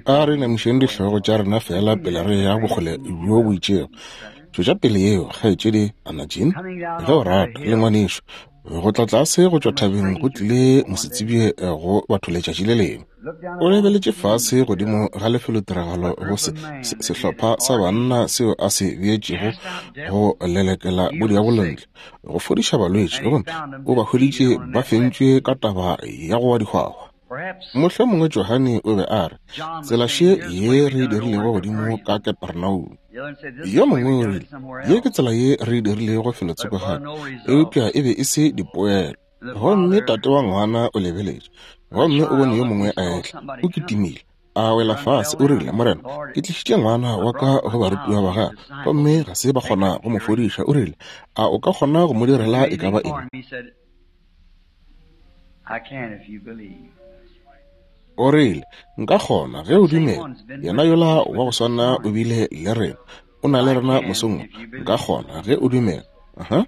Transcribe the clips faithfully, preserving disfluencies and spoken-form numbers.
A re inamišeng dihlogo tša rena fela pele re ya bokgole bjo bo itšego. Tšwetša pele yeo, kgaetšedi Anna Jean, ge o rata, le ngwanešu. Go tla tlase go tšwa thabeng go tlile mosetsebje go batho letšatši le lengwe. O lebeletše fase godimo ga lefelotiragalo go se, se, sehlopha sa banna seo a se beetšego go lelekela bodiabolo ntle, go fodiša balwetši, gomme o ba hweditše ba fentšwe ka taba ya go wa dihwahwa. Mohlomongwe Johane o be a re, tsela še ye re e dirilego godimo ka Kapernaum. Yo mongwe o rile, ye ke tsela ye re e dirilego felotsoko gape, eupša e be e se dipoelo. Gomme tate wa ngwana o lebeletše, gomme o bone yo mongwe a etla, o kitimile, a wela fase, o rile, Morena, ke tlišitše ngwana wa ka go barutiwa ba gago, gomme ga se ba kgona go mo fodiša. O rile, a o ka kgona go mo direla e ka ba eng? O rile, nka kgona ge o dumela. Yena yola wa go swana o bile le rena, o na le rena mosong. Nka kgona ge o dumela. Uh-huh.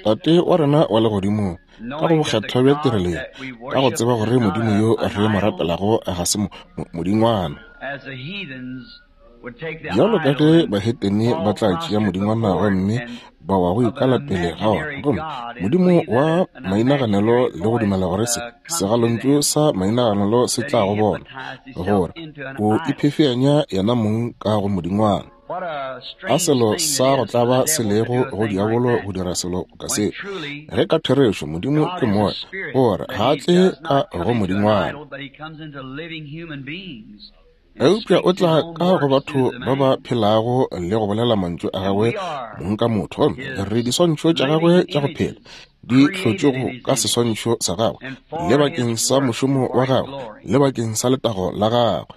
Tate wa rena wa legodimo, ka go bokgethwa bja tirelo ye, ka go tseba gore Modimo yo re mo rapelago ga se modingwana, bjalo ka ge bahetene ba tla tšea modingwana gomme ba wa go ikala pele ga ona, gomme modimo wa mainaganelo le go dumela gore se segalontšu sa mainaganelo se tla go bona gore o iphefeanya yena mong ka go modingwana. A selo sa go tlaba se lego go diabolo go dira selo ka se, ge ka therešo Modimo ke moya, gore ga a tle ka go modingwana, eupša o tla ka go batho ba ba phelago le go bolela mantšu a gagwe mong ka motho. Gomme re diswantšho tša gagwe tša go phela di hlotšwego ka seswantšho sa gagwe, le bakeng sa mošomo wa gagwe, le bakeng sa letago la gagwe.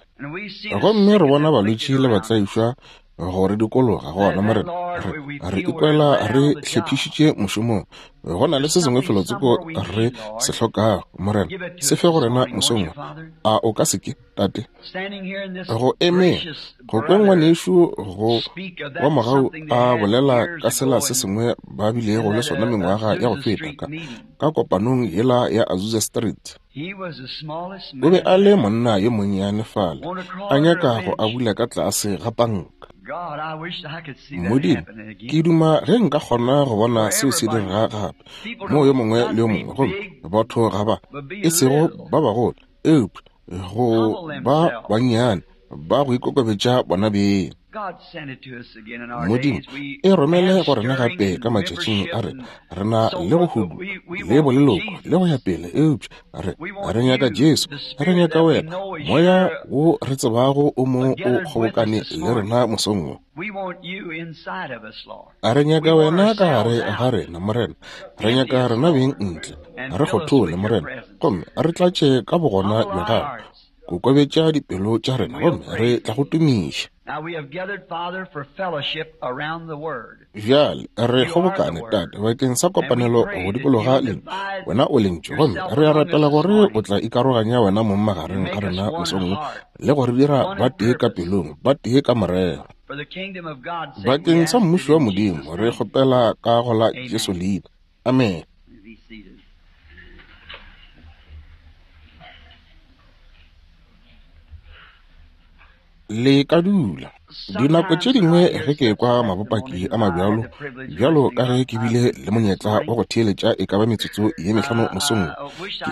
Gomme re bona balwetši le batlaišwa go re dikologa gona, Morena, re, re ikwela re hlephišitše mošomong. Go na le se sengwe felotsoko re se hlokago, Morena, se fe go rena mosong. A o ka se ke, Tate, go eme go kwe ngwanešu go wa mogau a bolela ka sela se sengwe ba bilego le sona mengwaga ya go feta ka, ka kopanong yela ya Azusa Street. O be a le monna yo monnyane fale, a nyaka go abula ka tlase ga panka. Modimo, ke duma ge nka kgona go bona seo se direga gape, mo yo mongwe le yo mongwe, gomme batho ga ba, e sego ba bagolo, eupša go ba bannyane ba go ikokobetša bona beng. Modimo, e romele go rena gape ka matšatšing a rena. Re na le go hudu le boleloko le go ya pele, eupša re re nyaka Jesu, re nyaka wena, moya wo re tsebago o mo o kgobokane le rena mosong wo. A re nyaka wena ka gare ga rena, Morena. Re nyaka rena beng ntle, re kgothole, Morena, gomme re tlatše ka bogona bja gago. Kokobetša dipelo tša rena, gomme re tla go tumiša. Bjale re kgobokane, Tate, bakeng sa kopanelo go dikologa lentšu. Wena o lentšu, gomme re a rapela gore o tla ikaroganya wena mong magareng ga rena mosong wo, le go re dira ba tee ka pelong, ba tee ka morero. Bakeng sa mmušo wa Modimo re kgopela ka go la Jesu leina. Amen. Le ka dula. Dinako tše dingwe ge ke kwa mabopaki a mabjalo, bjalo ka ge ke bile le monyetla wa go theeletša e ka ba metsotso ye mehlano mosong,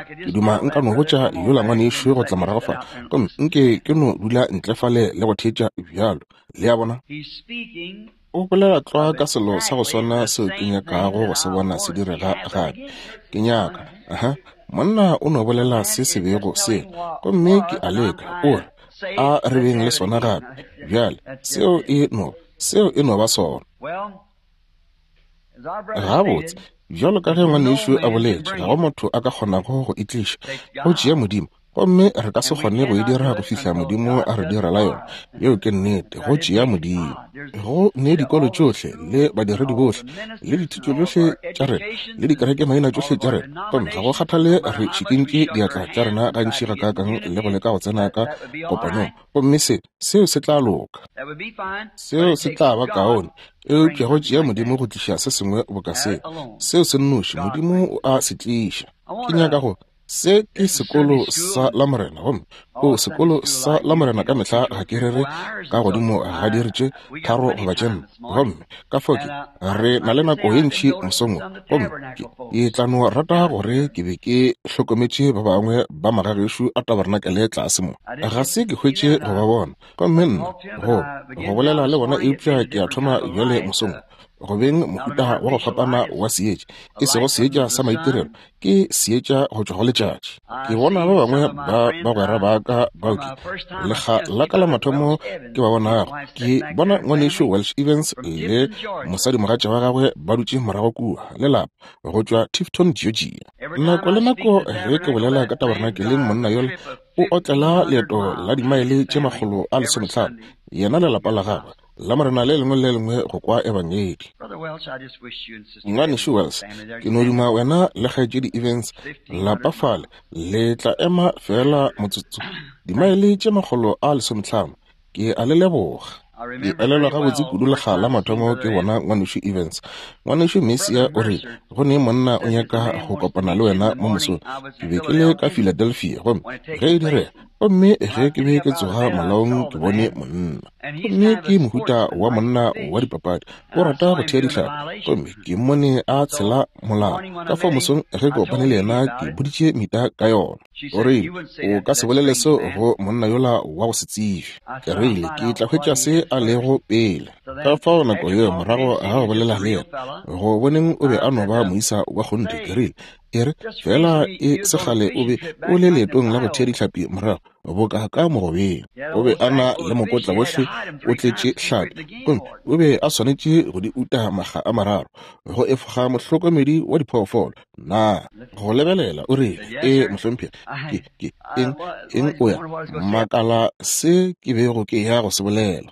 ke duma nka no botša yola ngwanešu go tla morago fa, gomme nke ke no dula ntle fale le go theetša bjalo. Le a bona? O bolela tlwa ka selo sa go swana seo ke nyakago go se bona se direga gape. Ke nyaka, aha, monna o no bolela se se bego se, gomme ke a leka, o re, a re beng le sona gape. Bjale, seo e no, seo e no ba sona. Gabotse, bjalo ka ge ngwanešu a boletše, ga go motho a ka kgonago go e tliša, go tšea Modimo Gomme re ka se kgone go e dira go fihla Modimo a re direla yona. Yeo ke nnete, go tšea Modimo. Go ne dikolo tšohle le badiredi bohle le dithuto tšohle tša rena le dikereke maina tšohle tša rena, gomme ga go kgathale re šikintše diatla tša rena gantši gakaakang le go leka go tsena ka kopanong, gomme se seo se tla loka, seo se tla ba kaone. Eupša go tšea Modimo go tliša se sengwe boka se, seo se nnoši Modimo o a se tliša. Ke nyaka go se ke sekolo sa Lamorena, gomme o sekolo sa Lamorena ka mehla ga ke rere ka godimo ga diiri tše tharo goba tše nne, gomme ka fao ke re na le nako ye ntši mosong wo, gomme ke ke tla no rata gore ke be ke hlokometše ba bangwe ba magagešo a tabernacle tlase mo. Ga se ke hwetše go ba bona, gomme nna go go bolela le bona, eupša ke a thoma bjale mosong go beng mohuta wa go fapana wa seetša, e sego seetša sa maitirelo, ke seetša go tšwa go letšatši. Ke bona ba bangwe ba bagwera ba ka bao ke lekga la ka la mathomo ke ba bonago. Ke bona ngwanešu Welsh Evans le mosadimogatša wa gagwe ba dutše morago kua le lapa go tšwa Tifton, Georgia. Nako le nako ge ke bolela ka tabernakeleng, monna yola o otlela leeto la dimaele tše makgolo a lesomehlano, yena le lapa la gagwe, Lamorena le lengwe le lengwe go kwa ebangedi. Ngwanešu Wells, ke no duma wena le kgaetšedi Evans lapa fale le tla ema fela motsotso. Dimaele tše makgolo a lesomehlano, ke a le leboga. Ke elelwa gabotse kudu lekga la mathomo ke bona ngwanešu Evans. Ngwanešu Messia o re go ne monna o nyaka go kopana le wena mo mosong. Ke be ke le ka Philadelphia, gomme ge e direga, gomme ge ke be ke tsoga malaong ke bone monna. Gomme ke mohuta wa monna wa dipapadi, o rata go thea dihlapi, gomme ke mmone a tshela molao. Ka fao mosong ge ke kopane le yena ke boditše Mita ka yona. O rile, o ka se bolele seo go monna yola wa go se tsebe. Ke rile, ke tla hwetša se a lego pele. Ka fao nako yeo morago ga go bolela le yena, go boneng o be a no ba moisa wa kgonthe, ke rile, e re fela e segale o be o le leetong la go thea dihlapi morago boka ka mogobeng. O be a na le mokotla wohle o tletše hlapi, gomme o be a swanetše go di uta makga a mararo go efoga mohlokomedi wa diphoofolo. Na go lebelela o rile, e mohlomphegi, ke ke eng eng o ya makala se ke bego ke ya go se bolela.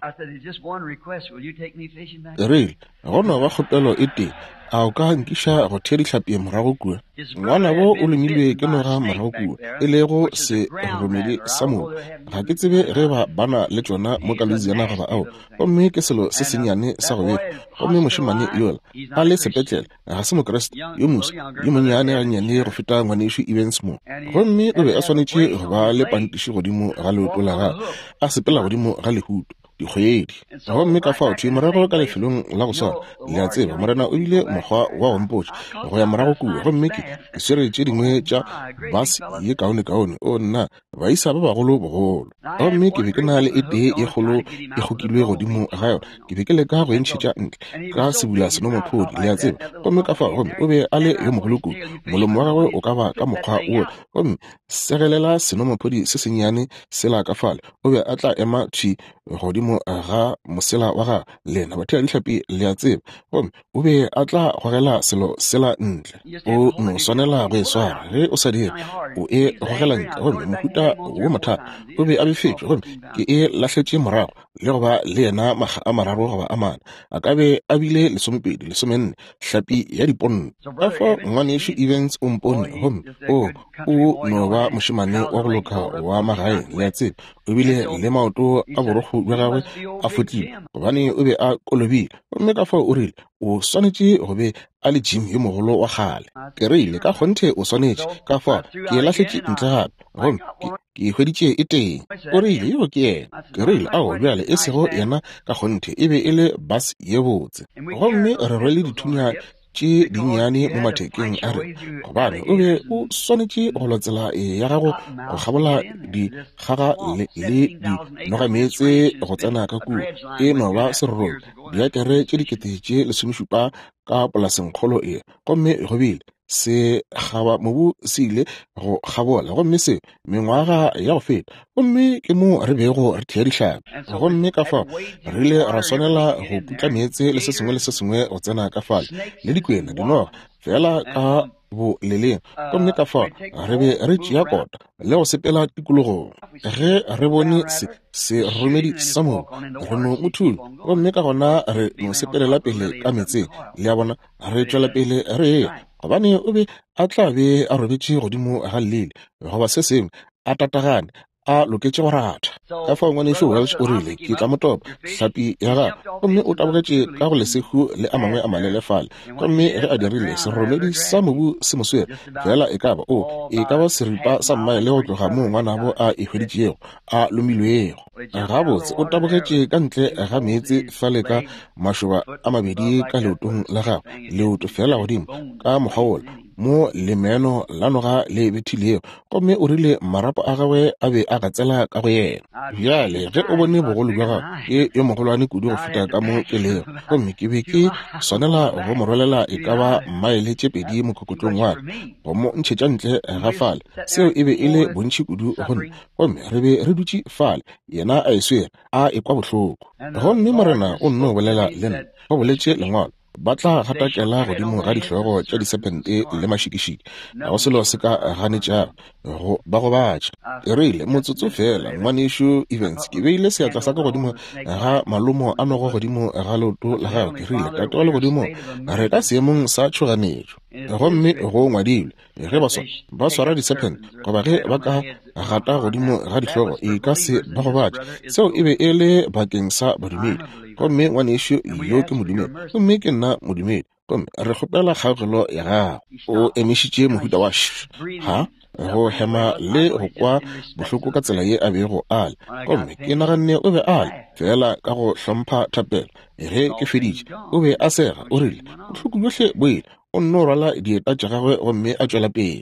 Ke rile, go no ba kgopelo e tee, a o ka nkiša go thea dihlapi morago kua? Ngwanabo o lomilwe ke noga morago kua, e lego seroromedi sa mobu. Ga ke tsebe ge ba bana le tšona mo ka Louisiana goba ao, gomme ke selo se sennyane sa go befa. Gomme mošemane yola a le sepetlele, ga se Mokriste, yo moswa yo monnyane gannyane go feta ngwanešu Evans mo. Gomme o be a swanetše go ba le pantiši godimo ga leoto la gagwe, a sepela godimo ga lehuto dikgwedi. Gomme ka fao thwi morago ka lefelong la go swana, le a tseba, Morena o bile mokgwa wa go mpotša go ya morago kua, gomme ke ke swere tše dingwe tša bus ye kaone-kaone, o nna baisa ba bagolo bogolo. Gomme ke be ke na le e tee ye kgolo e kgokilwe godimo ga yona, ke be ke leka go e ntšhetša ntle ka sebula senomaphodi, le a tseba. Gomme ka fao, gomme o be a le yo mogolo kudu, molomo wa gagwe o ka ba ka mokgwa wola, gomme segelela senomaphodi se sennyane sela ka fale, o be a tla ema thwi godimo ga mosela wa gagwe, lena bathea dihlapi le a tseba, gomme o be a tla gogela selo sela ntle. O no swanela go e swara, ge o sa dire o e gogela ntle. Gomme mohuta wo mothata o be a befetšwe, gomme ke e lahletše morago le go ba le yena makga a mararo goba a mane, a ka be a bile lesomepedi lesomenne hlapi ya diponno. Ka fao ngwanešu Evans o mpone, gomme o o no ba mošemane wa go loka wa magaeng, le a tseba. O bile le maoto a borokgo bja gagwe a fotlile, gobane o be a kolobile. Gomme ka fao o rile, o swanetše go be a le Jim yo mogolo wa kgale. Ke rile, ka kgonthe o swanetše. Ka fao ke e lahletše ntle gape, gomme ke ke hweditše e teng. O rile, yo ke yena. Ke rile, ao bjale e sego yena ka kgonthe, e be e le bus ye botse. Gomme re rwele dithunya tše dinnyane mo mathekeng a rena, gobane o be o swanetše go lwa tsela ya gago go kgabola dikgaga le, le dinogameetse go tsena ka kua. E no ba serorobja, diakere tše dikete tše lesomešupa ka polasengkgolo e. Gomme go bile se kgaba mobu se ile go kgabola, gomme se mengwaga ya go feta, gomme ke mo re bego re thea dihlapi. Gomme ka fao re ile ra swanela go putla meetse le se sengwe le se sengwe go tsena ka fale, le dikwena, dinoga, feela ka boleleng. Gomme ka fao re be re tšea kota le go sepela tikologong. Ge re bone se seromedi sa mobu, re no mo thula, gomme ka gona re no sepelela pele ka meetseng. Le a bona, re tšwela pele re eya, gobane o be a tla be a robetše godimo ga llele goba se sengwe, a tatagane, a loketše go ratha. Ka fao ngwanešu Welch o rile, ke tla mo topa hlapi ya gagwe, gomme o tabogetše ka go lesehu le a mangwe a malele fale. Gomme ge a dirile, seromedi sa mobu se mo swere fela e ka ba o e ka ba seripa sa mmaele go tloga moo ngwanabo a e hweditšego a lomilwego. Gabotse o tabogetše ka ntle ga meetse fale ka mašoba a mabedi ka leotong la gagwe, leoto fela godimo ka mokgwa wola mo lemeno la noga le bethilego, gomme o rile marapo a gagwe a be a gatsela ka go yena. Bjale ge o bone bogolo bja gagwe, ke yo mogolwane kudu go feta ka mo ke lego, gomme ke be ke swanela go mo rwalela e ka ba maele tše pedi mokokotlong wa ka go mo ntšhetša ntle ga fale. Seo e be e le bontši kudu go nna, gomme re be re dutše fale, yena a e swere a ekwa bohloko. Gomme Morena o nno bolela le nna, go boletše lengwalo, ba tla gatakela godimo ga dihlogo tša disephente le mašikišiki, ga go selo se ka ganetšago go ba gobatša. Ke rile, motsotso fela, ngwanešu Evans, ke beile seatla sa ka godimo ga malomo a nogo godimo ga leoto la gagwe. Ke rile, Tate wa legodimo, re ka seemong sa tšhoganetšo, gomme go ngwadilwe, ge ba swa ba swara disephente goba ge ba ka gata godimo ga dihlogo e ka se ba gobatše. Seo e be e le bakeng sa badumedi, gomme ngwanešu yo ke modumedi, gomme ke nna modumedi, gomme re kgopela kgaogelo ya gago. O emišitše mohuta wa š ha go hema le go kwa bohloko ka tsela ye a bego a le, gomme ke naganne o be a le fela ka go hlompha thapelo. Ge ke feditše, o be a sega, o rile bohloko bjohle bo ile. O nno rwala dieta tša gagwe gomme a tšwela pele.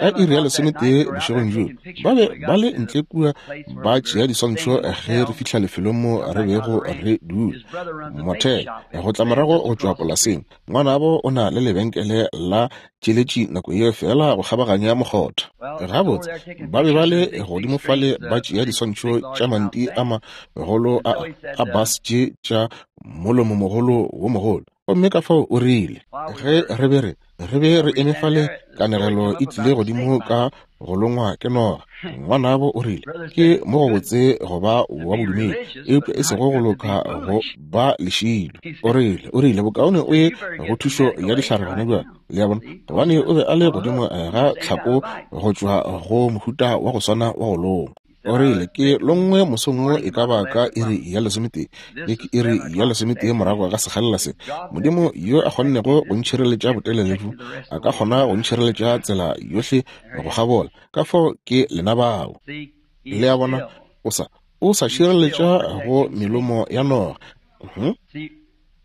Ka iri ya lesometee bošegong bjoo, ba be ba le ntle kua ba tšea diswantšho ge re fihla lefelong mo re bego re dula mothele go tla morago go tšwa polaseng. Ngwanabo o na le lebenkele la tšeletši nako yeo fela go kgabaganya mokgotha. Gabotse ba be ba le godimo fale ba tšea diswantšho tša manti a magolo a a bus tše tša molomomogolo wo mogolo. Gomme ka fao o rile, ge re be re re be re eme fale, kanegelo e tlile godimo ka go longwa ke noga. Ngwanabo o rile, ke mo go botse go ba wa bodumedi, eupša e sego go loka go ba lešilo. O rile, o rile bokaone o ye go thušo ya dihlare gona bjale. Le a bona, gobane o be a le godimo ga tlhako go tšwa go mohuta wa go swana wa go longwa. O rile, ke longwe mosong wo e ka ba ka iri ya lesometee, ye ke iri ya lesometee morago ga sekgalela se. Modimo yo a kgonnego go ntšhireletša botelele bjo, a ka kgona go ntšhireletša tsela yohle go kgabola. Ka fao ke lena bao. Le a bona, o sa o sa šireletša go melomo ya noga.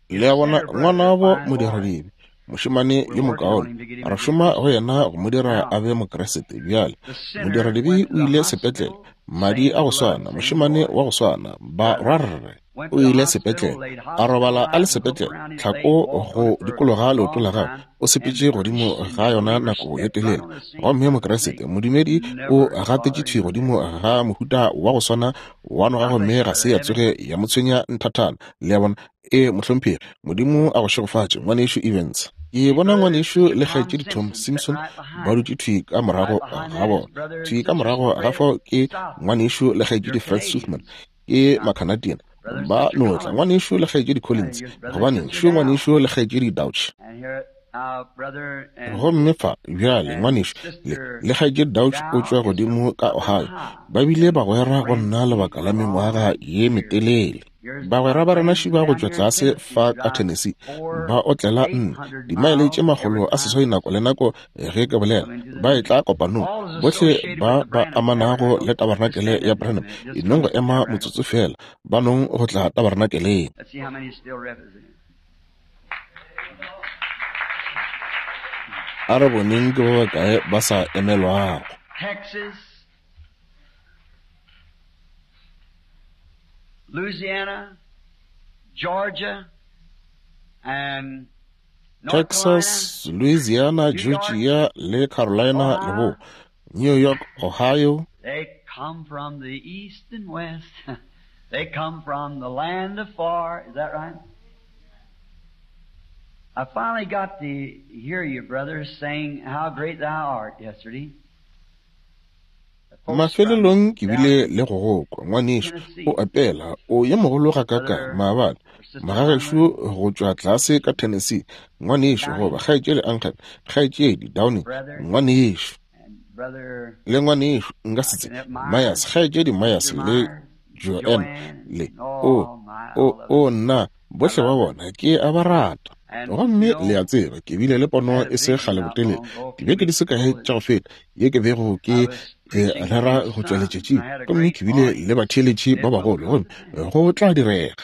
Le a bona, ngwanabo modiradibe, mošemane yo mokaone, re šoma go yena go mo dira a be Mokriste. Bjale modiradibe o ile sepetlele, madi a go swana, mošemane wa go swana, ba rwarre o ile sepetlele, a robala a le sepetlele, tlhako go dikologa leoto la gagwe, o sepetše godimo ga yona nako ye telele. Gomme Mokriste modumedi o gatetše thwi godimo ga mohuta wa go swana wa noga, gomme ga se ya tsoge ya mo tshwenya nthathana. Le a bona? E mohlomphegi, Modimo a go šegofatše, ngwanešu Evans. Ke bona ngwanešu le kgaetšedi Tom Simpson ba dutše thwi ka morago ga bona. Thwi ka morago ga fao ke ngwanešu le kgaetšedi Fred Sothmann, ke Macanadian. Ba no tla, ngwanešu le kgaetšedi Collins, gobaneng šo ngwanešu le kgaetšedi Dauch. Gomme fa bjale ngwanešu le le kgaetšedi Dauch o tšwa godimo ka Ohio. Ba bile bagwera go nna lebaka la mengwaga ye metelele. Bagwera ba rena šiba go tšwa tlase fa ka Tennessee ba otlela nne dimaele tše makgolo a seswai nako le nako ge ke bolela, ba etla kopanong. Bohle ba ba amanago le tabarnakele ya Branham e nong go ema motsotso fela, ba nong go tla tabarnakeleng. A re boneng ke ba bakae ba sa emelwago. Louisiana, Georgia, and Texas, Louisiana, Georgia, le Carolina, Lebo, New York, Ohio. They come from the east and west. They come from the land afar. Is that right? I finally got to hear you, brother, saying how great thou art yesterday. Mafelelong ke bile le go go kwa, ngwanešu, o apela, o ye mogolo ga kaka, maabane, magagešo go tšwa tlase ka Tennessee, ngwanešu, goba kgaetšedi Uncle, kgaetšedi Downing, ngwanešu, le ngwanešu, nka se tsebe, Myers, kgaetšedi Myers, le Joanne, le, o, o, o, nna, bohle ba bona, ke a ba rata. Gomme le a tseba, ke bile le pono e se kgale botelele, dibeke di se kae tša go feta, ye ke bego ke rera go tšwa letšatšing, gomme ke bile le batheeletši ba bagolo, gomme go tla direga.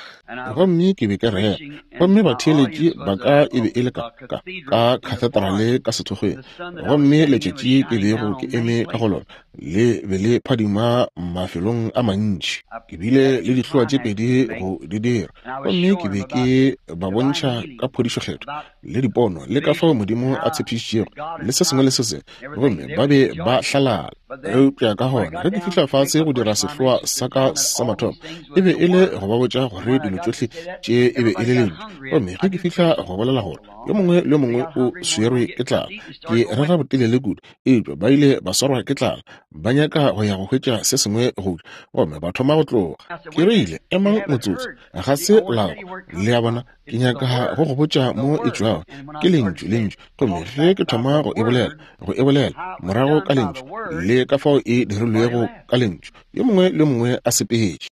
Gomme ke be ke rera, gomme batheeletši ba ka e be e le ka, ka, ka kathedrale ka sethokgweng, gomme letšatši ke bego ke eme ka go lona le be le phadima mafelong a mantši. Ke bile le dihloa tše pedi go di dira, gomme ke be ke ba bontšha ka phodišokgetho le dipono le ka fao Modimo a tshepišitšego le se sengwe le se sengwe, gomme ba be ba hlalala. Eupša ka gona ge ke fihla fase go dira sehloa sa ka sa mathomo, e be e le go ba botša gore dilo tšohle tše e be e le lentšu. Gomme ge ke fihla go bolela gore yo mongwe le yo mongwe o swerwe ke tlala, ke rera botelele kudu, eupša ba ile ba swarwa ke tlala, ba nyaka go ya go hwetša se sengwe go ja, gomme ba thoma go tloga. Ke rile, emang motsotso, ga se la kwa. Le a bona, ke nyaka go go botša mo e tšwago, ke lentšu, lentšu. Gomme ge ke thoma go e bolela, go e bolela morago ka lentšu, le ka fao e dirilwego ka lentšu, yo mongwe le mongwe a sepetše.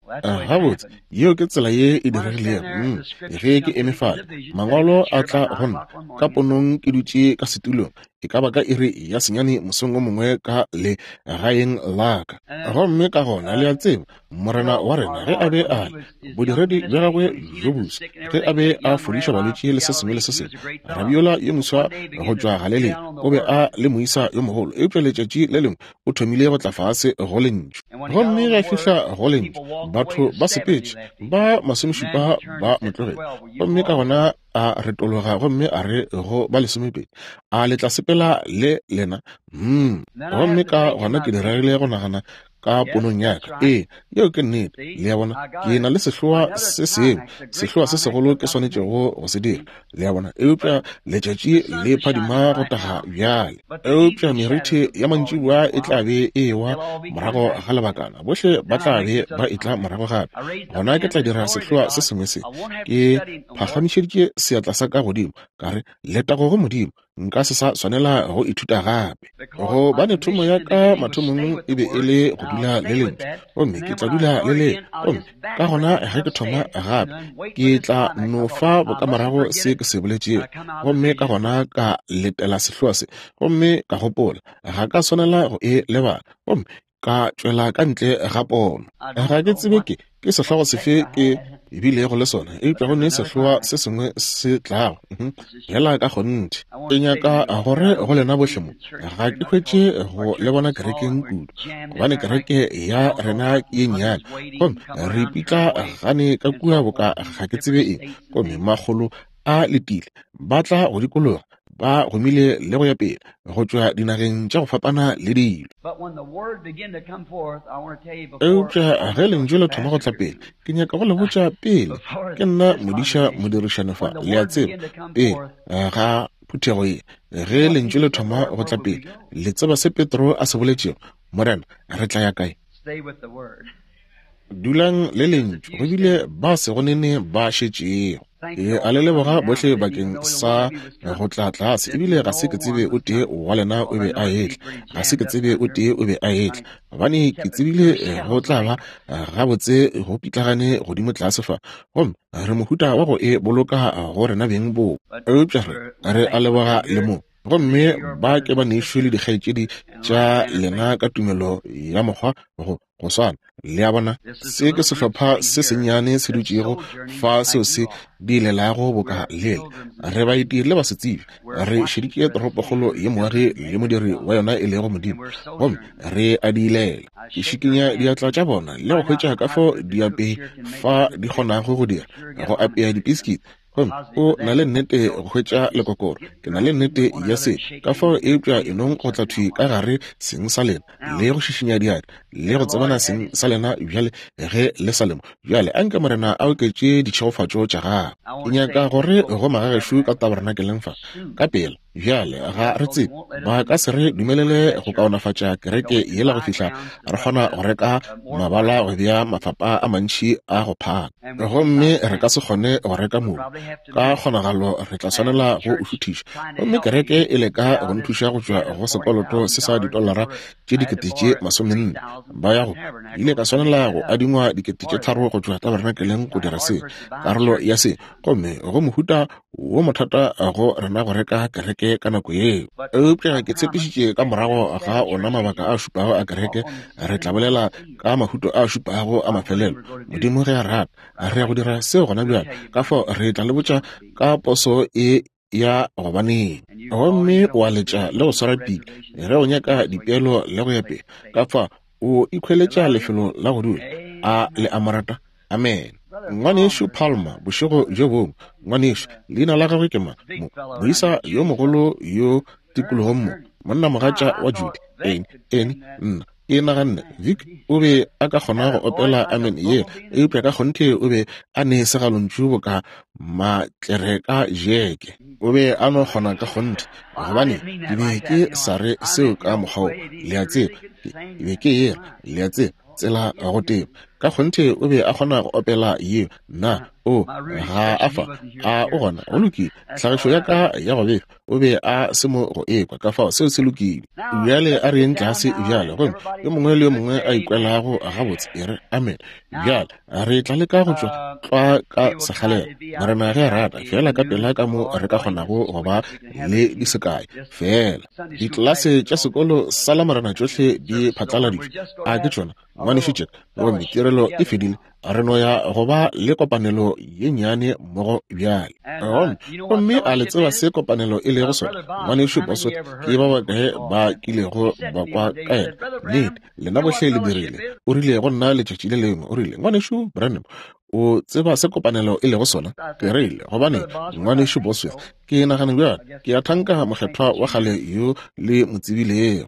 Gabotse, yeo ke tsela ye e diregilego. Mm, ge ke eme fale, mangwalo a tla go nna ka ponong, ke dutše ka setulong, e ka ba ka iri ya senyane mosong o mongwe ka le gaeng la ka. Gomme ka gona le a tseba, Morena wa rena ge a be a le bodiredi bja gagwe bjo boswa, ge a be a fodiša balwetši le se sengwe le se sengwe, rabiola yo moswa go tšwa Galilea o be a le moisa yo mogolo, eupša letšatši le lengwe o thomile go tla fase go lentšu. Gomme ge a fihla go lentšu, batho ba sepetše, ba masomešupa ba mo tlogetše. Gomme ka gona a retologa gomme a re go ba lesomepedi, a le tla sepela le lena? Mm. Gomme ka gona ke diregile go nagana ka ponong ya ka. Ee, yeo ke nnete. Le a bona, ke na le sehloa se sengwe, sehloa se segolo ke swanetšego go se dira. Le a bona, eupša letšatši le phadima go taga bjale, eupša meriti ya mantšiboa e tla be e ewa morago ga lebakana, bohle ba tla be ba etla morago gape. Gona ke tla dira sehloa se sengwe se. Ke phagamišeditše seatla sa ka godimo, ka re, letago go Modimo, nka se sa swanela go ithuta gape. Gobane thomo ya ka mathomong e be e le go dula le lentšu, gomme ke tla dula le le. Gomme ka gona ge ke thoma gape, ke tla no fa bokamorago se ke se boletšego. Gomme ka gona ka letela sehloa se, gomme ka gopola ga ka swanela go e lebala, gomme ka tšwela ka ntle ga pono. Ga ke tsebe ke ke sehlogo sefe ke ebilego le sona, eupša go ne sehloa se sengwe se tlago fela ka kgonthe. Ke nyaka gore go lena bohle mo, ga ke hwetše go le bona kerekeng kudu, gobane kereke ya rena ke ye nnyane, gomme re ipitla gane ka kua boka ga ke tsebe eng. Gomme makgolo a letile, ba tla go dikologa, ba gomile le go ya pele go tšwa dinageng tša go fapana le dilo. Eupša ge lentšu le thoma go tla pele, ke nyaka go le botša pele, ke nna modiša modirišane fa, le a tseba, pele ga phuthego ye, ge lentšu le thoma go tla pele, le tseba se Petro a se boletšego, Morena, re tla ya kae? Dulang le lentšu, go bile ba se go nene ba šetšego. Ke a le leboga bohle bakeng sa go tla tlase, ebile ga se ke tsebe o tee wa lena o be a etla, ga se ke tsebe o tee o be a etla, gobane ke tsebile go tla ba gabotse go pitlagane godimo tlase fa, gomme re mohuta wa go e boloka go rena beng bo. Eupša re re a leboga le mo. Gomme ba ke ba nešo le dikgaetšedi tša lena ka tumelo ya mokgwa go go swana. Le a bona, se ke sehlopha se sennyane se dutšego fa seo se diilelago boka lele. Re baeti le basetsebje, re šeditše toropokgolo ye moagi le modiri wa yona e lego Modimo, gomme re a diilela. Ke šikinya diatla tša bona le go hwetša ka fao diapei fa di kgonago go dira, go apea dipiskiti. Gomme o na le nnete go hwetša lekokoro, ke na le nnete ya se, ka fao eupša enong go tla thwi ka gare seng sa lena le go šišinya diatla le go tsebana seng sa lena bjale ge le sa lemo. Bjale a nke Morena a oketše ditšhegofatšo tša gagwe. Ke nyaka gore go magagešo ka tabernakeleng fa ka pela. Bjale ga re tsebe, ba ka se re dumelele go kaonafatša kereke yela go fihla re kgona go reka mabala go bea mafapa a mantši a go phaka, gomme re ka se kgone go reka mobu. Ka kgonagalo re tla swanela go o šuthiša, gomme kereke e leka go nthuša go tšwa go sekoloto se sa ditolara tše dikete tše masomenne. Ba ya go ile ka swanela go adingwa dikete tše tharo go tšwa tabernakeleng go dira se, karolo ya se, gomme go mohuta wo mothata go rena go reka kereke ka nako yeo. Eupša ke tshepišitše ka morago ga ona mabaka a šupago a kereke re tla bolela ka mahuto a šupago a mafelelo. Modimo ge a rata, re ya go dira seo gona bjale. Ka fao re tla le botša ka poso e ya gobaneng, gomme wa letša le go swara pile ge o nyaka dipeelo le go ya pele. Ka fa o ikhweletša lefelo la go dula. A le a mo rata? Amen. Ngwanešu Palmer, bošego bjo bongwe, ngwanešu, leina la gagwe ke mang? Mo, moisa yo mogolo yo tikologong mo, monnamogatša wa Judy. Eng, eng, nna ke naganne Vic o be a ka kgona go opela amen yela, eupša ka kgonthe o be a ne segalontšu boka matlereka jeke. O be a no kgona ka kgonthe, gobane ke be ke sa re seo ka mokgwa wo, le a tseba, ke be ke era, le a tseba, tsela go teba. Ka kgonthe o be a kgona go opela yeo. Nna, o ga a fa, a o gona, go lokile. Tlhagišo ya ka ya go befa, o be a se mo go ekwa, ka fao seo se lokile. Bjale a re yeng tlase bjale, gomme yo mongwe le yo mongwe a ikwelago gabotse e re amen. Bjale re tla leka go tšwa tlwa ka sekgalela, Morena ge a rata, fela ka pela ka mo re ka kgonago go ba le di sekae fela. Ditlelase tša sekolo sa Lamorena tšohle di phatlaladitšwe, a ke tšona, ngwanešu Jack, gomme tirelo e fedile. Re no ya go ba le kopanelo ye nnyane mmogo bjale. Gomme gomme a le tseba se kopanelo e lego sona? Ngwanešu Bosworth, ke ba bakae ba kilego ba kwa ka yena? Nnete, lena bohle le dirile. O rile go nna letšatši le lengwe, o rile, ngwanešu Branham, o tseba se kopanelo e lego sona? Ke rile, gobane ngwanešu Bosworth, ke nagana bjale, ke a thanka mokgethwa wa kgale yo le mo tsebilego.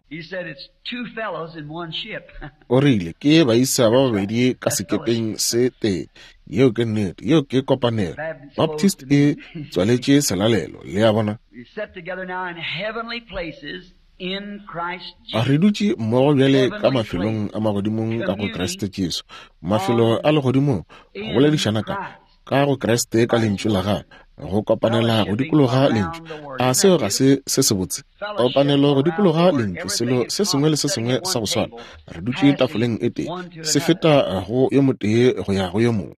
O rile, ke baisa ba babedi ka sekepeng se tee. Yeo ke nnete, yeo ke kopanelo. Baptist e tswaletše selalelo, le a bona. Re dutše mmogo bjale ka mafelong a magodimong ka go Kriste Jesu. Mafelo a legodimong, go boledišana ka ka go Kriste ka lentšu la gagwe, go kopanela go dikologa lentšu. A seo ga se se sebotse? Kopanelo go dikologa lentšu, selo se sengwe le se sengwe sa go swana. Re dutše tafoleng e tee, se feta go yo motee go ya go yo mongwe.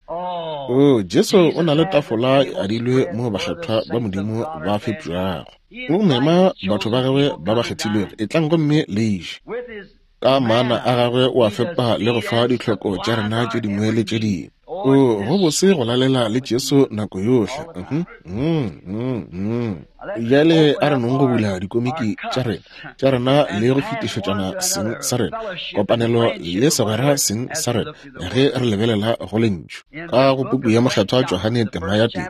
O, Jesu o na le tafola e adilwe mo bakgethwa ba Modimo ba fepšwago. O mema batho ba gagwe ba ba kgethilwego, etlang gomme le je. Ka maana a gagwe o a fepa le go fa ditlhoko tša rena tše dingwe le tše dingwe. O, go bose go lalela le Jesu nako yohle. Mm, mm, mm. Bjale a re nong go bula dikomiki tša rena tša rena le go fetišetšana seng sa rena, kopanelo le segwera seng sa rena, ge re lebelela go lentšu. Ka go puku ya Mokgethwa Johane tema ya tee,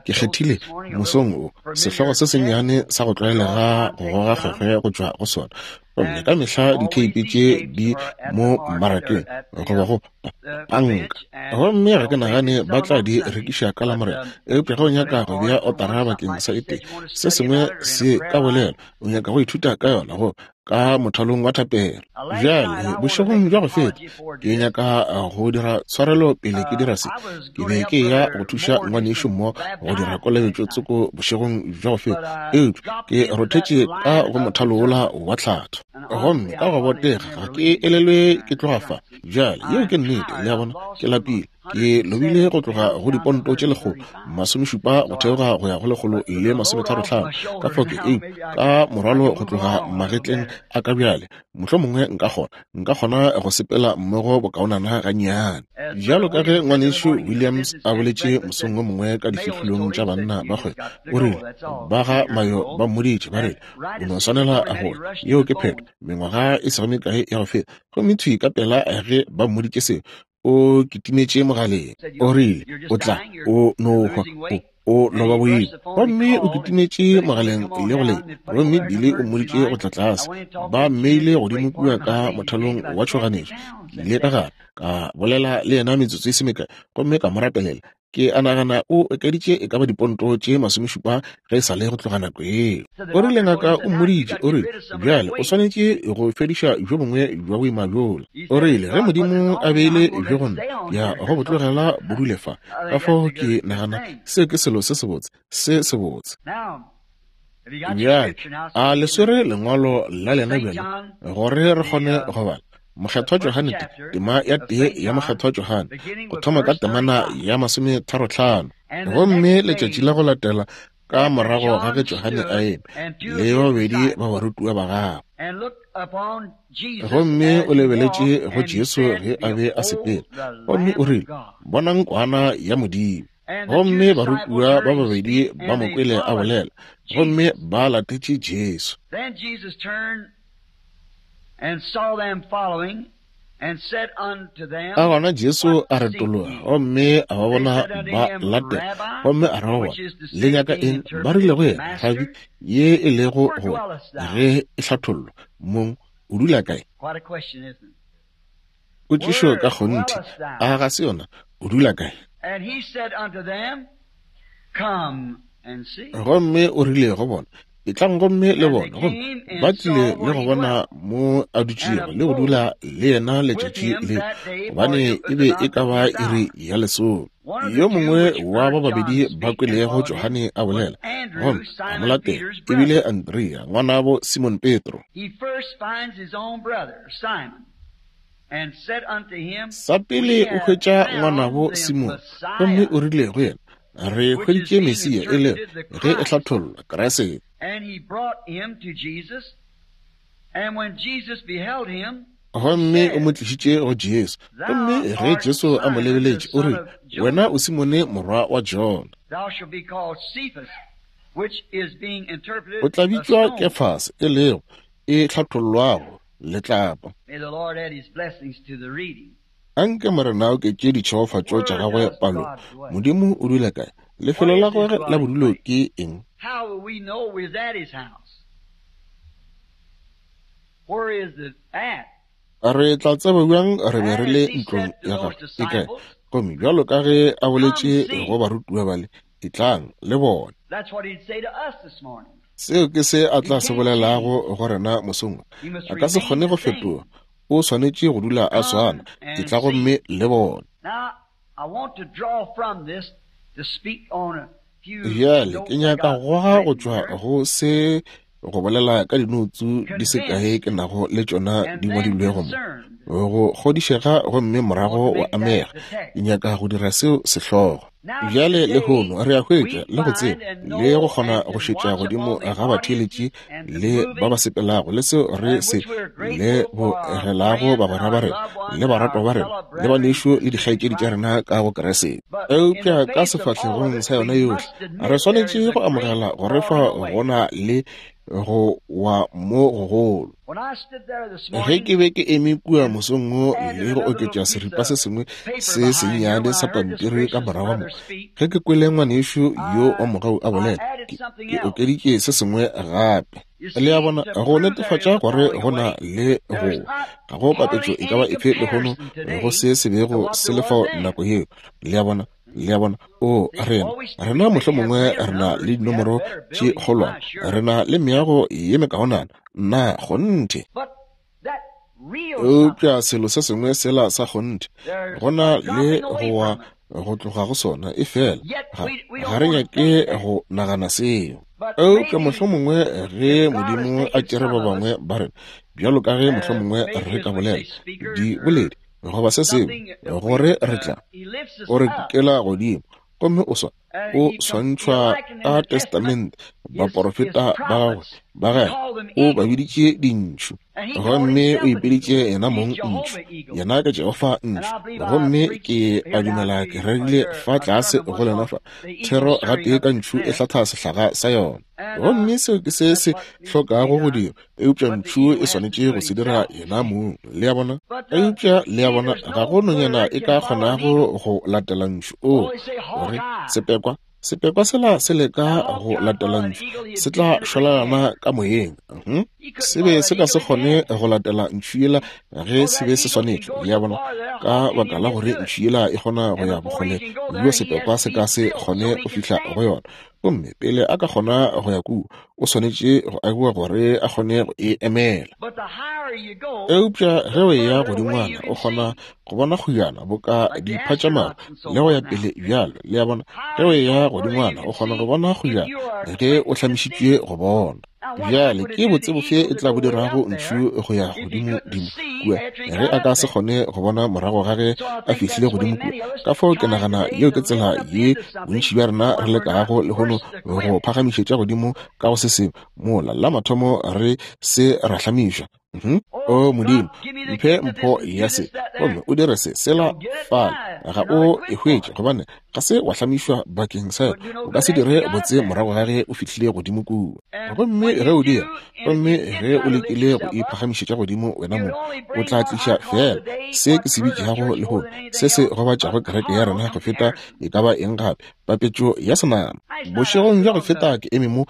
ke kgethile mosong o sehlogo se sennyane sa go tlwaelega go goga kgwekgwe go tšwa go sona. Gomme ka mehla ditheipi tše di mo mmarakeng goba go panka, gomme ga ke nagane ba tla di rekiša ka Lamorena. Eupša ge o nyaka go bea otara bakeng sa e tee, se sengwe se ka bolela, o nyaka go ithuta ka yona go ka mothalong wa thapelo. Bjale bošegong bja go feta, ke nyaka go dira tshwarelo pele ke dira se. Ke be ke ya go thuša ngwanešu mo go dira kolobetšo tsoko bošegong bja go feta, eupša ke rothetše ka go mothalo wola wa tlhatho, gomme ka go botega ga ke elelwe ke tloga fa. Bjale yeo ke nnete, le a bona, ke lapile. Ke lobile go tloga go diponto tše lekgolo masomešupa go theoga go ya go lekgolo le masometharo tlhano. Ka fao ke ei ka morwalo go tloga magetleng a ka bjale, mohlomongwe nka kgona nka kgona go sepela mmogo bokaonana gannyane. Bjalo ka ge ngwanešu Williams a boletše mosong o mongwe ka difihlolong tša banna ba kgwebo, o rile ba ga Mayo ba mmoditše ba rile o no swanela go, yeo ke phetho, mengwaga e sego mekae ya go feta. Gomme thwi ka pela ge ba mmoditše seo, o kitimetše mogaleng. O rile o tla, o no hwa, o O no ba boima. Gomme o kitimetše mogaleng le go le, gomme Billy o mmoditše go tla tlase. Ba mmeile godimo kua ka mothalong wa tšhoganetšo. Ke ile ka gare, ka bolela le yena metsotso e se mekae, gomme ka mo rapelela. Ke a nagana o okeditše e ka ba diponto tše masomešupa ge e sa le go tloga nako yeo. O rile ngaka o mmoditše, o rile, bjale o swanetše go fediša bjo bongwe bja boima bjola. O rile ge Modimo a beile bjo go nna, ya go bo tlogela bo dule fa. Ka fao ke nagana seo ke selo se sebotse, se sebotse. Bjale, a le swere lengwalo la lena bjale gore re kgone go bala. Mokgethwa Johane, tema ya tee ya Mokgethwa Johane, go thoma ka temana ya masometharo-hlano. Gomme letšatši la go latela ka morago ga ge Johane a eme le babedi ba barutiwa ba gagwe, gomme o lebeletše go Jesu ge a be a sepela, gomme o rile, bonang kwana ya Modimo. Gomme barutiwa ba babedi ba mo kwele a bolela, gomme ba latetše Jesu. And saw them following, and said unto them, A gona Jesu a retologa, gomme a ba bona ba latela, gomme a re go bona, le nyaka eng? Ba rile go yena, Rabi, ye e lego go ge e hlathollwa, mong o dula kae? Potšišo ka kgonthe, a ga se yona, o dula kae? And he said unto them, Come and see. Gomme o rile go bona, etlang gomme le bona. Gomme ba tlile le go bona mo a dutšego le go dula le yena letšatši le, gobane e be e ka ba iri ya lesome. Yo mongwe wa ba babedi ba kwelego Johane a bolela, gomme a mo latela, e bile Andrea, ngwanabo Simon Petro. Sa pele o hwetša ngwanabo Simon, gomme o rile go yena, re hweditše Mesia, e le ge e hlathollwa Kriste. And he brought him to Jesus, and when Jesus beheld him, gomme o mo tlišitše go Jesu. Gomme ge Jesu a mo lebeletše, o rile, wena o Simone morwa wa Jona, thou shalt be called Cephas, which is being interpreted o tla bitšwa a stone. Kefase, e lego e hlathollwago letlapa. May the Lord add his blessings to the reading. Anke Morena a oketše ditšhegofatšo tša gagwe palong. Modimo o dula kae? Lefelo la gagwe la bodulo ke eng? How will we know we're at his house? Where is it at? Re tla tseba bjang re be re le ntlong ya gagwe? E kae? Gomme bjalo ka ge a boletše go barutiwa bale, etlang le bone. That's what he'd say to us this morning. Seo ke se a tla se bolelago go rena mosong. A ka se kgone go fetoga. O swanetše go dula a swana. Etla gomme le bone. Now, I want to draw from this to speak on a few Bjale ke notes I nyaka got go goga go written tšwa here. go se go bolela ka dinoutsu di se kae ke nago le tšona And di then ngwadilwego mo. concerned. Go kgodišega gomme morago wa amega. Ke nyaka go dira seo sehlogo. Bjale lehono re a hwetša le go tseba le go kgona go šetša godimo ga batheeletši le ba ba sepelago le seo re se lebogelago bagwera ba rena le baratwa ba rena le banešu le dikgaetšedi tša rena ka go Kriste. Eupša ka sefahlegong sa yona yohle re swanetše go amogela gore fa go na le go wa mo gogolo. When I stood there this Ge morning, ke be ke eme kua mosong wo le go oketša seripa se sengwe se sennyane sa pampiri ka morago mo, ge ke kwele ngwanešu yo wa mogau a bolela, ke, ke okeditše se sengwe gape. Le a bona, go netefatša gore go na le go ga go papetšo e ka ba efe lehono go se se bego se le fao nako yeo. Le a bona, le a bona, o rena, rena mohlomongwe re na le dinomoro tše kgolwana, re na le meago ye mekaonana, nna kgonthe. but that real something, Eupša selo se sengwe sela sa kgonthe, there's go na a le dropping go away wa from it. go tloga go sona, e fela Yet ga we, we ga don't re want to nyake think that. go nagana seo. But Eupša maybe mohlomongwe ge if God has Modimo a taken tšere some ba of us, bangwe ba rena, bjalo ka ge uh, mohlomongwe maybe re as ka we bolela say speakers or diboledi goba se sengwe, something, uh, we, gore re uh, tla he lifts us o re up. kukela godimo, gomme o swa Uh, o he, com- he swantšhwa likened in ka the Testament Testamente his, his baporofeta ba gagwe prophets. ba He gagwe called them o ba eagles. biditše dintšhu, And he called gomme o himself an ipeditše eagle. yena He's mong ntšhu, Jehovah Eagle. yena ke Jehofa And ntšhu. I believe I Gomme preached ke a here down dumela to ke uh, rerile your fa a tlase sermon go once lena on fa the eagle thero stirring gatee up ka its ntšhu e nest. hlatha sehlaga sa yona. And uh, Gomme seo ke se that's se what needs to be hlokago go done. dirwa, eupša But the ntšhu eagle e has to swanetše do go it se dira himself, you yena see. mong. Le a bona? But uh, Eupša le a see, bona, there's ga no go nonyana bird e can ka follow an kgonago eagle. go latela ntšhu. Oh, O they say hawk gore eye. sepekwa Sepekwa sela se leka go latela ntšhu, se tla šwalalana ka moyeng. Uh-huh. Se be se ka se kgone go latela ntšhu yela ge se be se swanetše, le a bona, ka baka la gore ntšhu yela e kgona go ya bokgole bjo sepekwa se ka se kgone go fihla go yona. Gomme pele a ka kgona go ya kua, o swanetše go agiwa gore a kgone go e emela. Eupša ge o eya godingwana, o kgona go bona kgojana boka diphatšamaru le go ya pele bjalo, le a bona. Ge o eya godingwana, o kgona go bona kgojana ge o hlamišitšwe go bona. Bjale ke botse bofe e tla bo dirago ntšhu go ya godimo-dimo kua ge a ka se kgone go bona morago ga ge a fihlile godimo kua? Ka fao ke nagana yeo ke tsela ye bontši bja rena re lekago lehono go phagamišetša godimo ka go se sengwe mola la mathomo re se ra hlamišwa. Mm-hmm. O Modimo, mphe mpho ya se, gomme o dire se sela fale. Ga o e hwetše gobane ga se wa hlamišwa bakeng sa yona. O ka se dire botse morago ga ge o fihlile godimo kua. Gomme ge o dira, gomme ge o lekile go iphagamišetša godimo wena mong, o tla tliša fela se ke se bitšago lehono, se se gobatšago kereke ya rena go feta e ka ba eng gape, papetšo ya senama. Bošegong bja go feta ke eme mo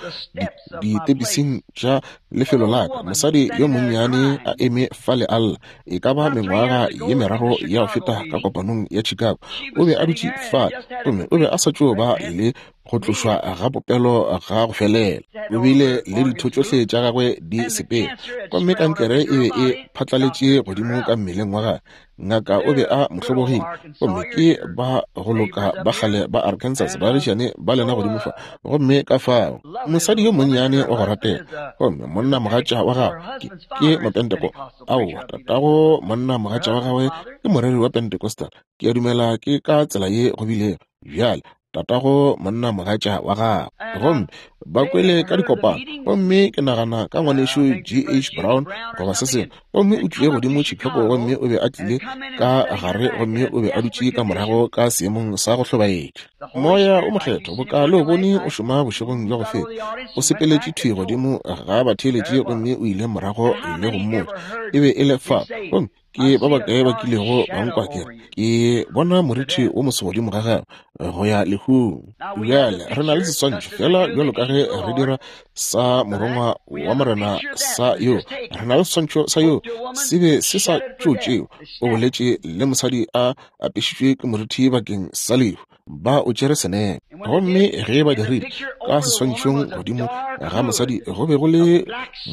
ditepising tša lefelo la ka, mosadi yo monnyane a eme fale a lla, e ka ba mengwaga ye meraro ya go feta ka kopanong ya Chicago. O be a dutše fale, gomme o be a sa tšo ba le go tlošwa ga popelo ga go felela. O bile le ditho tšohle tša gagwe di sepela, gomme kankere e be e phatlaletše godimo ka mmeleng wa gagwe. Ngaka o be a mo hlobogile, gomme ke ba go loka ba kgale ba Arkansas baagišane ba lena godimo fa. Gomme ka fao mosadi yo monnyane wa go ratega, gomme monna mogatša wa gagwe ke, ke Mopenteko. Aowa, tatago monna mogatša wa gagwe ke moreri wa Pentecostal. Ke a dumela ke ka tsela ye go bilego bjale, tatago monna mogatša wa gagwe. Gomme ba kwele ka dikopano, gomme ke nagana ka ngwanešu G H Brown goba se sengwe, gomme o tlile godimo Chicago, gomme o be a tlile ka gare, gomme o be a dutše ka morago ka seemong sa go hlobaetša. Moya o mokgethwa boka le o bone o šoma bošegong bja go feta, o sepeletše thwi godimo ga batheeletši, gomme o ile morago le go mmotša e be e le fa. Gomme ke ba bakae ba kilego ba nkwa ke re ke bona morithi wo moso godimo ga gagwe go ya lehung. Bjale re na le seswantšho fela bjalo ka ge re dira sa morongwa wa Morena sa yo, re na le seswantšho sa yo se be se sa tšo tšeo. O boletše le mosadi a apešitšwe ke morithi bakeng sa lehu, ba o tšere senepe. Gomme ge ba dirile ka seswantšhong godimo ga mosadi go be go le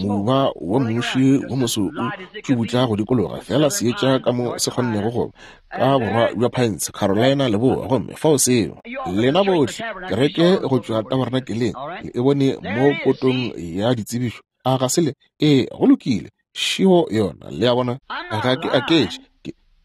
moba wa moši wo moso o tšubutla go dikologa fela seetša ka mo se kgonnego go ka borwa bja Pines, Carolina leboa. Gomme fao seo lena bohle kereke go tšwa tabernakeleng le e bone mo potong ya ditsebišo. A ga se le? Ee, go lokile, šio yona, le a bona. Ga ke aketše,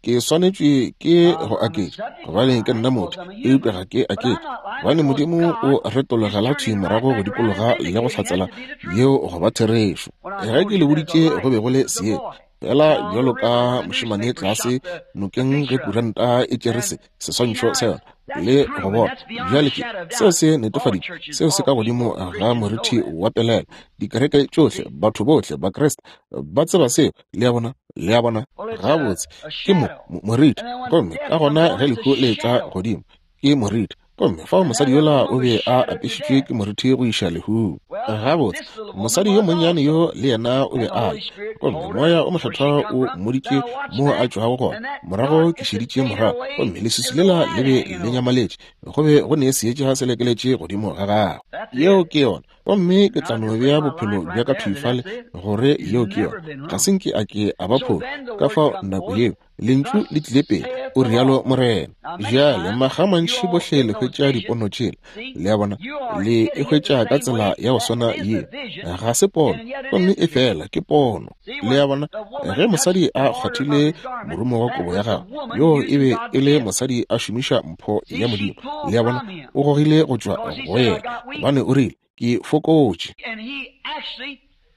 ke swanetšwe ke go aketša gobane ke nna motho, eupša ga ke aketše gobane Modimo o retologela thwi morago go dikologa le go hlatsela yeo go ba therešo. Ge ke le boditše go be go le seetša fela bjalo ka mošemane tlase nokeng ge kuranta e tšere se seswantšho sa yona le go bona. Bjale ke seo se netefaditše, seo se ka godimo ga morithi wa pelelo. Dikereke tšohle, batho bohle ba Kriste ba tseba seo, le a bona, le a bona. Gabotse ke mo morithi, gomme ka gona ge lehu le etla godimo ke morithi. Gomme fao mosadi yola o be a apešitšwe ke morithi go iša lehung. Gabotse mosadi yo monnyane yo le yena o be a le, gomme moya o mokgethwa o mmoditše mo a tšwago gona. Morago ke šeditše morago, gomme leswiswi lela le be le nyamaletše, go be go ne seetša se lekeletše godimo ga gagwe. Yeo ke yona. Gomme ke tla no bea bophelo bja ka thwi fale gore yeo ke yona. Ga se nke a ke a ba phola. Ka fao nako yeo lentšu le tlile pele, o rialo Morena. Bjale maga mantši bohle le hwetša dipono tšela, le a bona, le e hwetša ka tsela ya go swana ye. Ga se pono, gomme e fela ke pono, le a bona. Ge mosadi a kgwathile morumo wa kobo ya gagwe, yo e be e le mosadi a šomiša mpho ya Modimo, le a bona, o gogile go tšwa go yena, gobane o rile ke fokotše.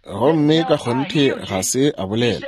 Gomme ka kgonthe ga se a bolela,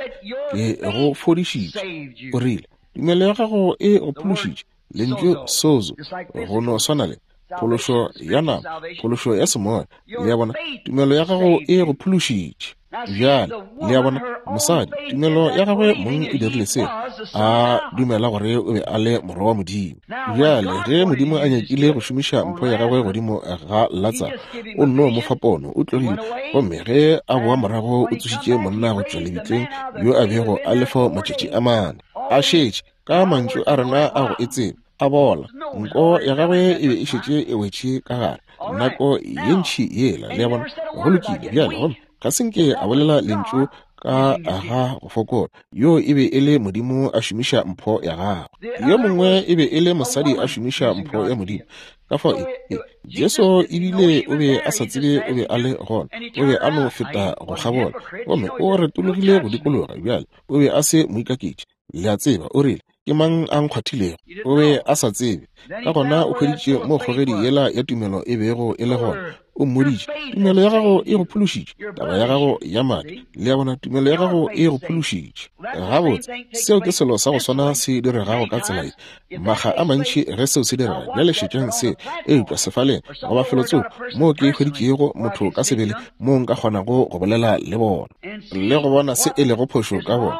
ke go fodišitše. O rile tumelo ya gago e go phološitše. Lentšu sozo go no swana le Phološo ya nama, phološo ya semoya. Le a bona, tumelo ya gago e go phološitše. Bjale, le a bona, mosadi, tumelo ya gagwe mong e dirile seo, a dumela gore o be a le morwa wa Modimo. Bjale, ge Modimo a nyakile go šomiša mpho ya gagwe godimo ga Latsaro, o nno mo fa pono, o tlogile, gomme ge a boa morago o tsošitše monna go tšwa lebitleng yo a bego a le fao matšatši a mane. A šetše, ka mantšu a rena a go e tseba, a bola, nko ya gagwe e be e šetše e wetše ka gare nako ye ntši yela. Le a bona, go lokile. Bjale, gomme ga se nke a bolela lentšu ka ga go fokola. Yo e be e le Modimo a šomiša mpho ya gagwe. Yo mongwe e be e le mosadi a šomiša mpho ya Modimo. Ka fao e, e, Jesu ebile o be a sa tsebe o be a le gona, o be a no feta go kgabola, gomme o retologile go dikologa. Bjale o be a se moikaketši, le a tseba. O rile, ke mang a nkgwathilego? O be a sa tsebe. Ka gona o hweditše mo kgogedi yela ya tumelo e bego e le gona. O mmoditše, tumelo ya gago e go phološitše, taba ya gago ya madi. Le a bona, tumelo ya gago e go phološitše. Gabotse, seo ke selo sa go swana se diregago ka tsela ye. Makga a mantši ge seo se direga, bjale šetšang se, eupša sefaleng goba felotsoko moo ke hweditšego motho ka sebele moo nka kgonago go bolela le bona le go bona se e lego phošo ka bona.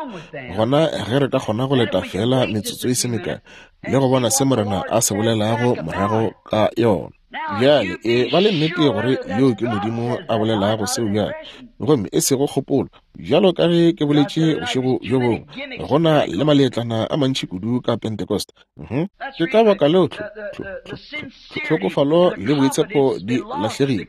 Gona ge re ka kgona go leta fela metsotso e se mekae le go bona se Morena a se bolelago morago ka yona. Bjale e ba le nnete gore yo ke Modimo a bolelago seo bjale, gomme e sego kgopolo. Bjalo ka ge ke boletše bošego bjo bongwe, go na le maletlana a mantši kudu ka Pentecost. Uh-huh. Ke ka baka leo tlhokofalo le boitshepo di lahlegile.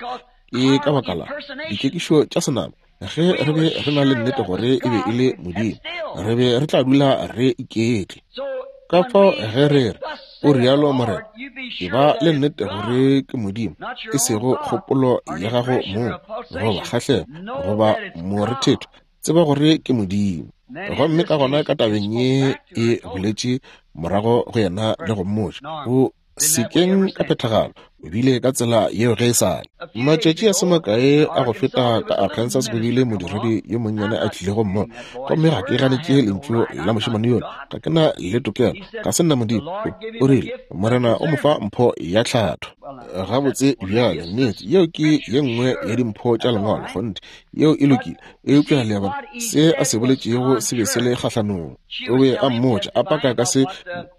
Ke ka baka la dikekišo tša senama. Ge re be re na le nnete gore e be e le Modimo, re be re tla dula re iketle. Ka fao ge re re o rialo Morena, e ba le nnete gore ke Modimo, e sego kgopolo ya gago mong goba kgahlego goba morethetho. Tseba gore ke Modimo. Gomme ka gona ka tabeng ye e boletše morago go yena le go mmotša, o sekeng ka phethagalo, o bile ka tsela yeo ge e sa le. Matšatši a se makae a go feta ka Arkansas go bile modiredi yo monnyane a tlilego mmo, gomme ga ke ganetše lentšu la mošemane yola, ga ke na le tokelo, ga se nna Modimo. O rile, Morena o mo fa mpho ya tlhatho. Gabotse bjale, nnete, yeo ke ye nngwe ya dimpho tša lengwalo, kgonthe, yeo e lokile. Eupša le a bona, se a se boletšego se be se le kgahlanong. O be a mmotša, a paka ka se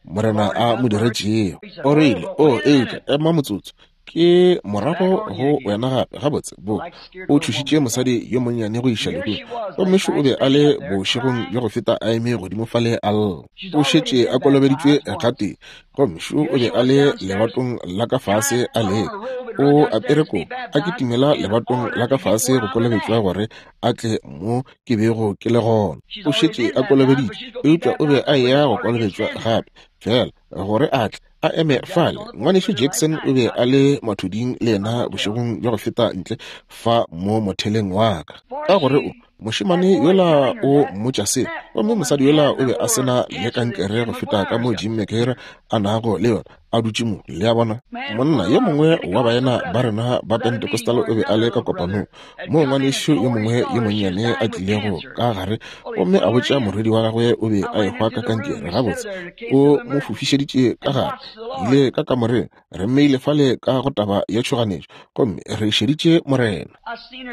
Morena a mo diretšego. O rile, o, eupša ema motsotso, ke morago go wena gape. Gabotse, bo o tšhošitše mosadi yo monnyane go iša lehung, gomme šo o be a le bošegong bja go feta a eme godimo fale a lla. O šetše a kolobeditšwe gatee, gomme šo o be a le lebatong la ka fase a leka. O apere kobo, a kitimela lebatong la ka fase go kolobetšwa gore a tle mo ke bego ke le gona. O šetše a kolobeditšwe, eupša o be a eya go kolobetšwa gape, fela gore a tle a eme fale. Ngwanešu Jackson o be a le mathuding le yena bošegong bja go feta ntle fa mo motheleng wa ka, ka gore o mošemane yola o mmotša se, gomme mosadi yola o be a se na le kankere go feta ka mo Jim McGarry a nago le yona, a dutše mo. Le a bona, monna yo mongwe wa baena ba rena ba Pentecostal o be a le ka kopanong moo ngwanešu yo mongwe yo monnyane a tlilego ka gare gomme a botša morwedi wa gagwe o be a ehwa ka kankere. Gabotse, o mo fofišeditše ka gare, ile ka kamoreng, re mmeile fale ka go taba ya tšhoganetšo, gomme re šeditše Morena.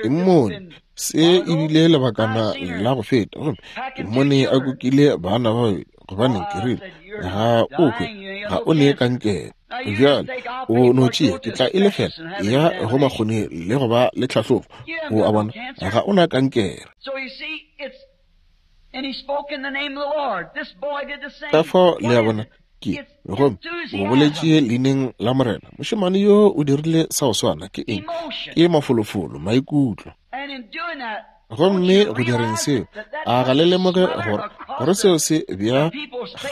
Ke mmone se ebile lebakana la go feta, gomme ke mmone a kukile bana ba babedi, gobane ke rile, ga o hwe, ga o ne kankere. Bjale o no tšea, ke tla e lefela ya go makgone le go ba le tlhahlobo. O a bona, ga o na kankere. Ka fao le a bona, ke gomme o boletše leineng la Morena. Mošemane yo o dirile sa go swana. Ke eng? Ke mafolofolo, maikutlo. Gomme go direng seo, a ga le lemoge gore gore seo se bea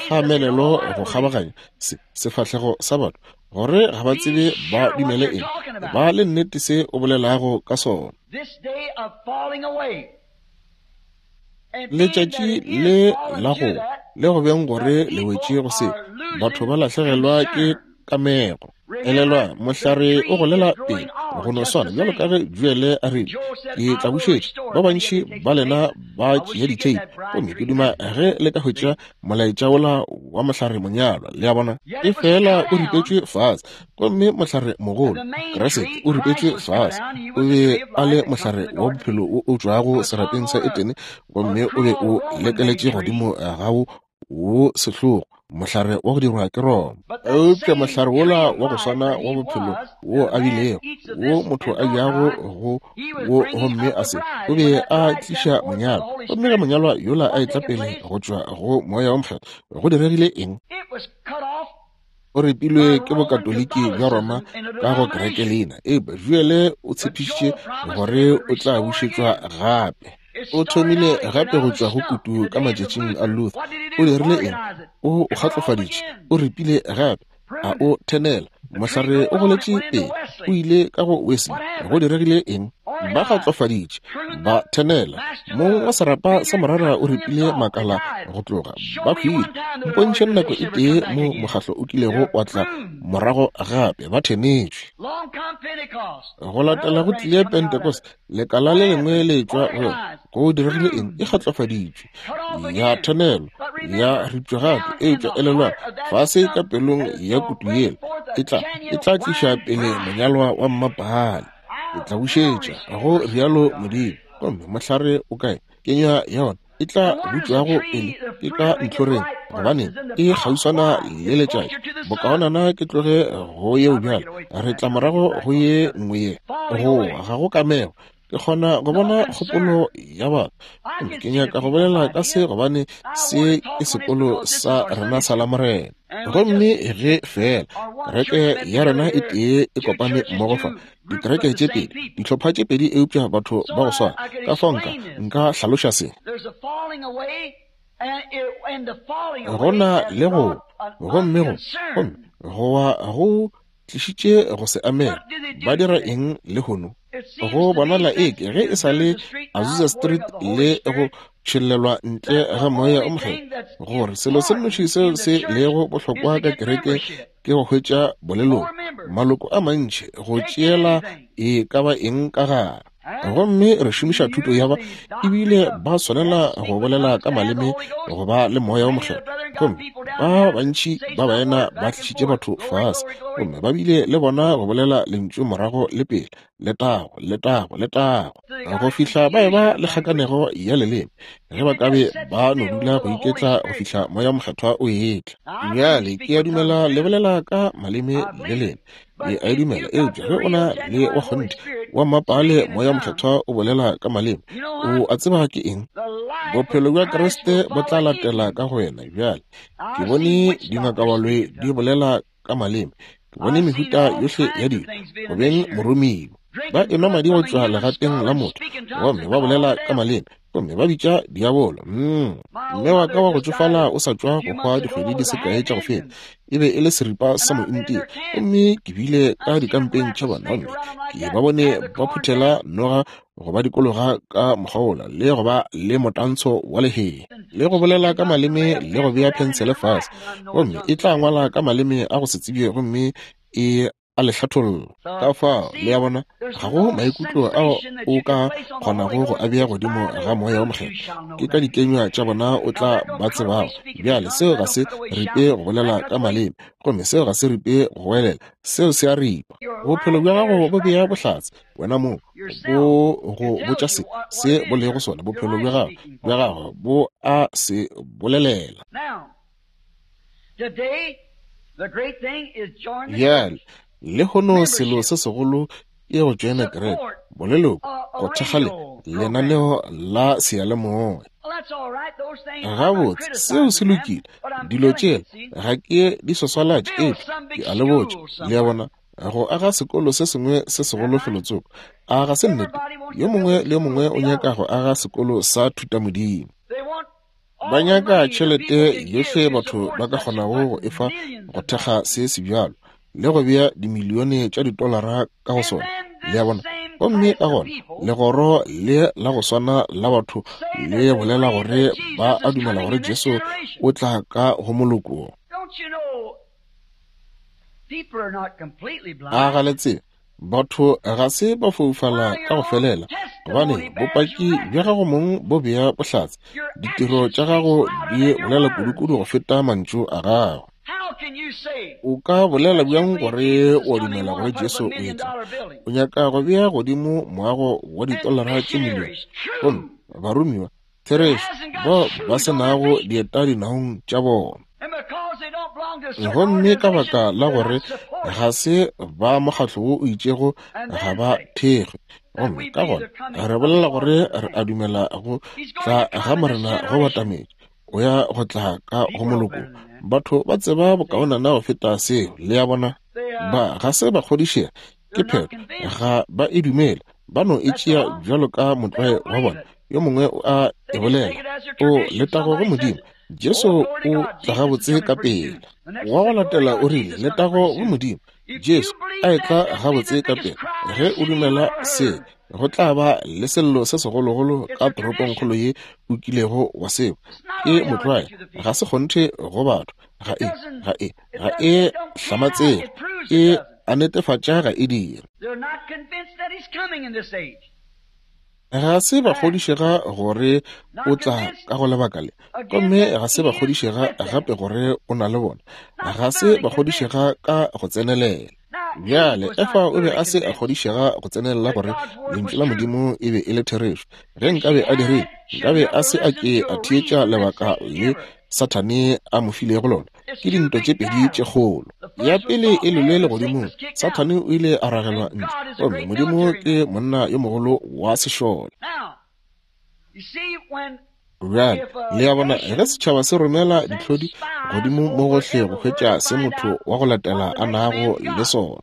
kgamelelo go kgabaganya se sefahlego sa batho, gore ga ba tsebe ba dumele eng, ba le nnete se o bolelago ka sona. Letšatši le la go le go beng gore le wetše go se, batho ba lahlegelwa ke kamego. Elelwa, mohlare o golela pele go no swana bjalo ka ge Joele a rile, ke tla bušetša. Ba bantši ba lena ba tšea ditheipi, gomme ke duma ge le ka hwetša molaetša wola wa mohlare monyalwa. Le a bona? E fela o ripetšwe fase, gomme mohlare mogolo Kriste o ripetšwe fase. O be a le mohlare wa bophelo o o tšwago serapeng sa Etene, gomme o be o lekeletše godimo ga wo wo sehlogo, mohlare wa go dirwa ke Roma. Eupša mohlare wola wa go swana wa bophelo wo a bilego, wo motho a jago go wo gomme a se, o be a tliša monyalwa. Gomme ge monyalwa yola a etla pele go tšwa go Moya wo Mokgethwa, go diregile eng? O repilwe ke bokatoliki bja Roma ka go kereke leina. Eupša Joele o tshepišitše gore o tla bušetšwa gape. O thomile gape go tšwa go kutu ka matšatšing a Luther. O dirile eng? O o kgatlofaditše, o ripile gape, a o thenela. Mohlare o goletše pele, o ile ka go Wesley. Go diregile eng? Ba kgatlofaditše, ba thenela. Mong wa serapa sa morara o ripile makala go tloga, ba hwile. Mpontšhe nako e tee mo mokgahlo o kilego wa tla morago gape, ba thenetšwe. Go latela go tlile Pentecost, lekala le lengwe le tšwa go yona. Go diregile eng? E kgatlofaditšwe, ya thenelwa, ya ripšwa gape. Eupša elelwa, fase ka pelong ya kutu yela e tla e tla tliša pele monyalwa wa mmapaale. E tla bušetša, go rialo Modimo. Gomme mohlare o kae? Kenywa ya ona e tla butšwago pele ke ka ntlhoreng, gobane e kgauswana le letšatši. Bokaonana ke tloge go yeo bjalo, re tla morago go ye nngwe ye. Go ga go kamego. Ke kgona go bona kgopolo ya batho. Ke nyaka go bolela ka se gobane se ke sekolo sa rena sa Lamorena. Gomme ge fela kereke ya rena e tee e kopane mmogo fa, dikereke tše pedi, dihlopha tše pedi, eupša batho ba go swana. Ka fao nka nka hlaloša se. Go na le go, gomme go, gomme go wa go tlišitše go se amege. Ba dira eng lehono? Go bonala eke ge e sa le Azusa Street le go tšhellelwa ntle ga Moya o Mokgethwa, gore selo se nnoši seo se lego bohlokwa ka kereke ke go hwetša boleloko, maloko a mantši, go tšeela e ka ba eng ka gare. Gomme re šomiša thuto ya ba, ebile ba swanela go bolela ka maleme go ba le Moya o Mokgethwa. Gomme ba bantši ba baena ba tlišitše batho fase, gomme ba bile le bona go bolela lentšu morago le pele, letago, letago, letago, go fihla ba eba le kgakanego ya leleme, ge ba ka be ba no dula go iketla go fihla Moya Mokgethwa o etla. Bjale ke a dumela le bolela ka maleme le lena, ke a e dumela, eupša ge o na le wa kgonthe wa mmapaale Moya Mokgethwa o bolela ka maleme, o a tseba ke eng? Bophelo bja Kriste bo tla latela ka go wena. Bjale ke bone dingakabaloi di bolela ka maleme, ke bone mehuta yohle ya dilo, go beng moromiwa. Ba enwa madi go tšwa legateng la motho, gomme ba bolela ka maleme, gomme ba bitša diabolo. Mm. Mme wa ka wa go tšofala o sa tšwa go hwa dikgwedi di se kae tša go feta, e be e le seripa sa mointia, gomme ke bile ka dikampeng tša bona, gomme ke ba bone ba phuthela noga go ba dikologa ka mokgwa wola, le go ba le motantsho wa lehea, le go bolela ka maleme, le go bea phensele fase, gomme e tla ngwala ka maleme a go se tsebje, gomme e a le hlatholla. Ka fao le a bona, ga go maikutlo ao o ka kgonago go a bea godimo ga Moya o Mokgethwa. Ke ka dikenywa tša bona o tla ba tsebago. Bjale seo ga se ripe go bolela ka maleme, gomme seo ga se ripe go welela, seo se a ripa. Bophelo bja gago bo bea bohlatse wena mong, bo go botša se se bo lego sona. Bophelo bja gago bja gago bo a se bolelela. Bjale lehono selo se segolo ke go tšoena kereke, boleloko, go thekga le lenaneo la seyalemoya. Gabotse, seo se lokile. Dilo tšela ga ke di swaswalatše, eupša ke a le botša, le a bona, go aga sekolo se sengwe se segolo felotsoko, a ga se nnete? Yo mongwe le yo mongwe o nyaka go aga sekolo sa thutamodimo. Ba nyaka tšhelete yohle batho ba ka kgonago go efa go thekga se sebjalo, le go bea dimilione tša ditolara ka go sona. Le a bona? Gomme ka gona legoro le la go swana la batho le bolela gore ba a dumela gore Jesu o tla ka go moloko. A ga le tsebe, batho ga se ba foufala ka go felela, gobane bopaki bja gago mong bo bea bohlatse. Ditiro tša gago di bolela kudu-kudu go feta mantšu a gago. O ka bolela bjang gore o dumela gore Jesu o etla? O nyaka go bea godimo moago wa ditolara tše milione, gomme baromiwa therešo bao ba se nago dieta dinaong tša bona. Gomme ka baka la gore ga se ba mokgatlo wo o itšego, ga ba thekgwe. Gomme ka gona re bolela gore re a dumela go tla ga Morena go batametše, o ya go tla ka go moloko. Batho ba tseba bokaonana go feta seo, le a bona. Ba ga se ba kgodišega, ke phetho, ga ba e dumele, ba no e tšea bjalo ka motlwae wa bona. Yo mongwe o a e bolela, o letago go Modimo, Jesu o tla gabotse ka pela. Wa go latela o rile, letago go Modimo, Jesu a etla gabotse ka pela. Ge o dumela se, go tla ba le sello se segologolo ka toropongkgolo ye o kilego wa seo. Ke motlwae, ga se kgonthe go batho, ga e, ga e, ga e hlamatsege, e a netefatša ga e dire. Ga se ba kgodišega gore o tla ka go lebaka le, gomme ga se ba kgodišega gape gore o na le bona. Ga se ba kgodišega ka go tsenelela. Bjale Efa o be a se a kgodišega go tsenelela gore lentšu la Modimo e be e le therešo. Ge nkabe a dirile, nkabe a se a ke a theetša lebaka le Sathane a mo filego lona. Ke dintwa tše pedi tše kgolo. Ya pele e lelwe legodimong, Sathane o ile a ragelwa ntle, gomme Modimo ke monna yo mogolo wa sešole. Bjale le a bona, ge setšhaba se romela ditlhodi godimo mo gohle go hwetša se motho wa go latela a nago le sona.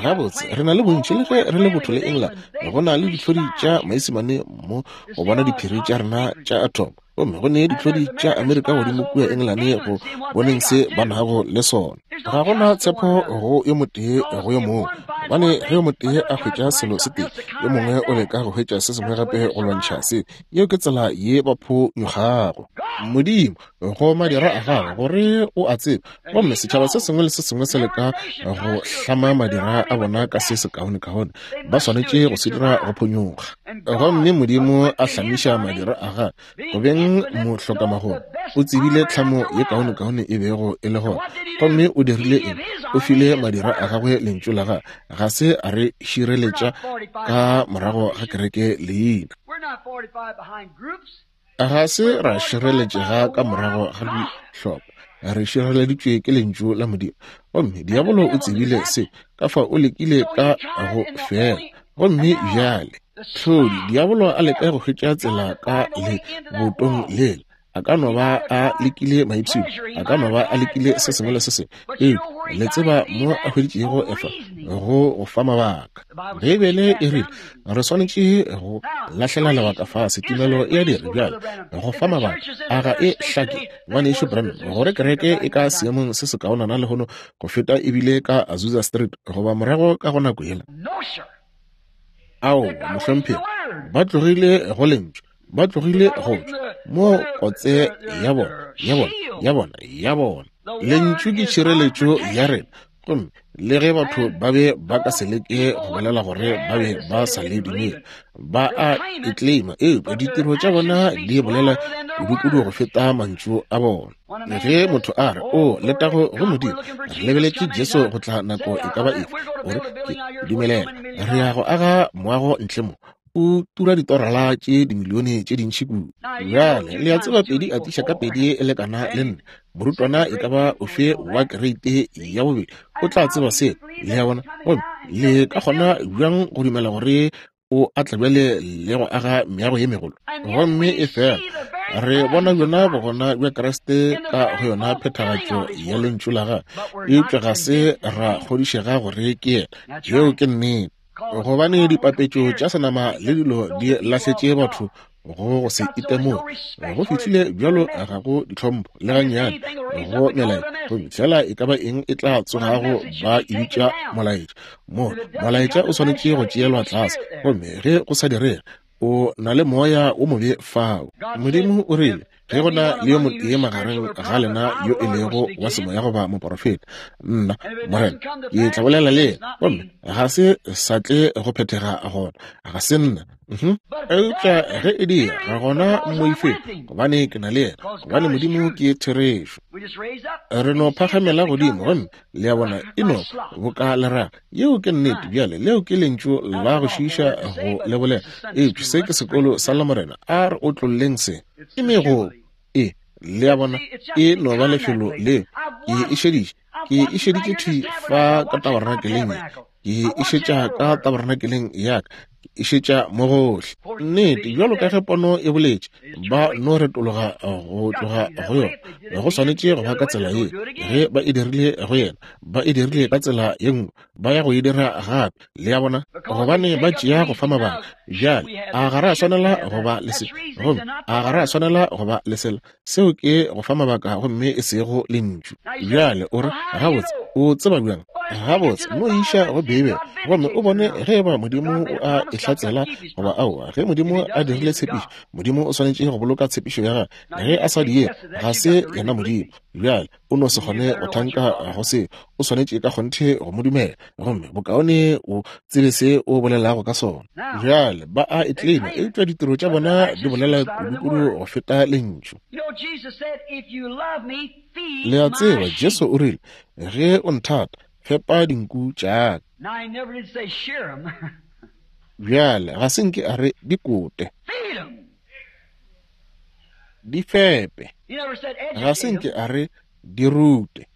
Gabotse re na le bontši, le ge re le botho le England, go na le ditlhodi tša Maisemane mo go bona diphiri tša rena tša atom, gomme go ne ditlhodi tša Amerika godimo kua England go boneng se ba nago le sona. Ga gona tshepo go yo motee go yo mongwe, gobane ge yo motee a hwetša selo se tee, yo mongwe o leka go hwetša se sengwe gape go lwantšha se. Yeo ke tsela ye ba phonyokgago. Modimo go madira a gago gore o a tsebe, gomme setšhaba se sengwe le se sengwe se leka go hlama madira a bona ka se sekaonekaone, ba swanetše go se dira go phonyokga. Gomme Modimo a hlamiša madira a gagwe go beng mohlokamagolo, o tsebile tlhamo ye kaonekaone e bego e le gona, gomme o dirile eng? O file madira a gagwe lentšu la gagwe, ga se a re šireletša ka morago ga kereke leina. Ga se ra šireletšega ka morago ga dihlopha, re šireleditšwe ke lentšu la Modimo. Gomme diabolo o tsebile se, ka fa o lekile ka go fela. Gomme bjale tlhodi diabolo a leka go hwetša tsela ka le botong lela. A ka no ba a lekile maipshino, a ka no ba a lekile se sengwe le se sengwe, eupša le tseba mo a hweditšego Efa go go fa mabaka. Beibele e rile re swanetše go lahlela lebaka fase, tumelo e a dira bjale go fa mabaka. A ga e hlake, ngwanešu Branham, gore kereke e ka seemong se sekaonana lehono go feta ebile ka Azusa Street goba morago ka go nako yela? Ao, mohlomphegi, ba tlogile go lentšu, ba tlogile go tšwa mo kotse ya bona, ya bona, ya bona, ya bona. Lentšu ke tšhireletšo ya rena, gomme le ge batho ba be ba ka se leke go bolela gore ba be ba sa le dumele, ba a e claima, eupša ditiro tša bona di bolela kudu-kudu go feta mantšu a bona. Ge motho a re, o letago go Modimo, re lebeletše Jesu go tla nako e ka ba efe, gore ke dumelela, re ya go aga moago ntle mo, o tura ditorala tše dimilione tše dintši kudu. Bjale le a tseba pedi a tiša ka pedi e lekana le nne. Morutwana e ka ba ofe wa kereite ya bobedi o tla tseba seo, le a bona. Gomme le ka kgona bjang go dumela gore o a tla bjale le go aga meago ye megolo? Gomme e fela re bona bjona bogona bja Kriste ka go yona phethagatšo ya lentšu la gagwe, eupša ga se ra kgodišega gore ke yena. Yeo ke nnete, gobane dipapetšo tša senama le dilo di lahletše batho go go se itemoge. Go fihlile bjalo ga go ditlhompho le gannyane go melaetša, gomme fela e ka ba eng e tla tsogago ba e bitša molaetša. Mo molaetša o swanetše go tšeelwa tlase, gomme ge go sa direge, o na le moya o mobe fao. Modimo o rile, Ge go na le yo motee magareng ga lena yo e lego wa semoya goba moporofeta, nna Morena ke tla bolela le yena, gomme ga se sa tle go phethega gona, ga se nna. Eupša ge e dira, gona mmoifeng, gobane ke na le yena, gobane Modimo ke therešo. Re no phagamela godimo, gomme le a bona e no boka leraga. Yeo ke nnete. Bjale leo ke lentšu la go šiiša go le bolela, eupša se ke sekolo sa Lamorena. A re otlolleng se. Ke megopo. E, le a bona, e no ba lefelo leo. Ke e šeditše, ke e šeditše thwi fa ka tabernakeleng ye, ke e šetša ka tabernakeleng ya ka, ke e šetša mo gohle. Nnete, bjalo ka ge pono e boletše, ba no retologa go tloga go yona. Go swanetše go ba ka tsela ye. Ge ba e dirile go yena, ba e dirile ka tsela ye nngwe, ba ya go e dira gape. Le a bona, gobane ba tšea go fa mabaka. Bjale a ga re a swanela go ba le se, gomme a ga re a swanela go ba le sela. Seo ke go fa mabaka gomme e sego lentšu. Bjale o re, gabotse, o tseba bjang? Gabotse, no iša go Beibele gomme o bone ge eba Modimo o a e hlatsela goba aowa. Ge Modimo a dirile tshepišo, Modimo o swanetše go boloka tshepišo ya gagwe. Ge a sa die, ga se yena Modimo. Bjale o no se kgone go thanka go se, o swanetše ka kgonthe go mo dumela, gomme bokaone o tsebe se o bolelago ka sona. Bjale ba a e tlema, eupša ditiro tša bona di bolela kudukudu go feta lentšu. Le a tseba, Jesu o rile, ge o nthata, fepa dinku tša ka. Bjale ga se nke a re di kote, di fepe. Ga se nke a re di rute,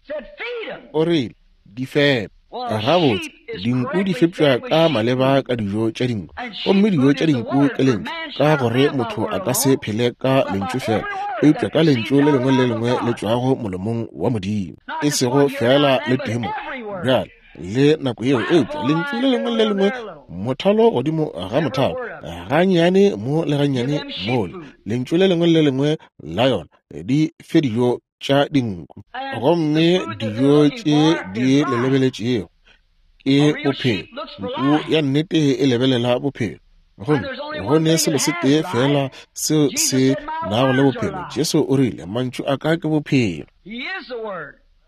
o rile di fepe. Gabotse, dinku di fepša ka maleba ka dijo tša dinku, gomme dijo tša dinku ke lentšu, ka gore motho a ka se phele ka lentšu fela, eupša ka lentšu le lengwe le lengwe le tšwago molomong wa Modimo, e sego fela le tee mo bjale le nako yeo, eupša lentšu le lengwe le lengwe, mothalo godimo ga mothalo, gannyane mo le gannyane mole, lentšu le lengwe le lengwe la yona di fe dijo tša dinku. Gomme dijo tše di le lebeletšego ke bophelo. Nku ya nnete e lebelela bophelo, gomme go ne selo se tee fela seo se nago le bophelo. Jesu o rile, mantšu a ka ke bophelo.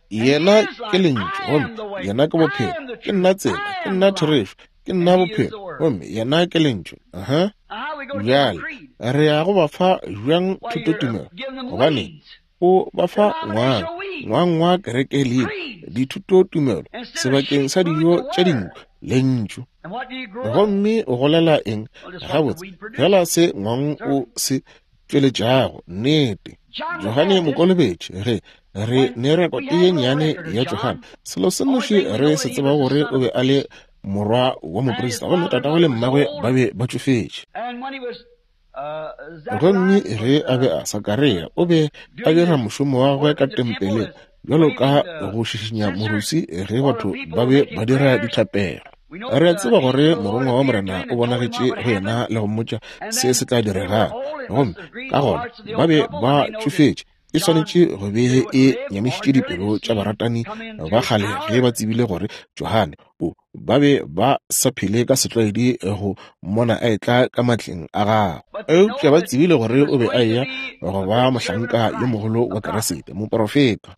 Yena ke lentšu, gomme yena ke bophelo. Ke nna tsela, ke nna therešo, ke nna bophelo, gomme yena ke lentšu. Aha. Bjale re ya go ba fa bjang thutotumelo? Gobane o ba fa ngwang ngwang wa kereke leina, dithutotumelo sebakeng sa dijo tša dinku, lentšu. Gomme o golela eng? Gabotse, fela se ngwang o se tšweletšago. Nnete. Johane Mokolobetši, ge re ne rekote ye nnyane ya Johane, selo se nnoši re se tseba gore o be a le morwa wa moprista, gomme tatagwe le mmagwe ba be ba tšofetše. Gomme ge a be a Sakaria, o be a dira mošomo wa gagwe ka tempeleng bjalo ka go šišinya moruswi ge batho ba be ba dira dithapelo. Re a tseba gore morongwa wa Morena o bonagetše go yena le go mmotša se se tla diregago, gomme ka gona ba be ba tšofetše. E swanetše go be e nyamišitše dipelo tša baratani ba kgale ge ba tsebile gore Johane o ba be ba sa phele ka setlwaedi go mmona a etla ka matleng a gagwe, eupša ba tsebile gore o be a eya go ba mohlanka yo mogolo wa Keresete, moporofeta.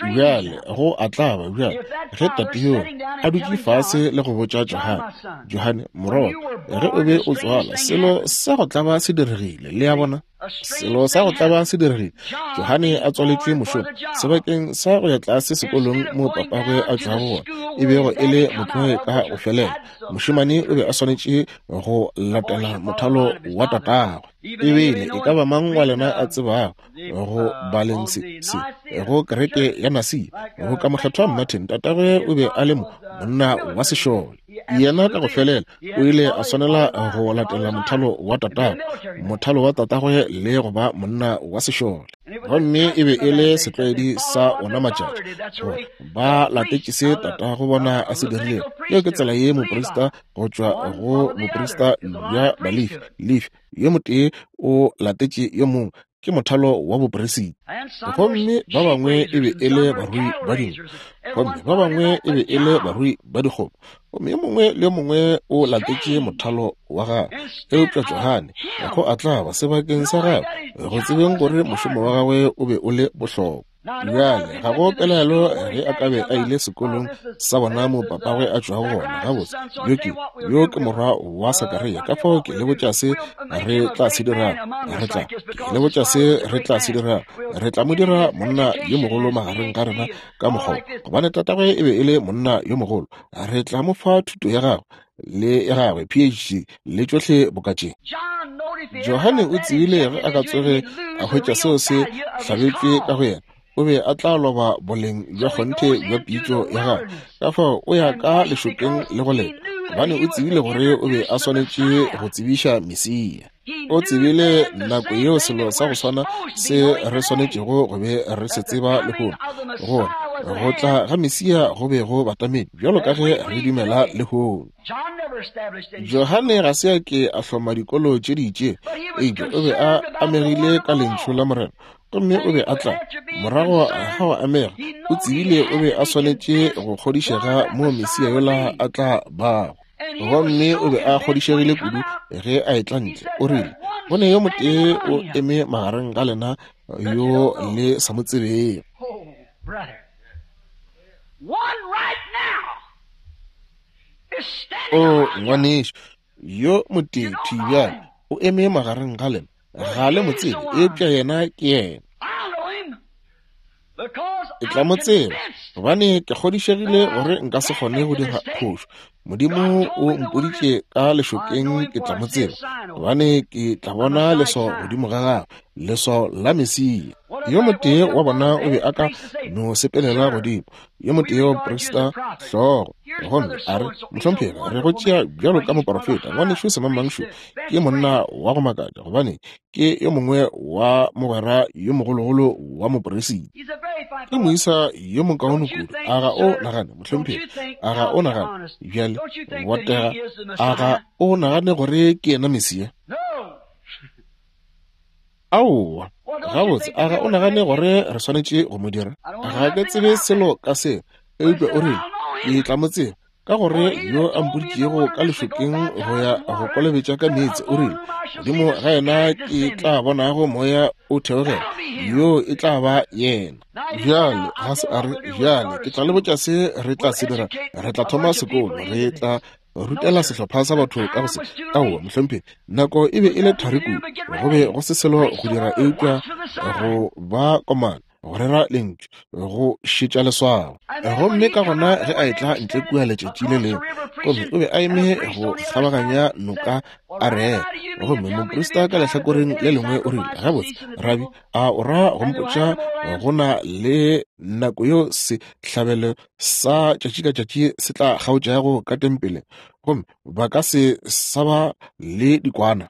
Bjale go a tlaba bjale ge tate yo a dutše fase le go botša Johane, Johane morwa, ge o be o tswala, selo sa go tlaba se diregile. Le a bona, selo sa go tlaba se diregile. Johane a tswaletšwe mošomo sebakeng sa go ya tlase sekolong mo papagwe a tšwago gona, e bego e le motloe ka go felela. Mošemane o be a swanetše go latela mothalo wa tatagwe. Ebile e ka ba mang wa lena a tsebago go baleng se se go kereke ya Nasia, go ka mokgethwa Martin, tatagwe o be a le mo monna wa sešole. Yena ka go felela o ile a swanela go latela mothalo wa tatagwe, mothalo wa tatagwe le go ba monna wa sešole. Gomme e be e le setlwaedi sa ona matšatši gore ba latetše se tatago bona a se dirilego. Yeo ke tsela ye moprista go tšwa go moprista bja Balefi, Lefi yo motee o latetše yo mongwe, ke mothalo wa bopresita. Gomme ba bangwe e be e le barui ba dinku, gomme ba bangwe e be e le barui ba dikgomo, gomme yo mongwe le yo mongwe o latetše mothalo wa gagwe. Eupša Johane go a tlaba sebakeng sa gagwe go tsebeng gore mošomo wa gagwe o be o le bohlokwa. Bjale ga go pelaelo ge a ka be a ile sekolong sa bona mo papagwe a tšwago gona. Gabotse, yo ke yo ke morwa wa Sakaria. Ka fao ke le botša se re tla se dirago, re tla ke le botša se re tla se dirago, re tla mo dira monna yo mogolo magareng ga rena ka mokgwa, gobane tatagwe e be e le monna yo mogolo. Re tla mo fa thuto ya gagwe le ya gagwe P H D le tšohle boka tše. Johane o tsebile ge a ka tsoge a hwetša seo se hlabetšwe ka go yena, o be a tla loba boleng bja kgonthe bja pitšo ya gagwe. Ka fao o ya ka lešokeng le go leta, gobane o tsebile gore o be a swanetše go tsebiša Mesia. O tsebile nako yeo selo sa go swana se re swanetšego go be re se tseba lehono, gore go tla ga Mesia go be go batamedi bjalo ka ge re dumela lehono. Johane ga se a ke a hloma dikolo tše di itšego, eupša o be a amegile ka lentšu la Morena, gomme o be a tla morago ga go amega. O tsebile o be a swanetše go kgodišega mo Mesia yola a tla bago, gomme o be a kgodišegile kudu ge a etla ntle. O rile, go ne yo motee o eme magareng ga lena yo le sa mo tsebego. O ngwanešu, yo motee thwi bjale o eme magareng ga lena, ga le mo tsebe, eupša yena ke yena. Ke tla mo tseba, gobane ke kgodišegile gore nka se kgone go dira phošo. Modimo o mpoditše ka lešokeng ke tla mo tseba, gobane ke tla bona leswao godimo ga gagwe, leswao la Mesia. Yo motee wa bona o be a ka no sepelela godimo, yo motee wa moprista hlogo, gomme a re, mohlomphegi, re go tšea bjalo ka moporofeta. Ngwanešu semangmangšu ke monna wa go makatša, gobane ke yo mongwe wa mogwera yo mogologolo wa moporesiti. Ke moisa yo mokaone kudu. A ga o nagane, mohlomphegi? A ga o nagane bjale botega? A ga o nagane gore ke yena Mesia? Aowa, gabotse, a ga o nagane gore re swanetše go mo dira? Ga ke tsebe selo ka seo, eupša o rile, ke tla mo tseba, ka gore yo a mpoditšego ka lešokeng go ya go kolobetša ka meetse, o rile, godimo ga yena ke tla bonago moya o theogela, yo e tla ba yena. Bjale ga se a re, bjale ke tla le botša se re tla se dira, re tla thoma sekolo, re tla rutela sehlopha sa batho ka go se. Aowa, mohlomphegi, nako e be e le thari kudu, go be go se selo go dira eupša go ba komana, go rera lentšu, go šetša leswao. Gomme ka gona ge a etla ntle kua letšatši le lengwe, gomme o be a eme go kgabaganya noka a rera, gomme moprista ka lehlakoreng le lengwe o rile, gabotse, rabi, a o ra go mpotša go na le nako yeo sehlabelo sa tšatši ka tšatši se tla kgaotšago ka tempeleng, gomme ba ka se sa ba le dikwana?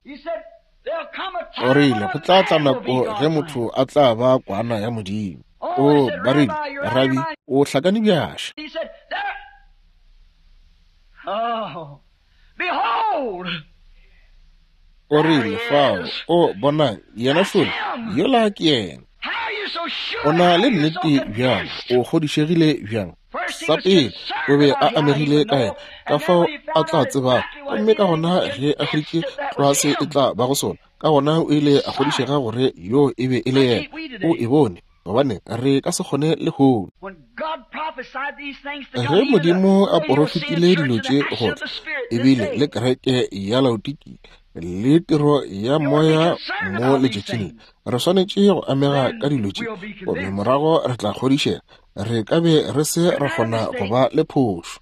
O rile, go tla tla nako ge motho a tla ba kwana ya Modimo. O ba rile, rabi, o hlakane bjaša. O rile, fao, o bonang, yena šole, yola ke yena. O na le nnete bjang, o kgodišegile bjang? Sa pele, o be a amegile ka yena, ka fao a tla tsebago, gomme ka gona ge a hweditše tlwa se e tla ba go sona, ka gona o ile a kgodišega gore yo e be e le yena. O e bone, gobane re ka se kgone lehono. Ge Modimo a porofetile dilo tše gore ebile le kereke ya Laodikia le tiro ya moya mo letšatšing le, re swanetše go amega ka dilo tše, gomme morago re tla kgodišega. Re ka be re se ra kgona go ba le phošo.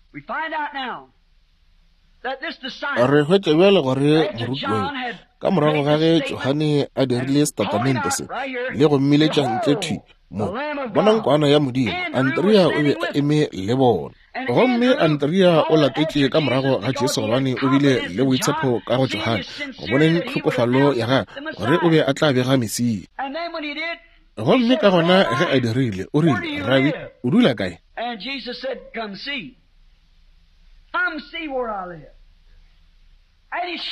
Re hwetša bjale gore morutiwa ka morago ga ge Johane a dirile setatamente se le go mmiletša ntle thwi mo, bonang kwana ya Modimo, Andrea o be a eme le bona. Gomme Andrea o latetše ka morago ga Jesu gobane o bile le boitshepo ka go Johane, go boneng tlhokofalo ya gagwe, gore o be a tla bega Mesia. Gomme ka gona ge a dirile, o rile, rabi, o dula kae?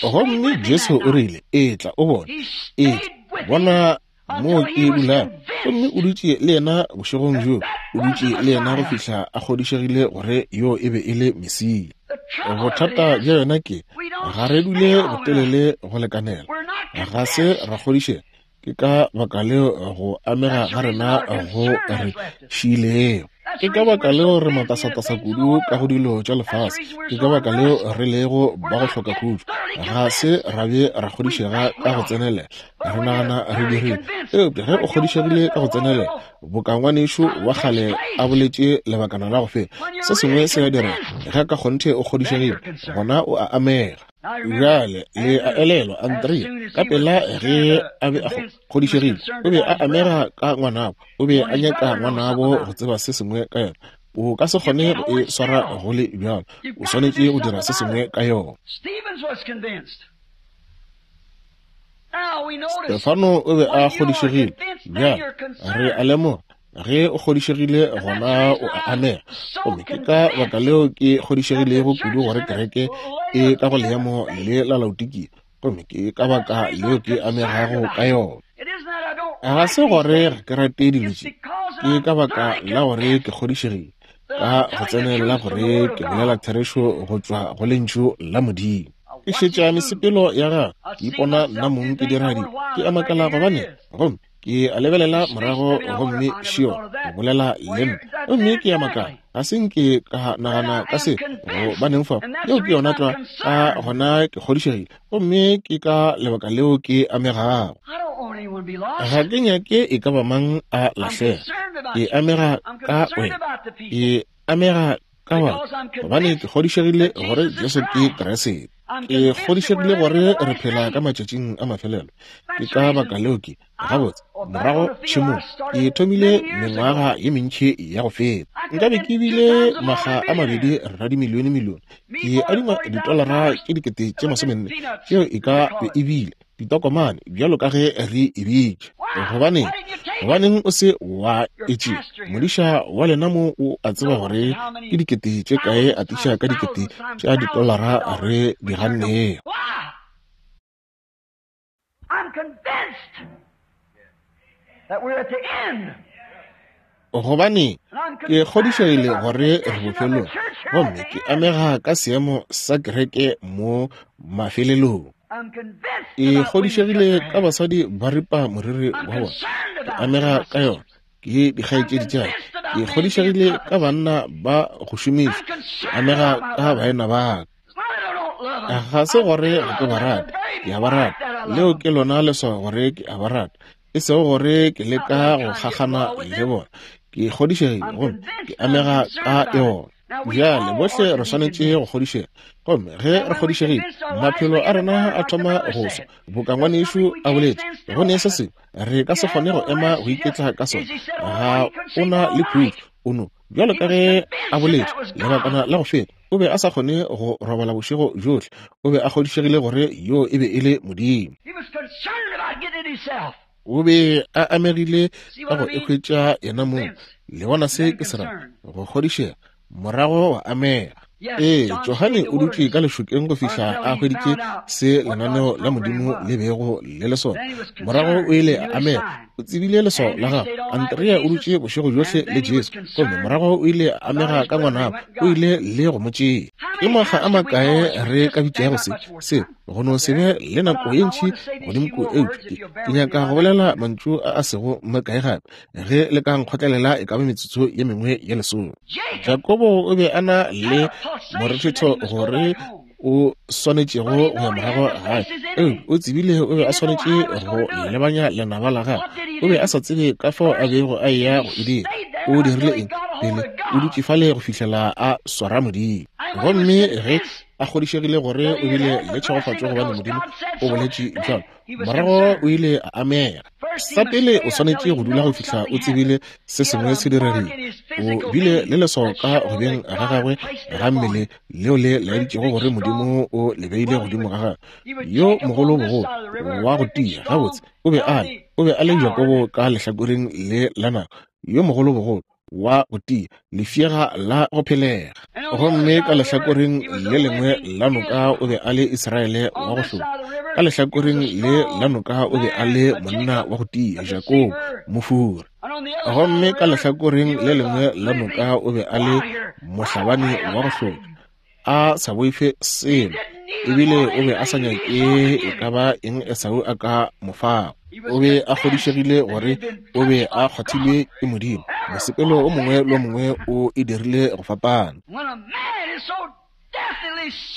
Gomme Jesu o rile, etla o bone, etla bona mo ke dulang. Gomme o dutše le yena bošegong bjo, o dutše le yena go fihla a kgodišegile gore yo e be e le Mesia. Bothata bja yona ke, ga re dule botelele go lekanela, ga se ra kgodišega. Ke ka baka leo go amega ga rena go re šiilego. Ke ka baka leo re matasatasa kudu ka go dilo tša lefase. Ke ka baka leo re lego ba go hloka khutšo. Ga se ra be ra kgodišega ka go tsenelela. Re nagana re dirile. Eupša ge o kgodišegile ka go tsenelela, boka ngwanešu wa kgale a boletše lebakana la go feta, se sengwe se a direga. Ge ka kgonthe o kgodišegile, gona o a amega. Bjale le a elelwa Andrea ka pela ge a be a kgodišegile, o be a amega ka ngwanabo. O be a nyaka ngwanabo go tseba se sengwe ka yona. O ka se kgone go e swara go le bjalo. O swanetše go dira se sengwe ka yona. Stefano o be a kgodišegile. Bjale re a lemoga ge o kgodišegile gona o a amega. Gomme ke ka baka leo ke kgodišegilego kudu gore kereke e ka go leemo le la Laodikia. Gomme ke ka baka leo ke amegago ka yona. Ga se gore ga ke rate dilo tše, ke ka baka la gore ke kgodišegile ka go tsenelela gore ke bolela therešo go tšwa go lentšu la Modimo. Ke šetša mesepelo ya gagwe, ke ipona nna mong ke dira dilo, ke a makala gobane, gomme ke a lebelela morago gomme šio go bolela le nna, gomme ke a makala. Ga se nke ka nagana ka se gobaneng fa. Yeo ke yona tlwa. Ka gona ke kgodišegile, gomme ke ka lebaka leo ke amegago. Ga ke nyake e ka ba mang a lahlega. Ke amega ka wena. Ke amega ka batho gobane ke kgodišegile gore Jesu ke Kriste. Ke kgodišegile gore re phela ka matšatšing a mafelelo. Ke ka baka leo ke gabotse morago tšhemong ke thomile mengwaga ye mentši ya go feta. Nkabe ke bile makga a mabedi radimilione-milione. Ke adima ditolara tše dikete tše masomenne tšeo e ka be e bile ditokomane bjalo ka ge re e bitša. Gobaneng? Gobaneng o se wa e tšea? Modiša wa lena mo o a tseba gore ke dikete tše kae a tiša ka dikete tša ditolara re di gannego. Gobane ke kgodišegile gore re bofelong, gomme ke amega ka seemo sa kereke mo mafelelong. Ke kgodišegile ka basadi ba ripa moriri wa bona. Ke amega ka yona. Ke dikgaetšedi tša ka. Ke kgodišegile ka banna ba go šomiša. Ke amega ka baena ba ka. Ga se gore ga ke ba rate, ke a ba rata. Leo ke lona leswao gore ke a ba rata, e sego gore ke leka go kgakgana le bona. Ke kgodišegile gomme ke amega ka yona. Bjale bohle re swanetše go kgodišega, gomme ge re kgodišegile, maphelo a rena a thoma go swa. Boka ngwanešu a boletše, go ne se sengwe re ka se kgone go ema go iketla ka sona. Ga o na le khutšo o no bjalo ka ge a boletše lebakana la go feta, o be a sa kgone go robala bošego bjohle. O be a kgodišegile gore yo e be e le Modimo. O be a amegile ka go ikhwetša yena mong. Le bona se ke se ra go kgodišega, morago wa amega. Ee, Johane o dutše ka lešokeng go fihla a hweditše se lenaneo la Modimo le bego le le sona. Morago o ile a amega. O tsebile leswao la gagwe. Andrea o dutše bošego bjohle le Jesu, gomme morago o ile a amega ka ngwanabo. O ile le go mo tšea. Ke makga a makae re ka bitšago se se go no se be le nako ye ntši godimo ko, eupša ke, ke nyaka go bolela mantšu a a sego makae gape. Ge le ka nkgotlelela e ka ba metsotso ye mengwe ye lesome. Jakobo o be a na le morethetho gore o swanetšego go ya morago gae, eupša o tsebile o be a swanetše go lebanya lenaba la gagwe. O be a sa tsebe ka fao a bego a eya go e dira. O dirile eng? Pele o dutše fale go fihlela a swara Modimo. Gomme ge a kgodišegile gore o bile le tšhegofatšo gobane Modimo o boletše bjalo, morago o ile a amega. Sa pele o swanetše go dula go fihla o tsebile se sengwe se diregile. O bile le leswao ka go beng ga gagwe ga mmele leo le laeditšego gore Modimo o le beile godimo ga gagwe. Yo mogolo bogolo wa go tia gabotse o be a le o be a le Jakobo ka lehlakoreng le la nako. Yo mogolo bogolo wa go tia, lefšega la go phelega. Gomme ka lehlakoreng le lengwe la noka o be a le Israele wa go hloka. Ka lehlakoreng le la noka o be a le monna wa go tia, Jakobo mofura. Gomme ka lehlakoreng le lengwe la noka o be a le mohlabani wa go hloka, a sa boife selo, ebile o be a sa nyake e ka ba eng Esau a ka mo fago. O be a kgodišegile gore o be a kgwathilwe ke Modimo. Mosepelo o mongwe le o mongwe o e dirile go fapana.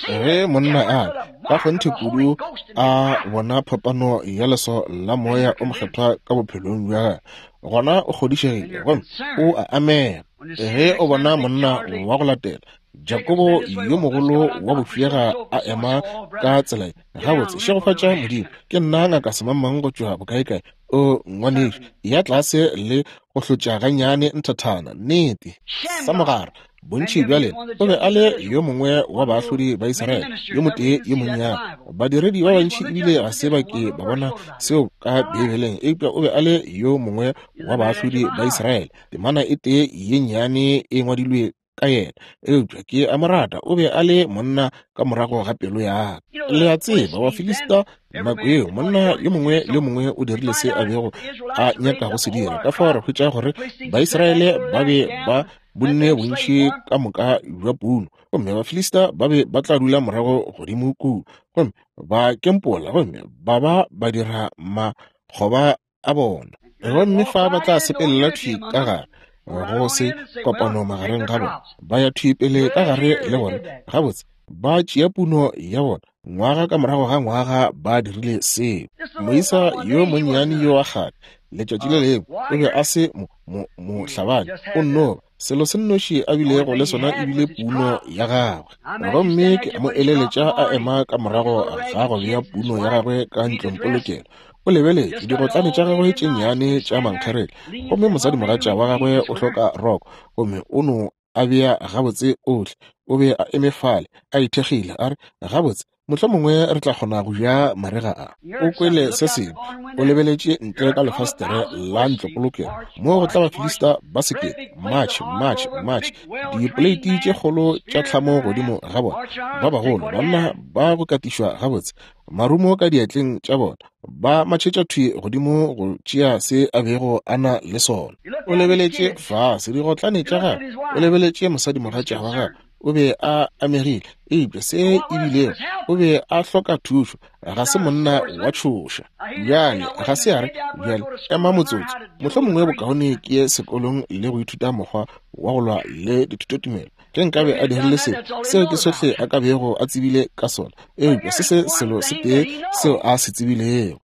Ge monna a ka kgonthe kudu a bona phapano ya leso la moya o mokgethwa ka bophelong bja gagwe, gona o kgodišegile gomme o a amega. Ge o bona monna wa go latela Jakobo yo mogolo wa bofiega a ema ka tsela ye, gabotse, šegofatša Modimo, ke nna ngaka semangmang go tšwa bokaekae. O ngwanešu, ya tlase le go hlotša gannyane nthathana, nnete. Samogara, bontši bja lena, o be a le yo mongwe wa baahlodi ba Israele, yo motee yo monnyane. Badiredi ba bantši ebile ga se ba ke ba bona seo ka Beibeleng, eupša o be a le yo mongwe wa baahlodi ba Israele. Temana e tee ye nnyane e ngwadilwe ka yena, eupša ke a mo rata. O be a le monna ka morago ga pelo ya ka. Le a tseba, Bafilista nako yeo, monna yo mongwe le yo mongwe o dirile se a bego a nyaka go se dira. Ka fao re hwetša gore Baisraele ba be ba bonne bontši ka moka bja puno, gomme Bafilista ba be ba tla dula morago godimo kua, gomme ba kempola, gomme ba ba ba dira makgoba a bona. Gomme fa ba tla sepelela thwi ka gare, go se kopano magareng ga bona, ba ya thwi pele ka gare le bona. Gabotse, ba tšea puno ya bona ngwaga ka morago ga ngwaga, ba dirile seo. Moisa yo monnyane yo wa kgale, letšatši le lengwe, o be a se mohlabani, o nno selo se nnoši a bilego le sona ebile puno ya gagwe. Gomme ke mo eleletša a ema ka morago ga go bea puno ya gagwe ka ntlongpolokelo. O lebeletše digotlane tša gagwe tše nnyane tša mankgerele, gomme mosadimogatša wa gagwe o hloka roko, gomme o no a bea gabotse ohle. O be a eme fale a ithekgile, a re, gabotse, mohlomongwe re tla kgona go ja marega a. O kwele se sengwe, o lebeletše ntle ka lefastere la ntlopolokelo, mo go tla Bafilista ba sekete, match, match, match, dipoleiti tše kgolo tša tlhamo godimo ga bona, ba bagolo, banna ba go katišwa gabotse, marumo ka diatleng tša bona, ba matšhetša thwi godimo go tšea se a bego a na le sona. O lebeletše fase digotlane tša gagwe, o lebeletše mosadimogatša wa gagwe. O be a amegile, eupša se ebilego o be a hloka thušo. Ga se monna wa tšhoša. Bjale ga se a re, bjale ema motsotso, mohlomongwe bokaone ke ye sekolong le go ithuta mokgwa wa go lwa le dithutotumelo. Ge nkabe a dirile seo, seo ke sohle a ka bego a tsebile ka sona, eupša se se selo se tee seo a se tsebilego.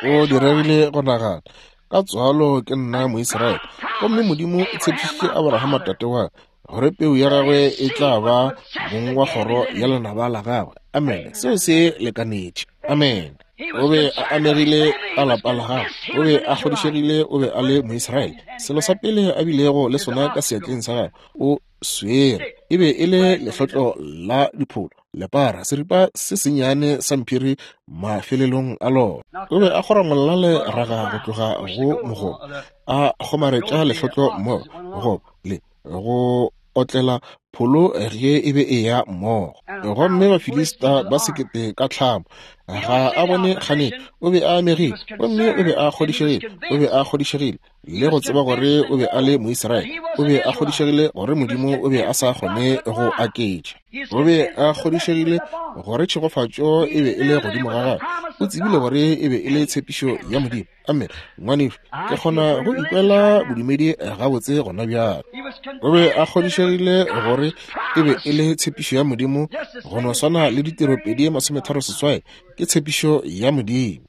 O diregile go nagana, ka tswalo ke nna Moisraele, gomme Modimo o tshepišitše Abrahama tate wa gore peu ya gagwe e tla ba mong wa kgoro ya lenaba la gagwe. Amen. Seo se lekanetše. Amen. O be a amegile ka lapa la gagwe, o be a kgodišegile o be a le Moisraele. Selo sa pele a bilego le sona ka seatleng sa gagwe o swere e be e le lehlotlo la dipholo, lepara, seripa se sennyane sa mphiri mafelelong a lona. O be a kgoramolla leraga go tloga go mogobo, a kgomaretša lehlotlo mmogo gobo le go otlela pholo ge e be e ya mmogo. Gomme Bafilista ba sekete ka tlhamo, ga a bone kganetšo. O be a amegile, gomme o be a kgodišegile, o be a kgodišegile le go tseba gore o be a le Moisraele. O be a kgodišegile gore Modimo o be a sa kgone go aketša. O be a kgodišegile gore tšhegofatšo e be e le godimo ga gagwe. O tsebile gore e be e le tshepišo ya Modimo. Amen. Ngwanešu, ke kgona go ikwela bodumedi gabotse gona bjale. O be a kgodišegile gore e be e le tshepišo ya Modimo, go no swana le ditiro pedi masometharo seswai ke tshepišo ya Modimo.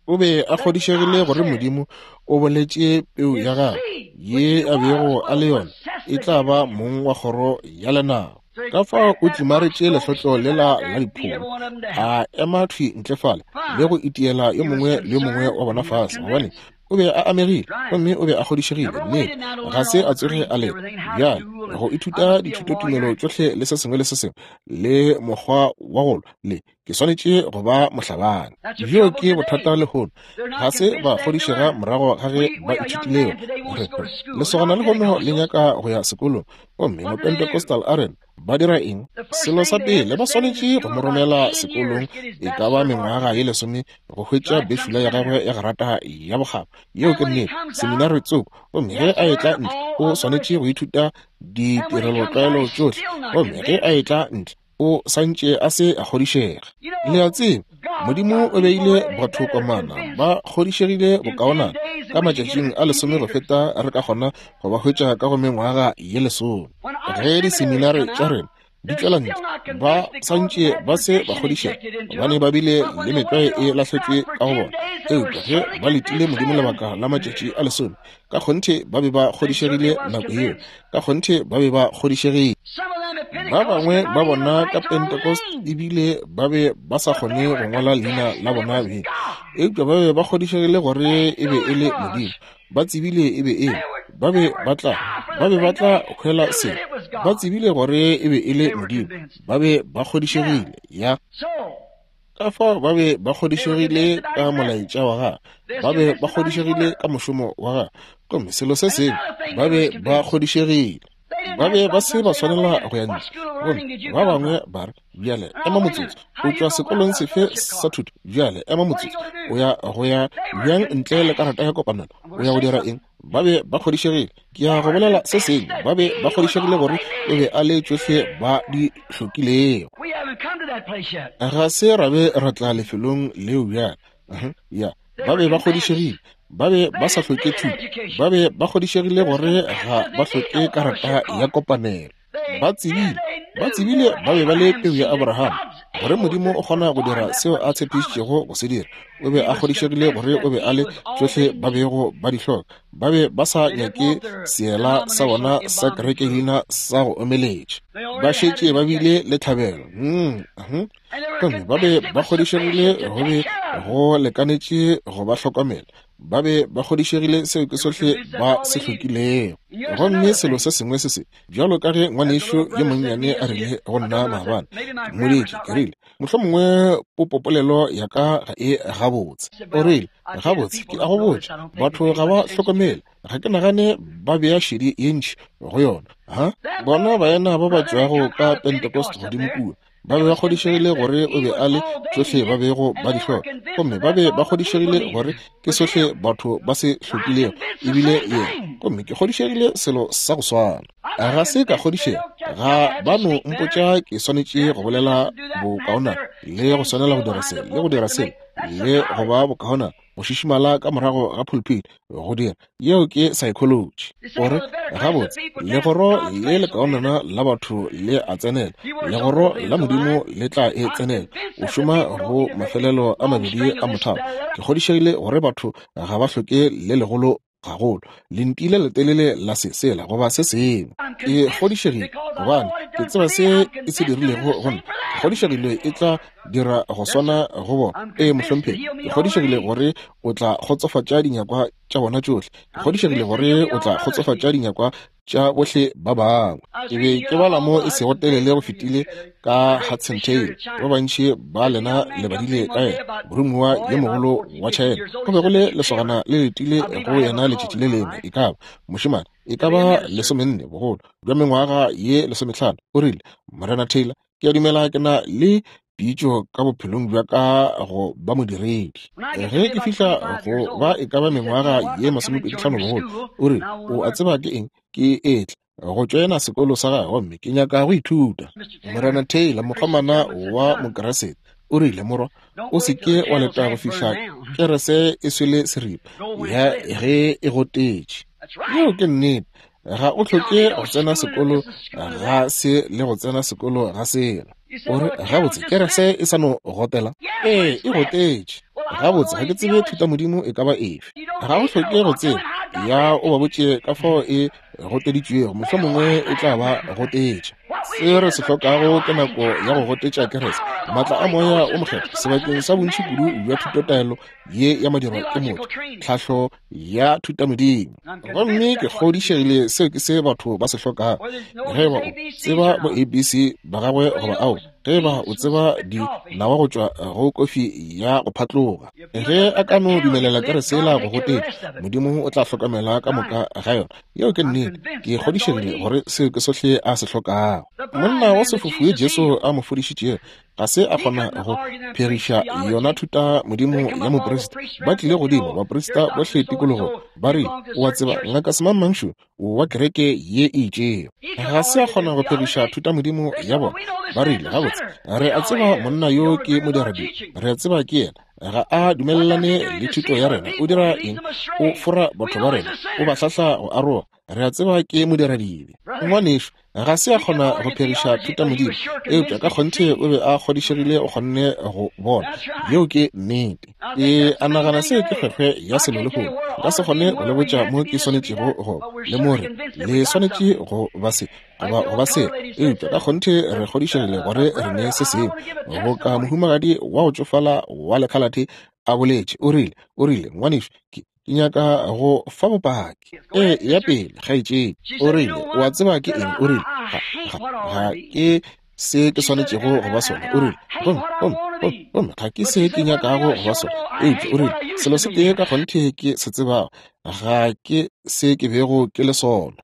O be a kgodišegile gore Modimo o boletše peu ya gagwe ye a bego a le yona e tla ba mong wa kgoro ya lenaba. Ka fao o tlimaretše lehlotlo lela la dipholo, a ema thwi ntle fale le go itiela yo mongwe le yo mongwe wa bona fase, gobane o be a amegile gomme o be a kgodišegile. Nnete, ga se a tsoge a leka bjale go ithuta dithutotumelo tšohle le se sengwe le se sengwe le mokgwa wa go lwa le ke swanetše go ba mohlabani. Bjo ke bothata lehono, ga se ba kgodišega morago ga ge ba ithutilego. Lesogana lehono le nyaka go ya sekolong, gomme Mopentecostal a rena ba dira eng? Selo sa pele ba swanetše go mo romela sekolong e ka ba mengwaga ye lesome go hwetša bešula ya gagwe ya grata ya bokgabo. Yeo ke nnete, seminari tsoko, Gomme ge a etla ntle, o swanetše go ithuta ditirelotlwaelo tšohle. Gomme ge a etla ntle, o santše a se a kgodišega. Le a tseba, Modimo o beile batho komana ba kgodišegile bokaonana ka matšatšing a lesome go feta re ka kgona go ba hwetša ka go mengwaga ye lesome. Ge diseminare tša rena di tšwela ntle, ba santše ba se ba kgodišega gobane ba bile le metlwae e lahletšwe ka go bona. Eupša ge ba letile Modimo lebaka la matšatši a lesome, ka kgonthe ba be ba kgodišegile nako yeo, ka kgonthe ba be ba kgodišegile. Ba bangwe ba bona ka Pentecost ebile ba be ba sa kgone go ngwala leina la bona beng, eupša ba be ba kgodišegile gore e be e le Modimo. Ba tsebile e be e ba be ba tla ba be ba tla hwela se. Ba tsebile gore e be e le Modimo. Ba be ba kgodišegile ya. Ka fao ba be ba kgodišegile ka molaetša wa gagwe, ba be ba kgodišegile ka mošomo wa gagwe. Gomme selo se sengwe, ba be ba kgodišegile. Ba be ba se ba swanela go ya ntle. Gomme ba bangwe ba re, bjale ema motsotso, o tšwa sekolong sefe sa thuto? Bjale ema motsotso, o ya go ya bjang ntle le karata ya kopanelo? O ya go dira eng? Ba be ba kgodišegile. Ke ya go bolela se sengwe, ba be ba kgodišegile gore o be a le tšohle ba di hlokilego. Ga se ra be ra tla lefelong leo bjale. Ya, ba be ba kgodišegile. Ba be ba sa hloke thuto. Ba be ba kgodišegile gore ga ba hloke karata ya kopanelo. Ba tsebile, ba tsebile ba be ba le peu ya Abraham, gore Modimo o kgona go dira seo a tshepišitšego go se dira. O be a kgodišegile gore o be a le tšohle ba bego ba di hloka. Ba be ba sa nyake seela sa bona sa kerekelina sa go omeletša. Ba šetše ba bile le tlhabelo. Mm, gomme ba be ba kgodišegile go be go lekanetše go ba hlokomela. Ba be ba kgodišegile seo ke sohle ba se hlokilego. Gomme selo se sengwe se se bjalo ka ge ngwanešo yo monnyane a rile go nna maabane, ke mmoditše, ke rile, mohlomongwe popopolelo ya ka ga e gabotse. O rile, gabotse, ke a go botša, batho ga ba hlokomele, ga ke nagane ba bea šedi ye ntši go yona. Ha bona baena ba ba tšwago ka Pentecost godimo kua, ba be ba kgodišegile gore o be a le tšohle ba bego ba di hloka. Gomme ba be ba kgodišegile gore ke sohle batho ba se hlokilego, ebile yena. Gomme ke kgodišegile selo sa go swana. Ga se ka kgodišega, ga ba no mpotša ke swanetše go bolela bokaonana, le go swanela go dira se, le go dira se, le go ba bokaonana, go šišimala ka morago ga pulpit, go dira. Yeo ke psychology. Ore gabotse, legoro le lekaonana la batho le a tsenela, legoro la Modimo le tla e tsenela. O šoma go mafelelo a mabedi a mothalo. Ke kgodišegile gore batho ga ba hloke le legolo gagolo, lenti le letelele la se sela goba se sengwe. Ke kgodišegile gobane ke tseba se e se dirilego go nna. Ke kgodišegile e tla dira go swana go bona. Ee, mohlomphegi, ke kgodišegile gore o tla kgotsofatša dinyakwa tša bona tšohle. Ke kgodišegile gore o tla kgotsofatša dinyakwa tša bohle ba bangwe. Ke be ke bala mo e sego telele go fetile ka Hudson Taylor. Ba bantši ba lena le badile ka yena, moromiwa yo mogolo wa China. Go be go le lesogana le letile go yena letšatši le lengwe, e ka ba mošemane, e ka ba lesomenne bogolo bja mengwaga ye lesomehlano. O rile, Morena Taylor, ke a dumela ke na le pitšo ka bophelong bja ka go ba modiredi. Ge ke fihla go ba e ka ba mengwaga ye masomepedi hlano bogolo, o rile, o a tseba ke eng? Ke etla go tšoena sekolo sa gagwe gomme ke nyaka go ithuta. Morena Taylor, mokgomana wa Mokeresete, o rile, morwa, o se ke wa leta go fihla kerese e swele seripa ya ge e gotetše. Yeo ke nnete. Ga o hloke go tsena sekolo ga se le go tsena sekolo ga sela. O re, gabotse, kerese e sa no gotela? Ee, e gotetše. Gabotse, ga ke tsebe thutamodimo e ka ba efe. Ga o hloke go tseba, ya o ba botše ka fao e goteditšwego, mohlomongwe e tla ba gotetša. Se re se hlokago ke nako ya go gotetša kerese, maatla a moya o mokgethwa sebakeng sa bontši kudu bja thutotaelo ye ya madirwa ke motho, tlhahlo ya thutamodimo. Gomme ke kgodišegile seo ke se batho ba se hlokago. Ge ba o tseba bo A B C ba gagwe goba ao, ge ba o tseba dinawa go tšwa go kofi ya go phatloga, ge a ka no dumelela kerese la go gotetša, Modimo o tla hlokomela ka moka ga yona. Yeo ke nnete. Ke kgodišegile gore seo ke sohle a se hlokago. Monna wa sefofu Jesu a mo fodišitšego Ga se a kgona go phegiša yona thuta modimo ya moprista. Ba tlile godimo, baprista bohle tikologo, ba rile, o a tseba, ngaka semangmangšu wa kereke ye e itšego. Ga se a kgona go phegiša thuta modimo ya bona. Ba rile, gabotse, re a tseba monna yo ke modiradibe, re a tseba ke yena. Ga a dumelelane le thuto ya rena. O dira eng? O fora batho ba rena, o ba hlahla go aroga. Re a tseba ke modiradibe. Ngwanešu, ga se a kgona go phegiša thuta modimo, eupša ka kgonthe o be a kgodišegile o kgonne go bona. Yeo ke nnete. Ke a nagana se ke kgwekgwe ya selo lehono. Nka se kgone go le botša mo ke swanetšego go le more le swanetše go ba se goba go ba se, eupša ka kgonthe re kgodišegile gore re ne se sengwe. Boka mohumagadi wa go tšofala wa lekhalate a boletše, o rile, o rile, ngwanešu, ke ke nyaka go fa bopaki. E ya pele, kgaetšedi. O rile, o a tseba ke eng? O rile, ga, ga, ga ke se ke swanetšego go ba sona. O rile, gomme, gomme, gomme, gomme ga ke se ke nyakago go ba sona. Eupša o rile, selo se tee ka kgonthe ke se tsebago, ga ke se ke bego ke le sona.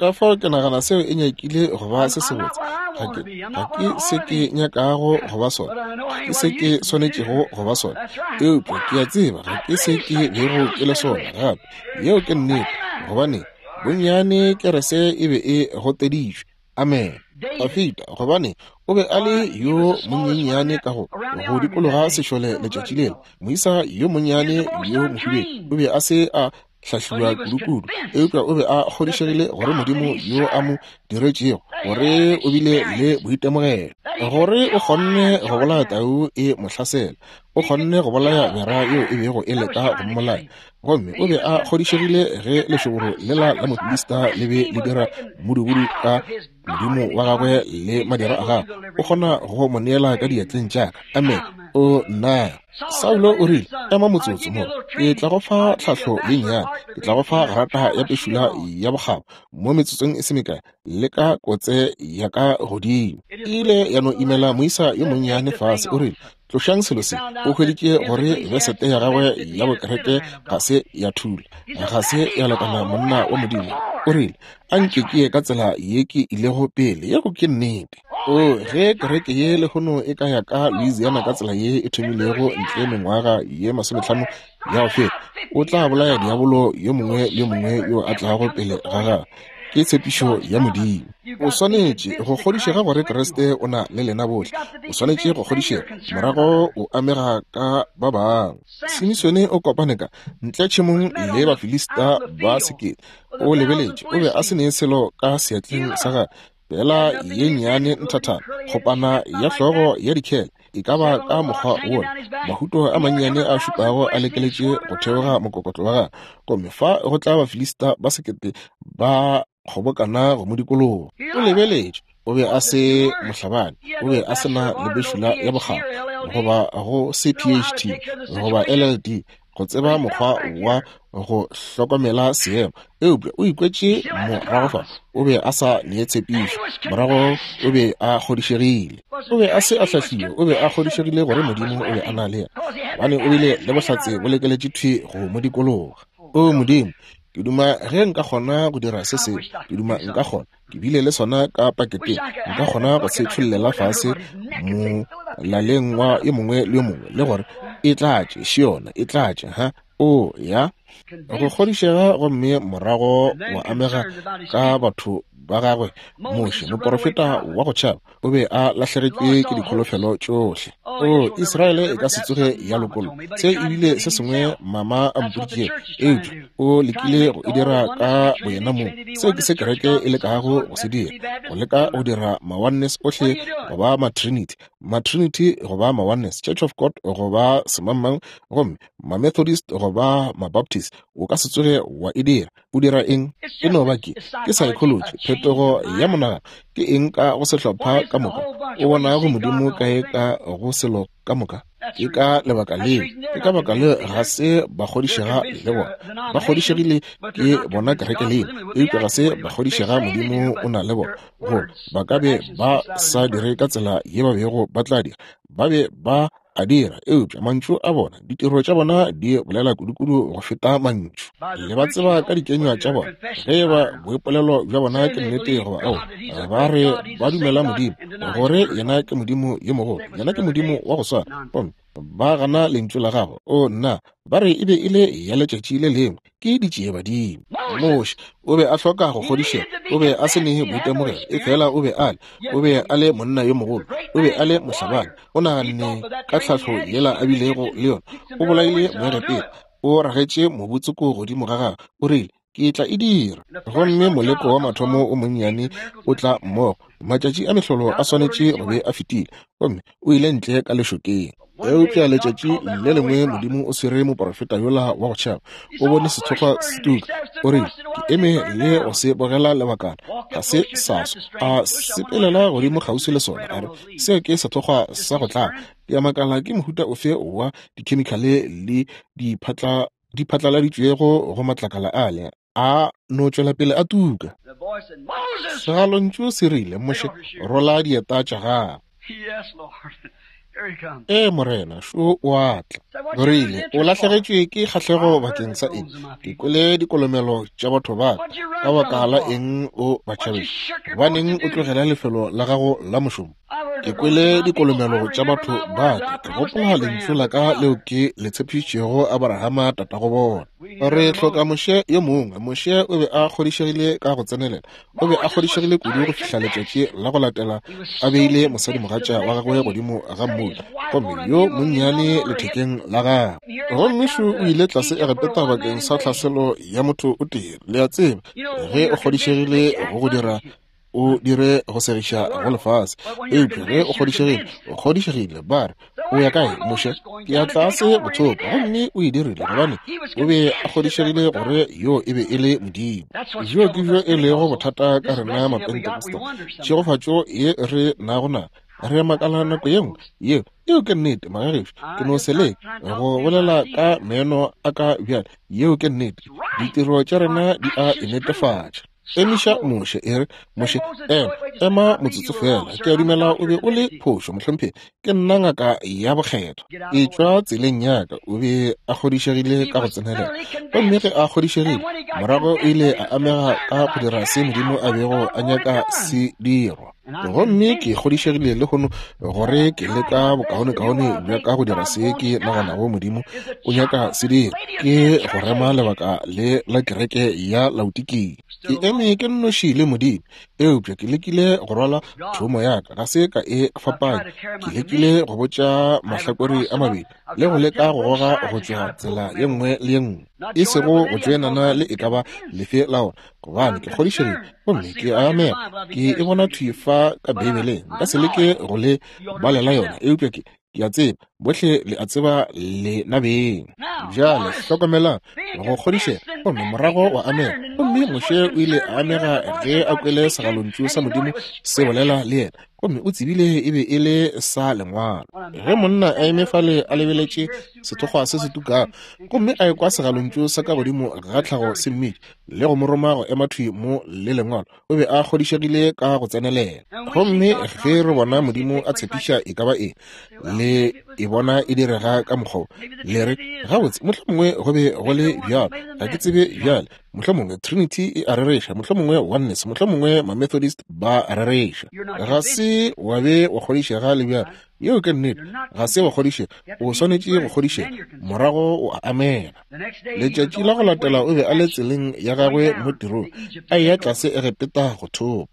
Ka fao ke nagana seo e nyakile go ba se sebotse. Ga ke, ga ke se ke nyakago go ba sona, ga ke se ke swanetšego go ba sona, eupša ke a tseba ga ke se ke bego ke le sona gape. Yeo ke nnete, gobane bonnyane kerese e be e goteditšwe. Amen. Dafida, gobane o be a le yo monyenyane ka go go dikologa sešole letšatši lela, moisa yo monnyane yo mohubedu, o be a se a hlahliwa kudu-kudu, eupša o be a kgodišegile gore Modimo yo a mo diretšego gore o bile le boitemogelo, gore o kgonne go bolaya tau e mo hlasela, o kgonne go bolaya bera yeo e bego e leka go mmolaya. Gomme o be a kgodišegile ge lešoboro lela la Mofilista le be le dira modubudu ka Modimo wa gagwe le madira a gagwe, o kgona go mo neela ka diatleng tša ka. Amen. O nna. Saulo o rile, ema motsotso mo, ke tla go fa tlhahlo ye nnyane, ke tla go fa grata ya pešula ya bokgabo mo metsotsong e se mekae, le ka kotse ya ka godimo. E ile ya no imela moisa yo monnyane fase. O rile, tlošang selo se. O hweditše gore besete ya gagwe ya bokereke ga se ya thula, ga se ya lekana monna wa Modimo. O rile, a nke ke ye ka tsela ye ke ilego pele. Yeo ke nnete. O ge kereke ye lehono e ka ya ka Louisiana ka tsela ye e thomilego ntle mengwaga ye masometlhano ya go feta, o tla bolaya diabolo yo mongwe le yo mongwe yo a tlago pele ga gagwe. Ke tshepišo ya Modimo. O swanetše go kgodišega gore Kriste o na le lena bohle. O swanetše go kgodišega, morago o amega ka ba bangwe. Simisone o kopane ka ntle tšhemong le Bafilista ba sekete. O lebeletše, o be a se ne selo ka seatleng sa gagwe, fela ye nnyane nthathana, kgopana ya hlogo ya dikhele, e ka ba ka mokgwa wona, mahuto a mannyane a šupago a lekeletše go theoga mokokotlo wa gagwe. Gomme fa go tla Bafilista ba sekete ba kgobokana go mo dikologa. O lebeletše, o be a se mohlabani, o be a se na le bešula ya bokgabo, goba go se P H D goba L L D, go tseba mokgwa wa go hlokomela seemo. Eupša o ikwetše morago fa, o be a sa nee tshepišo, morago o be a kgodišegile. O be a se a hlahliwe, o be a kgodišegile gore Modimo o be a na le yena, gobane o bile le bohlatse bo lekeletše thwi go mo dikologa. O Modimo, ke duma ge nka kgona go dira se sengwe, ke duma nka kgona, ke bile le sona ka paketeng, nka kgona go se tšhollela fase molaleng wa yo mongwe le yo mongwe, le gore e tlatše, še yona, e tlatše, ha? O ya go kgodišega, gomme morago wa amega ka batho ba gagwe. Moshe, moporofeta wa go tšhaba, o be a lahlegetšwe ke dikholofelo tšohle. O Israele e ka se tsoge ya lokollwa. Se ebile se sengwe mama a mpoditšego, eupša o lekile go e dira ka boyena mong. Se ke se kereke e lekago go se dira, go leka go dira ma-oneness ohle go ba ma-trinity, ma-trinity go ba ma-oneness, Church of God go ba semangmang, gomme ma-Methodist go ba ma-Baptist. O ka se tsoge wa e dira. O dira eng? E no ba ke ke psychology, phetogo ya monagano. Ke eng ka go sehlopha ka moka o bonago Modimo kae ka go selo ka moka? Ke ka lebaka leo, ke ka baka leo ga se ba kgodišega le bona. Ba kgodišegile ke bona kereke leo, eupša ga se ba kgodišega Modimo o na le bona. Go ba ka be ba sa dire ka tsela ye ba bego ba tla dira, ba be ba a dira, eupša mantšu a bona, ditiro tša bona di bolela kudukudu go feta mantšu. Le ba tseba ka dikenywa tša bona, ge e ba boipolelo bja bona ke nnete goba aowa. Ba re ba dumela Modimo, gore yena ke Modimo yo mogolo, yena ke Modimo wa go swana, gomme ba gana lentšu la gagwe. O nna, ba re e be e le ya letšatši le lengwe, ke ditšiebadimo. Moshe o be a hloka go kgodišega, o be a se ne boitemogelo, efela o be a le, o be a le monna yo mogolo, o be a le mohlabani. O naganne ka tlhahlo yela a bilego le yona, o bolaile Moegepeta, o ragetše mobutsoko godimo ga gagwe, o rile, ke tla e dira. Gomme moleko wa mathomo o monnyane o tla mmogo, matšatši a mehlolo a swanetše go be a fetile, gomme o ile ntle ka lešokeng. Eupša letšatši le lengwe Modimo o swere moporofeta yola wa go tšhaba, o bone sethokgwa se tuka, o rile, ke eme le go se bogela lebakana, ga se sa swa. A sepelela godimo kgauswi le sona, a re, seo ke sethokgwa sa go tlaba. Ke a makala ke mohuta ofe wa dikhemikhale le diphatla di phatlaladitšwego go matlakala ale, a no tšwela pele a tuka. Segalontšu se rile, Moshe, rola dieta tša gago. Ee, Morena, šo o a tla. O rile, o lahlegetšwe ke kgahlego bakeng sa eng? Ke kwele dikolomelo tša batho ba ka. Ka baka la eng o ba tšhabetše? Gobaneng o tlogela lefelo la gago la mošomo? Ke kwele dikolomelo tša batho ba ka. Ke gopola lentšu la ka leo ke le tshepišitšego Abrahama tatago bona. Re hloka Moshe yo mongwe. Moshe o be a kgodišegile ka go tsenelela. O be a kgodišegile kudu go fihla letšatši la go latela a beile mosadimogatša wa gagwe godimo ga mmula, gomme yo monnyane lethekeng la gagwe. Gomme šo o ile tlase Egepeta bakeng sa tlhaselo ya motho o tee. Le a tseba, ge o kgodišegile go go dira, o dire go segiša go lefase. Eupša ge o kgodišegile, o kgodišegile. Ba re, o ya kae, Moshe? Ke ya tlase go thopa. Gomme o e dirile gobane o be a kgodišegile gore yo e be e le Modimo. Bjo ke bjo e lego bothata ka rena Mapentekosta. Tšhegofatšo ye re nago na, re makala nako ye nngwe. Yeo, yeo ke nnete, magagešo. Ke no se leke go bolela ka meno a ka bjale. Yeo ke nnete. Ditiro tša rena di a e netefatša. Emiša Moshe, e re, Moshe, ema, ema motsotso fela. Ke a dumela o be o le phošo, mohlomphegi. Ke nna ngaka ya bokgethwa. E tšwa tseleng ya ka. O be a kgodišegile ka go tsenelela. Gomme ge a kgodišegile, morago o ile a amega ka go dira se Modimo a bego a nyaka se dirwa. Gomme ke kgodišegile lehono gore ke leka bokaonekaone bja ka go dira se ke naganago Modimo o nyaka se dira, ke go rema lebaka le la kereke ya Laodikia. Ke eme ke nnoši le Modimo, eupša ke lekile go rwala thomo ya ka, ga se ka e fapanya. Ke lekile go botša mahlakore a mabedi le go leka go goga go tšwa tsela ye nngwe le ye nngwe, e sego go tšoenana le e ka ba lefe la ona, gobane ke kgodišegile gomme ke a amega. Ke e bona thwi fa ka Beibeleng. Nka se leke go le balela yona, eupša ke ke a tseba bohle le a tseba le nabeng. Bjale hlokomelang go kgodišega, gomme morago wa amega. Gomme Moshe o ile a amega ge a kwele segalontšu sa Modimo se bolela le yena, gomme o tsebile e be e le sa lengwalo. Ge monna a eme fale a lebeletše sethokgwa se se tukago, gomme a ekwa segalontšu sa ka godimo ga tlhago se mmitša le go mo roma go ema thwi mo le lengwalo, o be a kgodišegile ka go tsenelela. Gomme ge re bona Modimo a tshepiša e ka ba eng, le e bona e direga ka mokgwa, le re, gabotse, mohlomongwe go be go le bjalo, ga ke tsebe bjale. Mohlomongwe Trinity e a rereša, mohlomongwe Oneness, mohlomongwe ma-Methodist ba a rereša. Ga se wa be wa kgodišega le bjalo. Yeo ke nnete. Ga se wa kgodišega, o swanetše go kgodišega, morago o a amela. Letšatši la go latela o be a le tseleng ya gagwe mo tirong, a eya tlase Egepeta go thopa.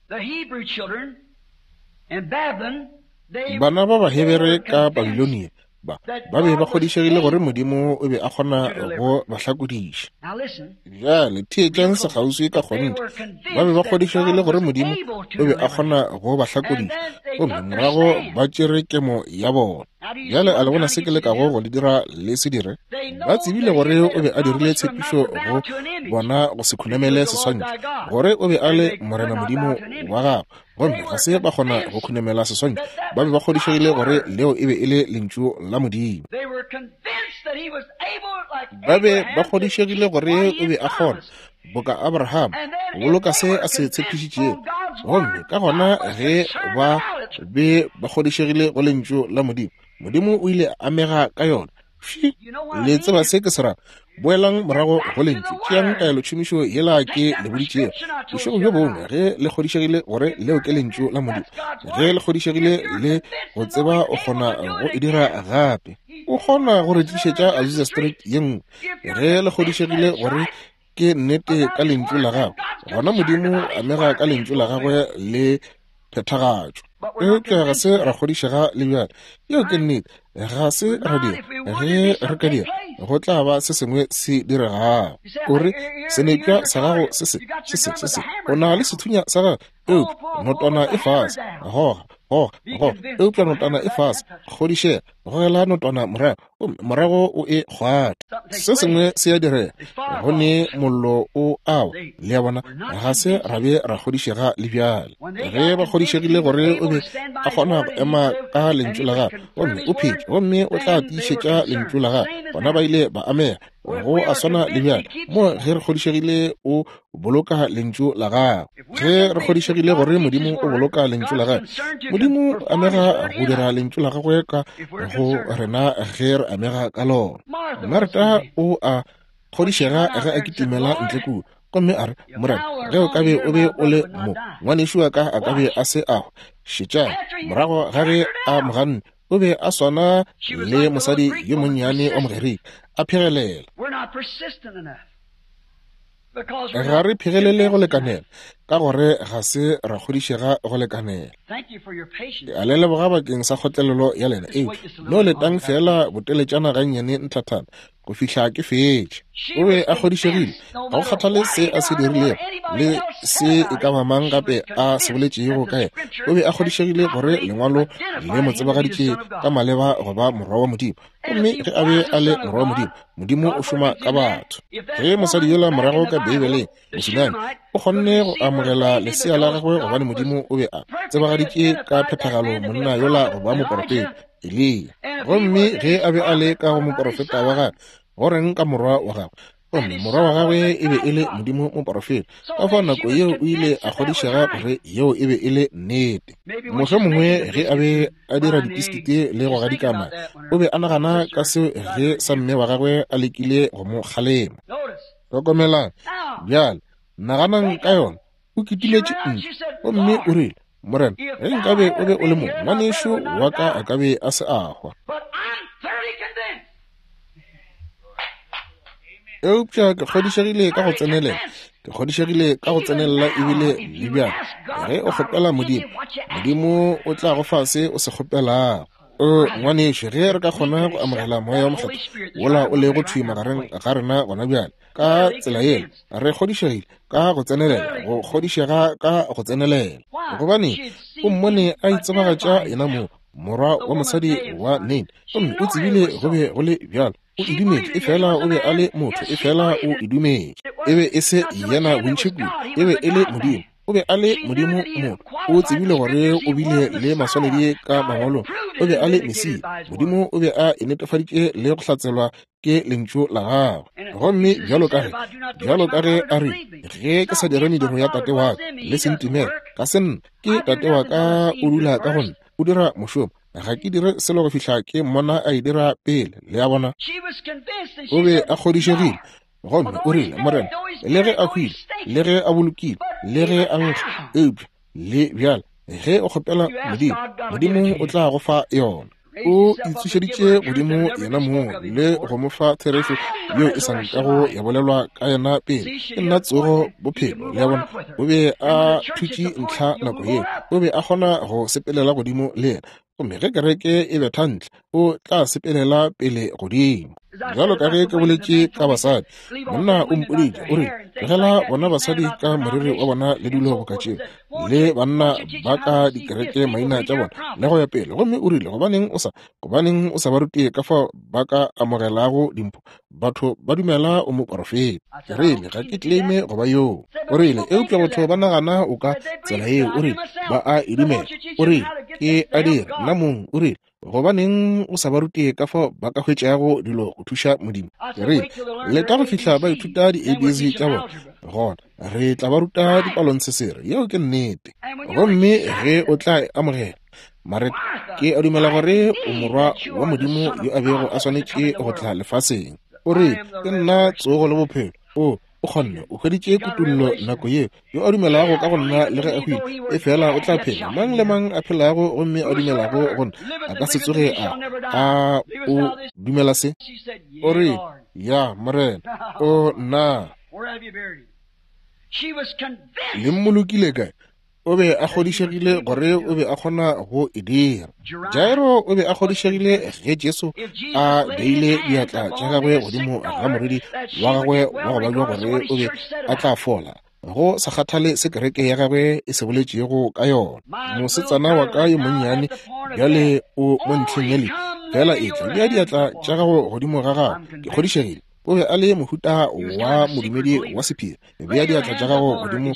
Bana ba Bahebere ka Babilonia ba ba be ba kgodišegile gore Modimo o be a kgona go ba hlakodiša. Bjale theetšang sekgauswi ka kgonthe. Ba be ba kgodišegile gore Modimo o be a kgona go ba hlakodiša, gomme morago ba tšere kemo ya bona. Bjale a le bona se ke lekago go le dira le se dire? Ba tsebile gore o be a dirile tshepišo go bona go se khunamele seswantšho, gore o be a le Morena Modimo wa gagwe, gomme ga se ba kgona go khunamela seswantšho. Ba be ba kgodišegile gore leo e be e le lentšu la Modimo. Ba be ba kgodišegile gore o be a kgona, boka Abraham, go boloka se a se tshepišitšego. Gomme ka gona ge ba be ba kgodišegile go lentšu la Modimo, Modimo o ile a amega ka yona. Fši, le tseba se ke se ra. Boelang morago go lentšu, tšeang taelotšhomišo yela ke le boditšego bošego bjo bongwe. Ge le kgodišegile gore leo ke lentšu la Modimo, ge le kgodišegile le go tseba o kgona go e dira gape, o kgona go re tlišetša Azusa Street ye nngwe. Ge le kgodišegile gore ke nnete ka lentšu la gagwe, gona Modimo amega ka lentšu la gagwe le phethagatšo. Eupša ga se ra kgodišega le bjale. Yeo ke nnete, ga se ra dira. Ge re ka dira, go tla ba se sengwe se diregago. O re, senepša sa gago se se, se se, se se, o na le sethunya sa gago, eupša notwana e fase. Goga, goga, goga, eupša notwana e fase. Kgodišega, gogela notwana morago, gomme morago o e kgwathe. Se sengwe se a direga, go ne mollo o awa. Le a bona, ga se ra be ra kgodišega le bjale. Ge ba kgodišegile gore o be a kgona go ema ka lentšu la gagwe, gomme o phetše, gomme o tla tiišetša lentšu la gagwe, gona ba ile ba amega. Go a swana le bjale mo ge re kgodišegile o boloka lentšu la gagwe. Ge re kgodišegile gore Modimo o boloka lentšu la gagwe, Modimo o amega go dira lentšu la gagwe ka go rena ge re amega ka lona. Marta o a kgodišega ge a kitimela ntle kua, gomme a re, Morena, ge o ka be o be o le mo, ngwanešu wa ka a ka be a se a hwa. Šetšang, morago ga ge a mo ganne, o be a swana le mosadi yo monnyane wa Mogerika, a phegelela. Ga re phegelele go lekanela, ka gore ga se ra kgodišega go lekanela. A le leboga bakeng sa kgotlelelo ya lena, eupša no letang fela boteletšana gannyane nthathana go fihla ke fetše. O be a kgodišegile, ga go kgathale se a se dirilego le se e ka ba mang gape a se boletšego ka yena. O be a kgodišegile gore lengwalo le mo tsebagaditše ka maleba go ba morwa wa Modimo. Gomme ge a be a le morwa wa Modimo, Modimo o šoma ka batho. Ge mosadi yola morago ka Beibeleng, Mosunami, o kgonne go amogela lesea la gagwe gobane Modimo o be a tsebagaditše ka phethagalo monna yola go ba moporofeta Eliya. Gomme ge a be a le ka go moporofeta wa gagwe, go reng ka morwa wa gagwe? Gomme morwa wa gagwe e be e le Modimo moporofeta. Ka fao nako yeo o ile a kgodišega gore yeo e be e le nnete. Mohlomongwe ge a be a dira dipiskite le go gadika mae, o be a nagana ka seo ge sa mme wa gagwe a lekile go mo kgalema. Hlokomelang bjale, naganang ka yona. O kitimetše ntle, gomme o rile, Morena, ge nkabe o be o le mo, ngwanešu wa ka a ka be a se a hwa. Eupša ke kgodišegile ka go tsenelela, ke kgodišegile ka go tsenelela ebile le bjale. Ge o kgopela Modimo, Modimo o tla go fa se o se kgopelago. O ngwanešu, ge re ka kgona go amogela moya wa Mokgethwa wola o lego thwi magareng ga rena gona bjale, ka tsela yela re kgodišegile ka go tsenelela, go kgodišega ka go tsenelela. Gobane o mmone a itsebagatša yena mo, morwa wa mosadi wa Nain, gomme o tsebile go be go le bjalo. O e dumetše, efela o be a le motho, efela o e dumetše. E be e se yena bontši kudu, e be e le Modimo. O be a le Modimo motho. O tsebile gore o bile le maswanedi ka mangwalong. O be a le Mesia. Modimo o be a e netefaditše le go hlatselwa ke lentšu la gagwe. Gomme bjalo ka ge, bjalo ka ge a re, ge ke sa dire mediro ya tate wa ka, le se ntumele, ka se nna, ke tate wa ka o dula ka go nna, o dira mošomo. Ga ke dire selo go fihla ke mmona a e dira pele. Le a bona? O be a kgodišegile. Gomme o rile, Morena, le ge a hwile, le ge a bolokile, le ge a nkga, eupša le bjale ge o kgopela Modimo, Modimo o tla go fa yona. O itsošeditše godimo yena mong le go mo fa therešo yeo e sa nkago ya bolelwa ka yena pele. Ke nna tsogo, bophelo. Le a bona? O be a thutše ntlha nako yeo. O be a kgona go sepelela godimo le yena. Gomme ge kereke e betha ntle, o tla sepelela pele godimo. Bjalo ka ge ke boletše ka basadi, monna o mpoditše, o rile, tlogela bona basadi ka moriri wa bona le dilo boka tšeo, le banna ba ka dikereke maina tša bona le go ya pele. Gomme o rile, gobaneng o sa, gobaneng o sa ba rute ka fao ba ka amogelago dimpho? Batho ba dumela o moporofeta. Ke rile, ga ke claime go ba yoo. O rile, eupša batho ba nagana o ka tsela yeo. O rile, ba a e dumela. O rile, ke a dira nna mong. O rile, gobaneng o sa ba rute ka fao ba ka hwetšago dilo go thuša Modimo? Ke rile, leta go fihla ba ithuta di-A B C tša bona, gona re tla ba ruta dipalontshesere. Yeo ke nnete. Gomme ge o tla e amogela, Mareta, ke a dumela gore o morwa wa Modimo yo a bego a swanetše go tla lefaseng. O re, ke nna tsogo le bophelo. O o kgonne, o hweditše kutollo nako yeo. Yo a dumelago ka go nna le ge a hwile, efela o tla phela. Mang le mang a phelago gomme a dumelago go nna a ka se tsoge a a o dumela se? O re, ya Morena. O nna le mmolokile kae? O be a kgodišegile gore o be a kgona go e dira. Jairo o be a kgodišegile ge Jesu a beile diatla tša gagwe godimo ga morwedi wa gagwe wa go babja gore o be a tla fola, go sa kgathale se kereke ya gagwe e se boletšego ka yona. Mosetsana wa ka yo monnyane bjale o mo ntlheng ya lehu, fela etla bea diatla tša gago godimo ga gagwe. Ke kgodišegile o be a le mohuta wa modumedi wa sephiri. Bea diatla tša gago godimo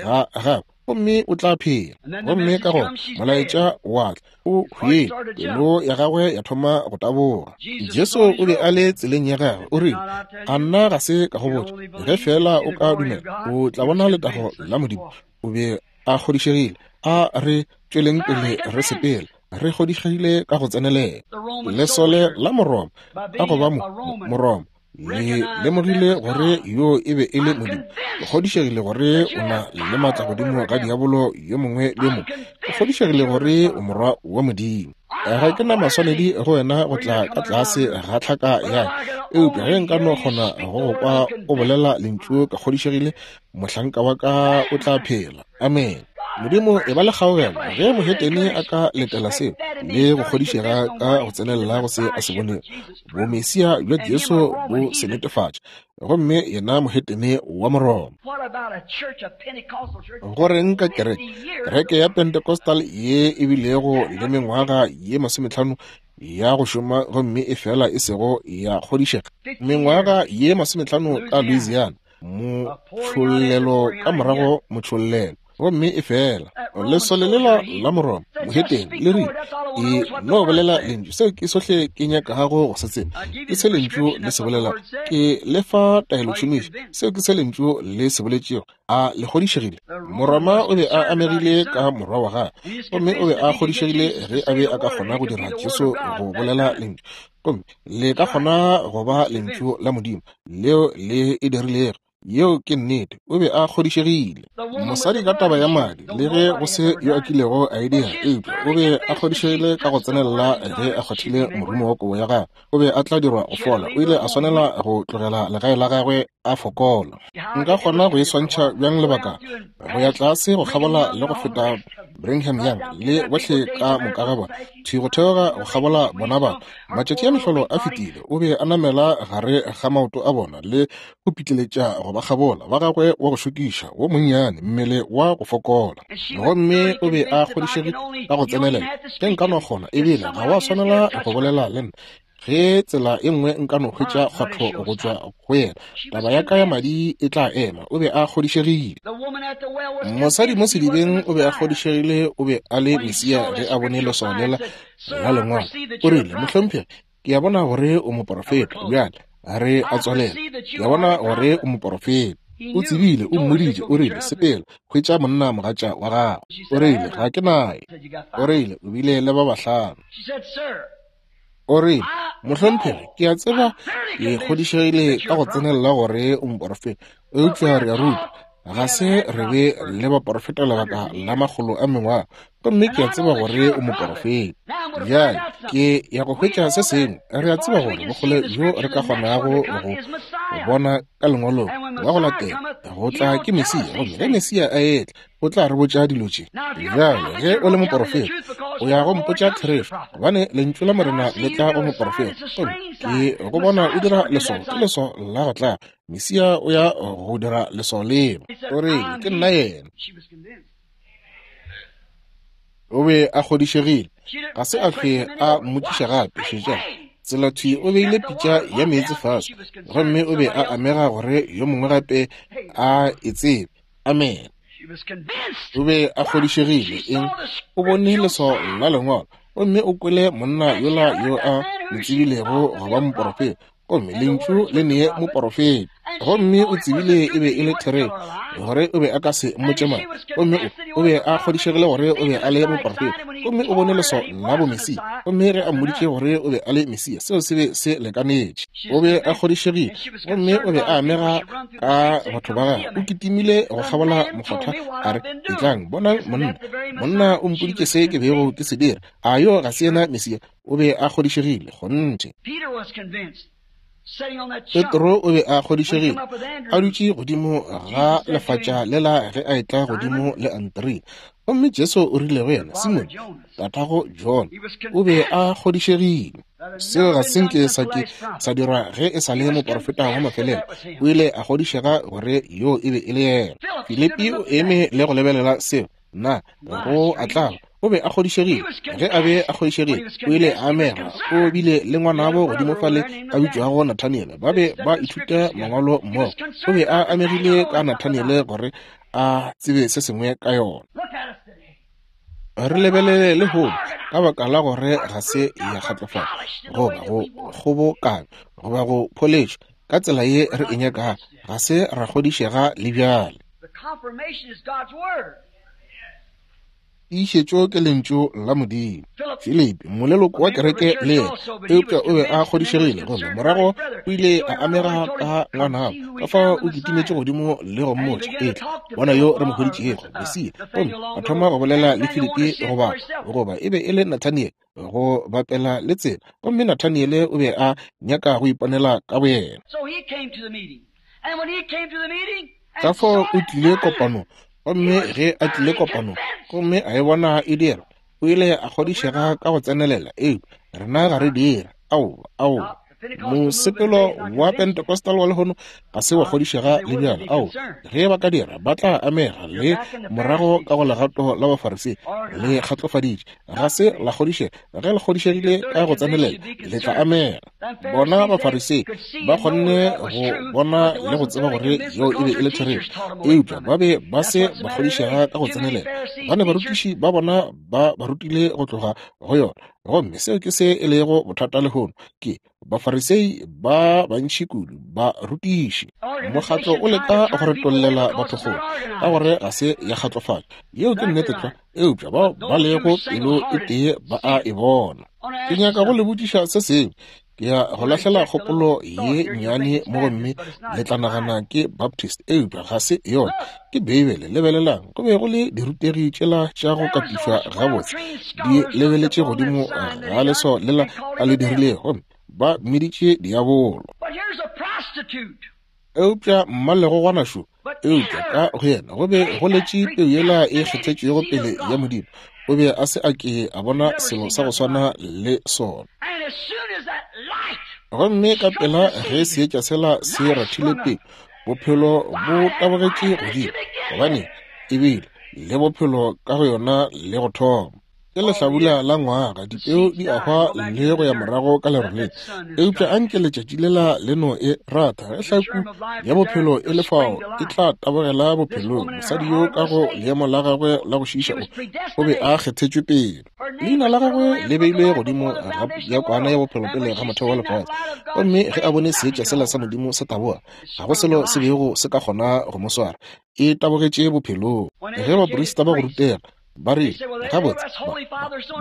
ga gagwe gomme o tla phela. Gomme ka gona molaetša wa tla, o hwile, pelo ya gagwe ya thoma go taboga. Jesu o be a le tseleng ya gagwe. O rile, a nna ga se ka go botša, ge fela o ka dumela o tla bona letago la Modimo. O be a kgodišegile. A re tšweleng pele re sepela, re kgodišegile ka go tsenelela. Lesole la Moroma, ka go ba Moroma, le lemogile gore yo e be e le Modimo. Ke kgodišegile gore o na le matla godimo ga diabolo yo mongwe le mongwe. Ke kgodišegile gore o morwa wa Modimo. Ga ke na maswanedi go wena go tla ka tlase ga tlhaka ya ka, eupša ge nka no kgona go go kwa o bolela lentšu, ka kgodišegile mohlanka wa ka o tla phela. Amen. Modimo e ba le kgaogelo ge mohetene a ka letela seo le go kgodišega ka go tsenelela go se a se bonego. Bomesia bja Jesu bo se netefatša, gomme yena mohetene wa Moroma. Go reng ka kereke? Kereke ya Pentecostal ye e bilego le mengwaga ye masometlhano ya go šoma gomme e fela e sego ya kgodišega. Mengwaga ye masometlhano ka Louisiana, motšhollelo ka morago motšhollelo, gomme e fela lesole lela la Moroma mohetene le rile, e no bolela lentšu, seo ke sohle ke nyakago go se tseba, ke se lentšu le se bolelago. Ke lefa taelotšhomišo, seo ke se lentšu le se boletšego. A le kgodišegile? Moroma o be a amegile ka morwa wa gagwe, gomme o be a kgodišegile ge a be a ka kgona go dira Jesu go bolela lentšu, gomme le ka kgona go ba lentšu la Modimo leo le e dirilego. Yeo ke nnete. O be a kgodišegile. Mosadi ka taba ya madi, le ge go se yo a kilego a e dira, eupša o be a kgodišegile ka go tsenelela ge a kgwathile morumo wa kobo ya gagwe, o be a tla dirwa go fola. O ile a swanela go tlogela legae la gagwe a fokola. Nka kgona go e swantšha bjang lebaka? Go ya tlase go kgabola le go feta Brigham Young le bohle ka moka ga bona, thwi go theoga go kgabola bona batho. Matšatši a mehlolo a fetile. O be a namela gare ga maoto a bona le go pitleletša go ba kgabola ba gagwe wa go šokiša wo monnyane, mmele wa go fokola. Gomme o be a kgodišegile ka go tsenelela, ge nka no kgona, ebile ga wa swanela go bolela le nna. Ge tsela e nngwe nka no hwetša kgwatho go tšwa go yena, taba ya ka ya madi e tla ema. O be a kgodišegile. Mosadi mo sedibeng o be a kgodišegile o be a le Mesia ge a bone leswao lela la lengwalo. O rile, mohlomphegi, ke a bona gore o moporofeta. Bjale re a tswalela. Ke a bona gore o moporofeta. O tsebile, o mmoditše, o rile, sepela, hwetša monna mogatša wa gago. O rile, ga ke naye. O rile, o bile le ba bahlano. O rile, mohlomphegi, ke a tseba ke kgodišegile ka go tsenelela gore o moporofeta, eupša re a ruta, ga se re be le baporofeta lebaka la makgolo a mengwaga, gomme ke a tseba gore o moporofeta. Bjale ke ya go hwetša se sengwe. Re a tseba gore bokgole bjo re ka kgonago go bona ka lengwalong wa go latela go tla ke Mesia, gomme ge Mesia a etla o tla re botša dilo tše. Bjale ge o le moporofeta, o ya go mpotša therešo, gobane lentšu la Morena le tla go moporofeta. Gomme ke go bona o dira leswao, ke leswao la go tla. Mesia o ya go dira leswao leo. O rile, ke nna yena. O be a kgodišegile. Ga se a hlwe a mmotšiša gape. Šetšang, tsela thwi o beile pitša ya meetse fase, gomme o be a amega gore yo mongwe gape a e tsebe. Amen. O be a kgodišegile. Eng? O bone leswao la lengwalo, gomme o kwele monna yola yo a mo tsebilego go ba moporofeta, gomme lentšu le nee moporofeta. Gomme o tsebile e be e le therešo gore o be a ka se mmotše mang. Gomme o, o be a kgodišegile gore o be a le moprofeta. Gomme o bone leswao la bomesia. Gomme ge a mmoditše gore o be a le Mesia, seo se be se lekanetše. O be a kgodišegile. Gomme o be a amega ka batho ba gagwe. O kitimile go kgabola mokgotha a re, etlang, bonang monna. Monna o mpoditše se ke bego ke se dira. A yo ga se yena Mesia? O be a kgodišegile, kgonthe. Petro o be a kgodišegile, a dutše godimo ga lefatša lela ge a etla godimo le Andrea. Gomme Jesu o rile go yena, Simone, tatago John, o be a kgodišegile. Seo ga se nke sa ke sa dirwa ge e sa le moprofeta wa mafelelo. O ile a kgodišega gore yo e be e le yena. Filipi o eme le go lebelela seo. Na go a tlaba. O be a kgodišegile. Ge a be a kgodišegile, o ile a amega. O bile le ngwanabo godimo fale a bitšwago Nathaniele. Ba be ba ithuta mangwalo mmogo. O be a amegile ka Nathaniele gore a tsebe se sengwe ka yona. Re lebelele lehono ka baka la gore ga se ya kgatlofala goba go kgobokanywa goba go pholetšwa ka tsela ye re e nyakago, ga se ra kgodišega le bjale. Tiišetšo ke lentšu la Modimo. Filipi, moleloko wa kereke le yena, eupša o be a kgodišegile, gomme morago o ile a amega ka ngwanabo. Ka fao o kitimetše godimo le go mmotša, etla, bona yo re mo hweditšego, Mesia. Gomme a thoma go bolela le Filipi, goba goba e be e le Nathaniele, go bapela le tsela. Gomme Nathaniele o be a nyaka go iponela ka boyena. Ka fao o tlile kopanong. Gomme ge a tlile kopanong, gomme a e bona e dira, o ile a kgodišega ka go tsenelela. Eupša rena ga re dira. Aowa, aowa. Mosepelo wa Pentecostal wa lehono ga se wa kgodišega le bjalo. Aowa, ge ba ka dira, ba tla amega le morago ka go legato la Bafarisei. Le kgatlofaditše, ga se la kgodišega. Ge le kgodišegile ka go tsenelela, le tla amega. Bona Bafarisei ba kgonne go bona le go tseba gore yeo e be e le therešo, eupša ba be ba se ba kgodišega ka go tsenelela, gobane barutiši ba bona ba ba rutile go tloga go yona. Gomme seo ke se e lego bothata lehono, ke Bafarisei ba bantši kudu, barutiši. Mokgatlo o leka go retollela batho kgole ka gore ga se ya kgatlofatšwa. Yeo ke nnete tlwa, eupša bao ba lego pelo e tee ba a e bona. Ke nyaka go le botšiša se sengwe. Ke ya go lahlela kgopolo ye nnyane mo, gomme le tla nagana ke Baptist, eupša ga se yona, ke Beibele. Lebelelang, go be go le dirutegi tšela tša go katišwa gabotse di lebeletše godimo ga leswao lela a le dirilego, gomme ba mmiditše diabolo. Eupša mmalegogwana šo, eupša ka go yena go be go letše peu yela e kgethetšwego pele ya Modimo. O be a se a ke a bona selo sa go swana le sona. Gomme ka pela ge seetša sela se rathile pele, bophelo bo tabogetše godimo, gobane e bile le bophelo ka go yona le go thoma. Ke lehlabula la ngwaga, dipeu di a hwa le go ya morago ka leroleng. Eupša anke letšatši lela le no e ratha, ge hlaku ya bophelo e le fao, e tla tabogela bophelong. Mosadi yo ka go leemo la gagwe la go šiiša o, o be a kgethetšwe pele. Leina la gagwe le beilwe godimo ga ya kwana ya bophelo pele ga motheo wa lefase. Gomme ge a bone seetša sela sa Modimo se taboga, ga go selo se bego se ka kgona go mo swara. E tabogetše bophelong. Ge baprista ba go rutega ba rile, gabotse,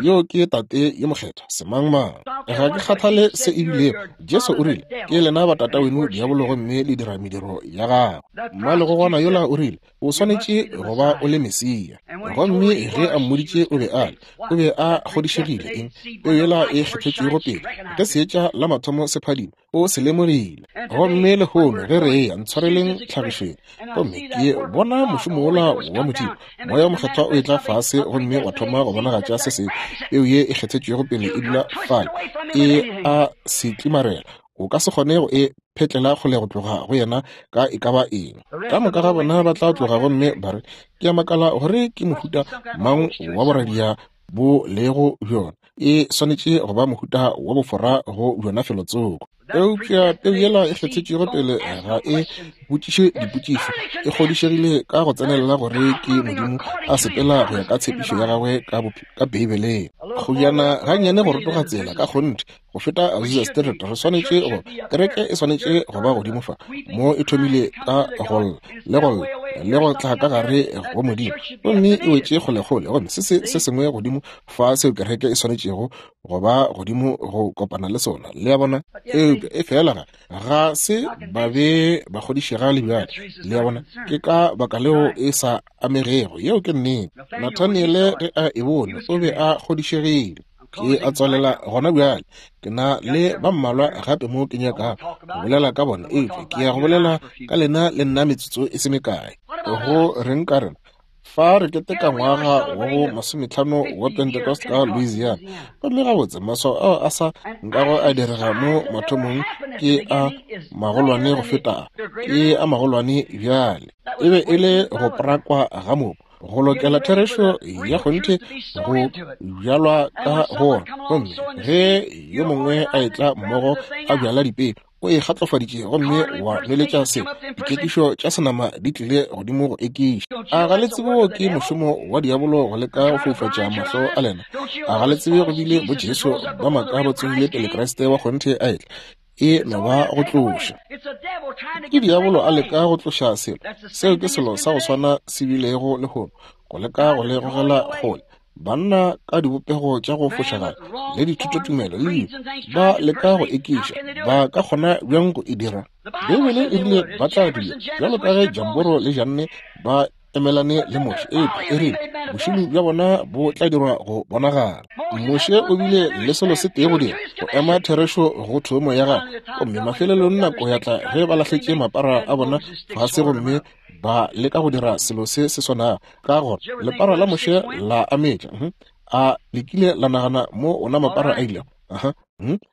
yo ke tate yo mokgethwa semangmang, ga ke kgathale se e bilego. Jesu o rile, ke lena ba tata weno diabolo, gomme le dira mediro ya gagwe. Mmalegogwana yola o rile, o swanetše go ba o le Mesia. Gomme ge a mmoditše o be a le, o be a kgodišegile eng? Peu yela e kgethetšwego pele, ge seetša la mathomo se phadima, o se lemogile. Gomme lehono ge re eya ntshwareleng tlhagišong, gomme ke bona mošomo wola wa Modimo, Moya o Mokgethwa o etla fase gomme wa thoma go bonagatša se sengwe. Peu ye e kgethetšwego pele e dula fale, e a se tlimarela. O ka se kgone go e phetlela kgole go tloga go yena ka e ka ba eng. Ka moka ga bona ba tla tloga gomme ba re, ke a makala gore ke mohuta mang wa boradia bo lego bjona. E swanetše go ba mohuta wa bofora go bjona felotsoko. Eupša peu yela e kgethetšwego pele ga e botšiše dipotšišo, e kgodišegile ka go tsenelela gore ke Modimo a sepela go ya ka tshepišo ya gagwe ka, ka Beibeleng. Kgojana gannyane go rotoga tsela ka kgonthe go feta Azusa Street, re swanetše go kereke e swanetše go ba godimo fa mo e thomile ka go lla le go lla le go tla ka gare go Modimo, gomme e wetše kgolekgole, gomme se se se sengwe godimo fa seo kereke e swanetšego go ba godimo go kopana le sona. Le a bona? Eupša e fela ga ga se ba be ba kgodišega le bjale. Le a bona? Ke ka baka leo e sa amegego. Yeo ke nnete. Nathaniele ge a e bone o be a kgodišegile. Ke a tswalela gona bjale. Ke na le ba mmalwa gape mo ke nyaka go bolela ka bona, eupša ke ya go bolela ka lena le nna metsotso e se mekae. Go reng ka rena fa re keteka ngwaga wa bo masometlhano wa Pentecost ka Louisiana, gomme gabotse maswao ao a sa nkago a direga mo mathomong ke a magolwane go feta ke a magolwane bjale. E be e le go prakwa ga mobu, go lokela therešo ya kgonthe go bjalwa ka gona, gomme ge yo mongwe a etla mmogo a bjala dipeu, o e kgatlofaditše gomme wa nweletša se. Dikekišo tša senama di tlile godimo go ekiša. A ga le tsebe ke mošomo wa diabolo go leka go foufatša mahlo a lena? A ga le tsebe go bile bo Jesu ba maaka ba tsogile pele Kriste wa kgonthe a etla? E no ba go tloša. Ke diabolo a leka go tloša selo. Seo ke selo sa go swana se bilego lehono, go leka go le gogela kgole. Banna ka dibopego tša go fošagala le dithutotumelo le dilo ba leka go ekiša. Ba ka kgona bjang go e dira? Beibele e rile ba tla dula bjalo ka ge Jamboro le Janne ba emelane le Moshe, eupša e rile bošilo bja bona bo tla dirwa go bonagala. Moshe o bile le selo se tee go dira, go ema therešo go thomo ya gagwe, gomme mafelelong nako ya tla ge ba lahletše mapara a bona fase gomme ba leka go dira selo se se swanago. Ka gore lepara la Moshe la ametša, a lekile la nagana mo ona mapara a ilego. Aha,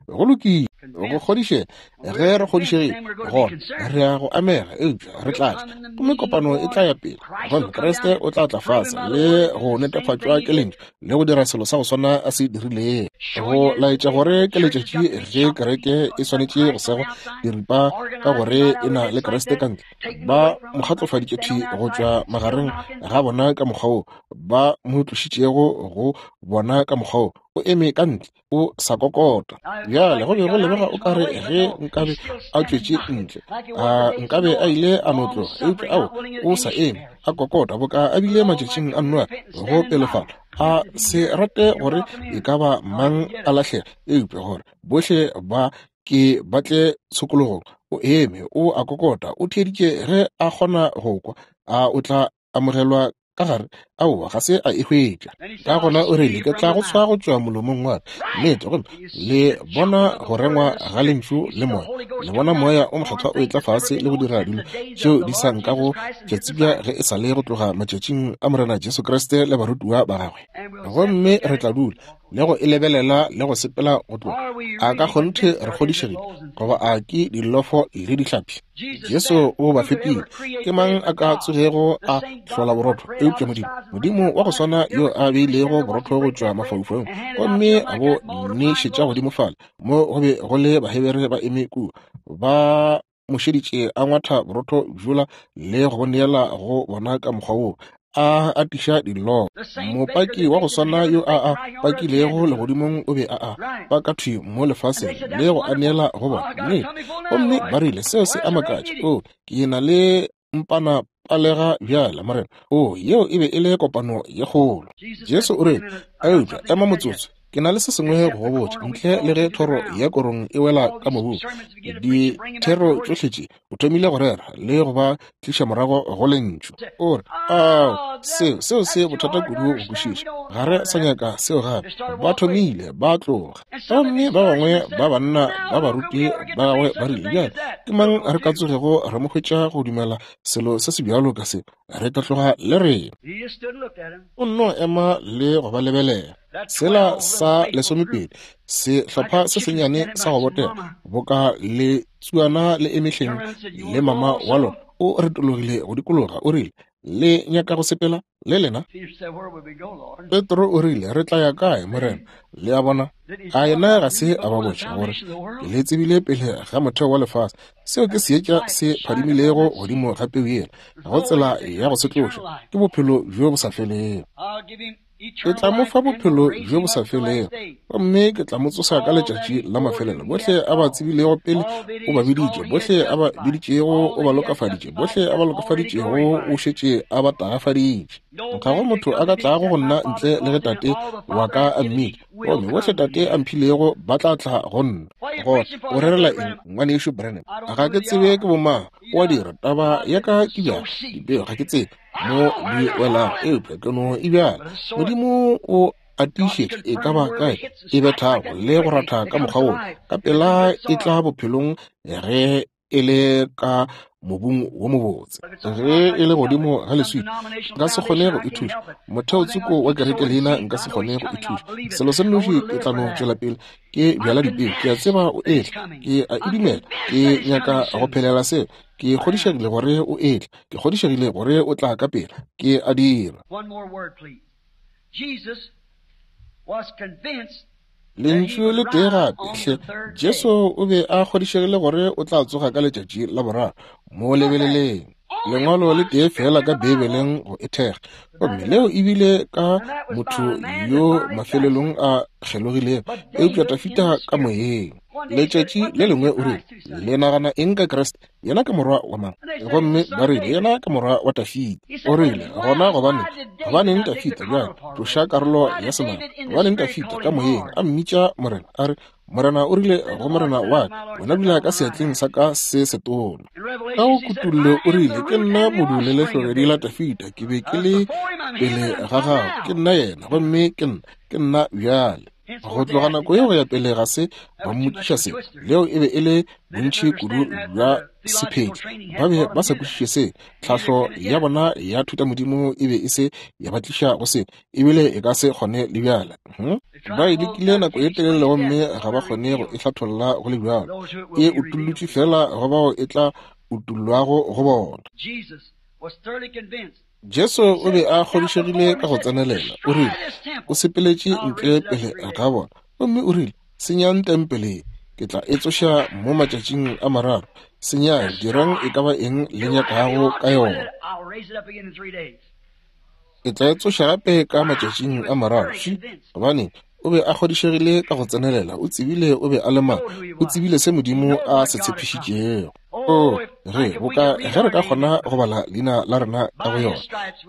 go lokile, go kgodišega. Ge re kgodišegile gona re ya go amega, eupša re tla tla, gomme kopano e tla ya pele, gomme Kriste o tla tla fase le go netefatšwa ke lentšu le go dira selo sa go swana a se dirilego, go laetša gore ke letšatši ge kereke e swanetše go segwa diripa ka gore e na le Kriste ka ntle. Ba mo kgatlofaditše thwi go tšwa magareng ga bona ka mokgwa wo ba mo tlošitšego go bona ka mokgwa wo. O eme ka ntle, o sa kokota. Bjale go be go lebega o kare ge nkabe a tšwetše ntle, a nkabe a ile a no tloga, eupša ao o sa eme a kokota boka a bile matšatšing a Noa go pelefala. A se rate gore e ka ba mang a lahlega, eupša gore bohle ba ke ba tle tshokologong. O eme, o a kokota, o theeditše ge a kgona go kwa. A o tla amogelwa ka gare? Aowa, ga se a e hwetša. Ka gona o rile, ke tla go tshwa go tšwa molomong wa ka. Nnete, gomme le bona go rengwa ga lentšu le moya. Le bona moya o mokgethwa o etla fase le go dira dilo tšeo di sa nkago tša tsebja ge e sa le go tloga matšatšing a Morena Jesu Kriste le barutiwa ba gagwe. Gomme re tla dula le go e lebelela le go sepela go tloga. A ka kgonthe re kgodišegile goba a ke dilofo le dihlapi? Jesu o ba fepile. Ke mang a ka tsogego a hlola borotho eupša Modimo? Modimo wa go swana yo a beilego borotho go tšwa mafaufaung gomme a bo nešetša godimo fale mo go be go le Bahebere ba eme kua, ba mo šeditše a ngwatha borotho bjola le go neela go bona ka mokgwa woo a atiša dillo. Mopaki wa go swana yo a a pakilego legodimong o be a a paka thwi mo lefaseng le go a neela go bona. Nnete. Gomme ba rile seo se a makatša. O, ke na le mpana palega bjale, Morena. O, yeo e be e le kopano ye kgolo. Jesu o rile, eupša ema motsotso, ke na le se sengwe go go botša. Ntle le ge thoro ya korong e wela ka mobung, dithero tšohle tše o thomile go rera le go ba tliša morago go lentšu. O re, ao, seo seo se bothata kudu go kwešiša. Ga re sa nyaka seo gape. Ba thomile ba tloga. Gomme ba bangwe ba banna ba baruti ba gagwe ba rile, bjale ke mang re ka tsogego re mo hwetša go dumela selo se se bjalo ka se? Re tla tloga le rena. O nno ema le go ba lebelela. Sela sa lesomepedi, sehlopha se sennyane sa go botega boka le tsuana le emehleng le mama wa lona, o retologile go dikologa, o rile, le nyaka go sepela? Le lena? Petro o rile, re tla ya kae, Morena? Le a bona? A yena ga se a ba botša gore ke le tsebile pele ga motheo wa lefase. Seo ke seetša se phadimilego godimo ga peu yela. Ga go tsela ya go se tloša. Ke bophelo bjo bo sa felego. Ke tla mo fa bophelo bjo bo sa felego, gomme ke tla mo tsoša ka letšatši la mafelelo. Bohle a ba tsebilego pele o ba biditše, bohle a ba biditšego o ba lokafaditše, bohle a ba lokafaditšego o šetše a ba tagafaditše. Ga go motho a ka tlago go nna ntle le ge Tate wa ka a mmitša, gomme bohle Tate a mphilego ba tla tla go nna. Gona o rerela eng, ngwanešu Branham? Ga ke tsebe ke bomang. O a dira, taba ya ka ke bjang, dipeo ga ke tsebe mo di welago, eupša ke no e bjala. Modimo o a tiišetša e ka ba kae e bethago le go ratha ka mokgwa wo, ka pela e tla bophelong ge e le ka mobung wo mobotse. Ge e le godimo ga leswika, nka se kgone go e thuša. Motheo tsoko wa kereke leina nka se kgone go e thuša. Selo se nnoši ke tla no tšwela pele ke bjala dipeo. Ke a tseba o etla, ke a e dumela, ke nyaka go phelela seo. Ke kgodišegile gore o etla, ke kgodišegile gore o tla ka pela, ke a dira. Lentšu le tee gape, hle. Jesu o be a kgodišegile gore o tla tsoga ka letšatši la boraro. Mo lebeleleng. Lengwalo le tee fela ka Beibeleng go e thekga, gomme leo ebile ka motho yo mafelelong a kgelogilego, eupša Dafida ka moyeng. Letšatši le lengwe o rile, le nagana eng ka Kriste? Yena ke morwa wa mang? Gomme ba rile, yena ke morwa wa Dafida. O rile, gona gobaneng? Gobaneng Dafida bjale tloša karolo ya senama? Gobaneng Dafida ka moyeng a mmitša Morena? A re, Morena o rile go Morena wa ka, wena dula ka seatleng sa ka se setona. Ka go kutullo o rile, ke nna modu le lehlogedi la Dafida, ke be ke le pele ga gago, ke nna yena, gomme ke nna, ke nna bjale. Go tloga nako yeo go ya pele ga se ba mmotšiša se. Leo e be e le bontši kudu bja sephedi. Ba be ba sa kwešiše se. Tlhahlo ya bona ya thutamodimo e be e se ya ba tliša go se, ebile e ka se kgone le bjale. Hmm? Ba e lekile nako e telele gomme ga ba kgone go e hlatholla go le bjalo. E utullotšwe fela go bao e tla utullwago go bona. Jesu o be a kgodišegile ka go tsenelela. O rile, o sepeletše ntle pele ga bona, gomme o rile, senyang tempele, ke tla e tsoša mo matšatšing a mararo. Senyang, dirang e ka ba eng le nyakago ka yona. Ke tla e tsoša gape ka matšatšing a mararo. Gobane o be a kgodišegile ka go tsenelela. O tsebile o be a le mang. O tsebile se Modimo a se tshepišitšego. O re boka ge re ka kgona go bala leina la rena ka go yona.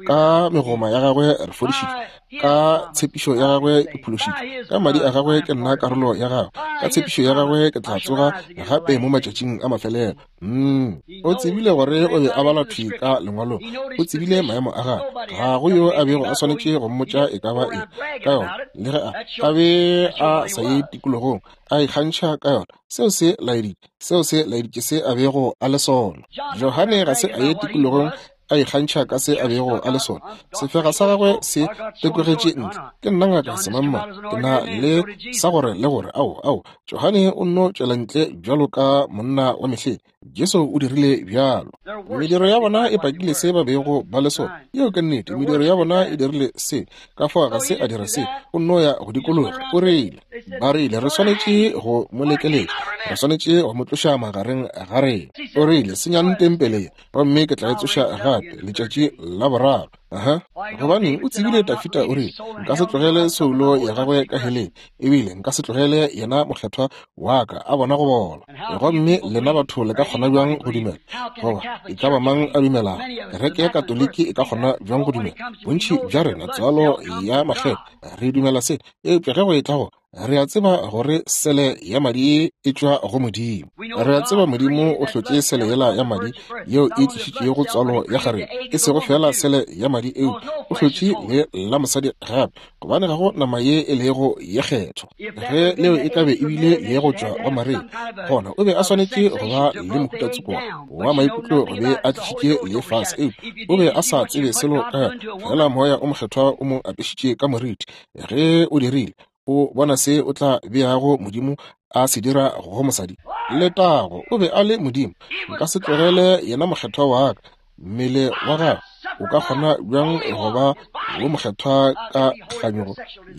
Ka megoma ya gagwe re fodišitšwe, ka tshepišo ya gagwe ke phološitšwe, ka madi a gagwe ke nna karolo ya gagwe, ka tshepišo ya gagwe ke tla tsoga gape mo matšatšing a mafelelo. Mm. O tsebile gore o be a bala thwi ka lengwalong. O tsebile maemo a gagwe. Ga go yo a bego a swanetše go mmotša e ka ba eng ka yona, le ge a a be a sa ye tikologong a ikgantšha ka yona. Seo se laeditše, seo se laeditše se a bego a le sona. Johane ga se a ye tikologong a ikgantšha ka se a bego a le sona. Sefega sa gagwe se tekogetše ntle. Ke nna ngaka semangmang, ke na le sa gore le gore. Ao, ao, Johane o nno tšwela ntle bjalo ka monna wa mehleng. Jesu o dirile bjalo. Mediro ya bona e pakile se ba bego ba le sona. Yeo ke nnete. Mediro ya bona e dirile se. Ka fao ga se a dira se. O nno ya go dikologa. O rile, ba rile, re swanetše go mo lekeletša, re swanetše go mo tloša magareng ga rena. O rile, senyang tempele ye, gomme ke tla e tsoša gape letšatši la boraro. Aha. Gobaneng o tsebile Dafida o rile, nka se tlogele soulo ya gagwe ka heleng, ebile nka se tlogele yena mokgethwa wa ka a bona go bola. Gomme lena batho le ka kgona bjang go dumela? Goba e ka ba mang a dumelago? Kereke ya Katoliki e ka kgona bjang go dumela? Bontši bja rena tswalo ya makgetho re dumela se, eupša ge go e tla go re a tseba gore sele ya madi e tšwa go Modimo. Re a tseba Modimo o hlotše sele yela ya madi yeo e tlišitšego tswalo ya kgarebe, e sego fela sele ya madi eo, o hlotše le la mosadi gape, gobane ga go nama ye e lego ye kgethwa. Ge leo e ka be ebile ye go tšwa go Maria, gona o be a swanetše go ba le mohuta-tsoko wa maikutlo go be a tlišitše le fase, eo o be a sa tsebe selo ka yona. Fela moya o mokgethwa o mo apešitše ka moriti. Ge o dirile, o bona se o tla beago Modimo a se dira go mosadi. Letago, o be a le Modimo. Nka se tlogele yena mokgethwa wa ka Mmele wa gagwe o ka kgona bjang go ba wo mokgethwa ka kganyogo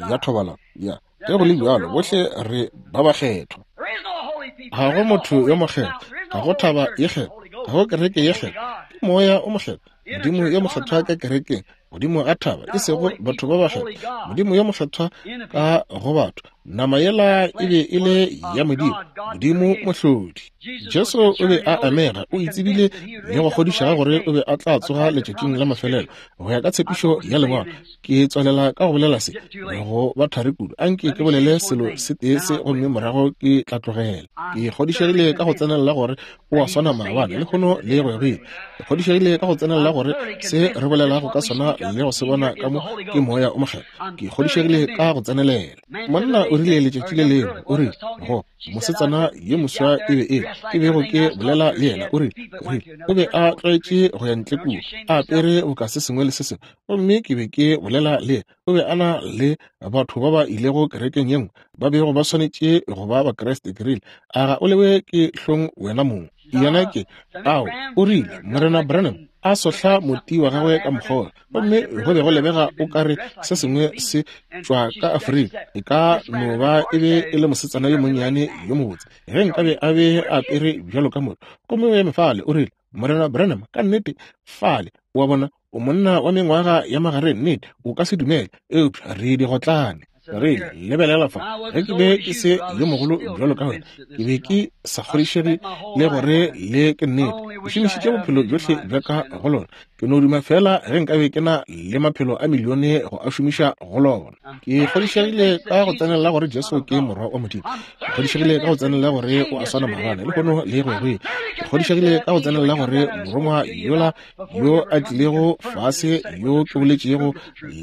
ya thobalano? Ya, ge go le bjalo, bohle re ba bakgethwa. Ga go motho yo mokgethwa, ga go thaba ye kgethwa, ga go kereke ye kgethwa. Ke Moya o mokgethwa, Modimo yo mokgethwa ka kerekeng, godimo ga thaba, e sego batho ba bakgethwa. Modimo yo mokgethwa ka go batho. Nama yela e be e le ya Modimo, Modimo mohlodi. Jesu o be a amega, o itsebile le go kgodišega gore o be a tla tsoga letšatšing la mafelelo go ya ka tshepišo ya Lengwalo. Ke tswalela ka go bolela se go ba thari kudu. Anke ke bolele selo se tee se gomme morago ke tla tlogela. Ke kgodišegile ka go tsenelela gore o a swana maabane, lehono le go ya go ile. Ke kgodišegile ka go tsenelela gore se re bolelago ka sona le go se bona ka mo ke Moya o Mokgethwa. Ke kgodišegile ka go tsenelela. Monna o rile letšatši le lengwe, o rile go mosetsana yo moswa e be e ke bego ke bolela le yena, o rile, o be a tlwaetše go ya ntle kua a apere boka se sengwe le se sengwe, gomme ke be ke bolela le yena. O be a na le batho ba ba ilego kerekeng ye nngwe ba bego ba swanetše go ba Bakriste. Ke rile, a ga o lewe ke hlong wena mong? Yena ke ao, o rile, Morena Branham a sohla moti wa gagwe ka mokgola, gomme go be go lebega o ka re se sengwe se tšwa ka Afrika. E ka no ba e be e le mosetsana yo monnyane yo mobotse ge nkabe a be a apere bjalo ka motho. Gomme o eme fale, o rile, Morena Branham, ka nnete fale, wa bona, o monna wa mengwaga ya magareng, nnete o ka se dumele, eupša re digotlane. Re lebelela fa, ge ke be ke se yo mogolo bjalo ka wena, ke be ke sa kgodišege le gore le ke nnete. Ke šomišitše bophelo bjohle bja ka go lona. Ke no duma fela ge nkabe ke na le maphelo a milione go a šomiša go lona. Ke kgodišegile ka go tsenelela gore Jesu ke Morwa wa Modimo. Ke kgodišegile ka go tsenelela gore o a swana maabane, lehono le go ya go ile. Ke kgodišegile ka go tsenelela gore morongwa yola yo a tlilego fase yo ke boletšego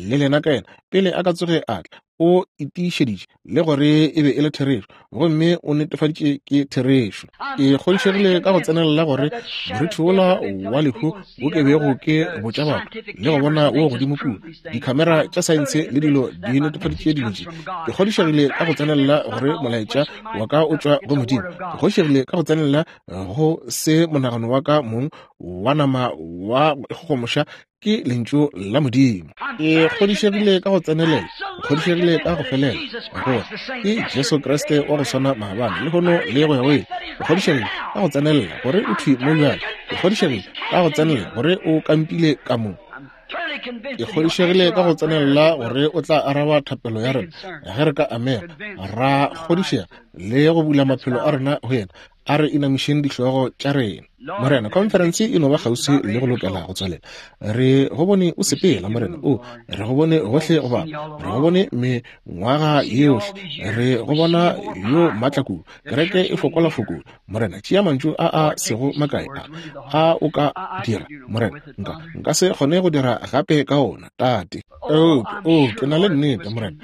le lena ka yena pele a ka tsoge a tla, o itišeditše le gore e be e le therešo, gomme o netefaditše ke therešo. Ke kgodišegile ka go tsenelela gore morithi wola wa lehu wo ke bego ke botša batho le go bona wo godimo kua, dikhamera tša saense le dilo di netefaditše dilo tše. Ke kgodišegile ka go tsenelela gore molaetša wa ka o tšwa go Modimo. Ke kgodišegile ka go tsenelela go se monagano wa ka mong wa nama wa go ikgogomoša ke lentšu la Modimo. Ke kgodišegile ka go tsenelela, ke kgodišegile ka go felela gore ke Jesu Kriste wa go swana maabane, lehono le go ya go ile. Ke kgodišegile ka go tsenelela gore o thwi mo bjale. Ke kgodišegile ka go tsenelela gore o kampile ka mo. Ke kgodišegile ka go tsenelela gore o tla araba thapelo ya rena ge re ka amega, ra kgodišega le go bula maphelo a rena go yena. A re inamišeng dihlogo tša rena. Morena, conference e no ba kgauswi le go lokela go tswalela. Re go bone o sepela, Morena. O re go bone gohle go bapa, re go bone mengwaga yohle, re go bona yo maatla kudu. Kereke e fokola fokola. Morena, tšea mantšu a a sego makae a a o ka dira, Morena. Nka nka se kgone go dira gape ka ona, Tate. Eupša o, ke na le nnete, Morena,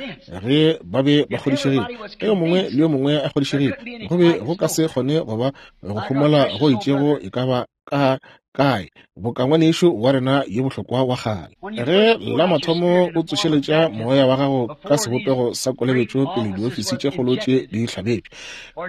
ge ba be ba kgodišegile, ge yo mongwe le yo mongwe a kgodišegile, go be go ka se kgone go ba go homola go itšego e ka ba ka kae boka ngwanešu wa rena yo bohlokwa wa kgale. Ge la mathomo o tsošeletša moya wa gago ka sebopego sa kolobetšo pele diofisi tše kgolo tše di hlabetšwe,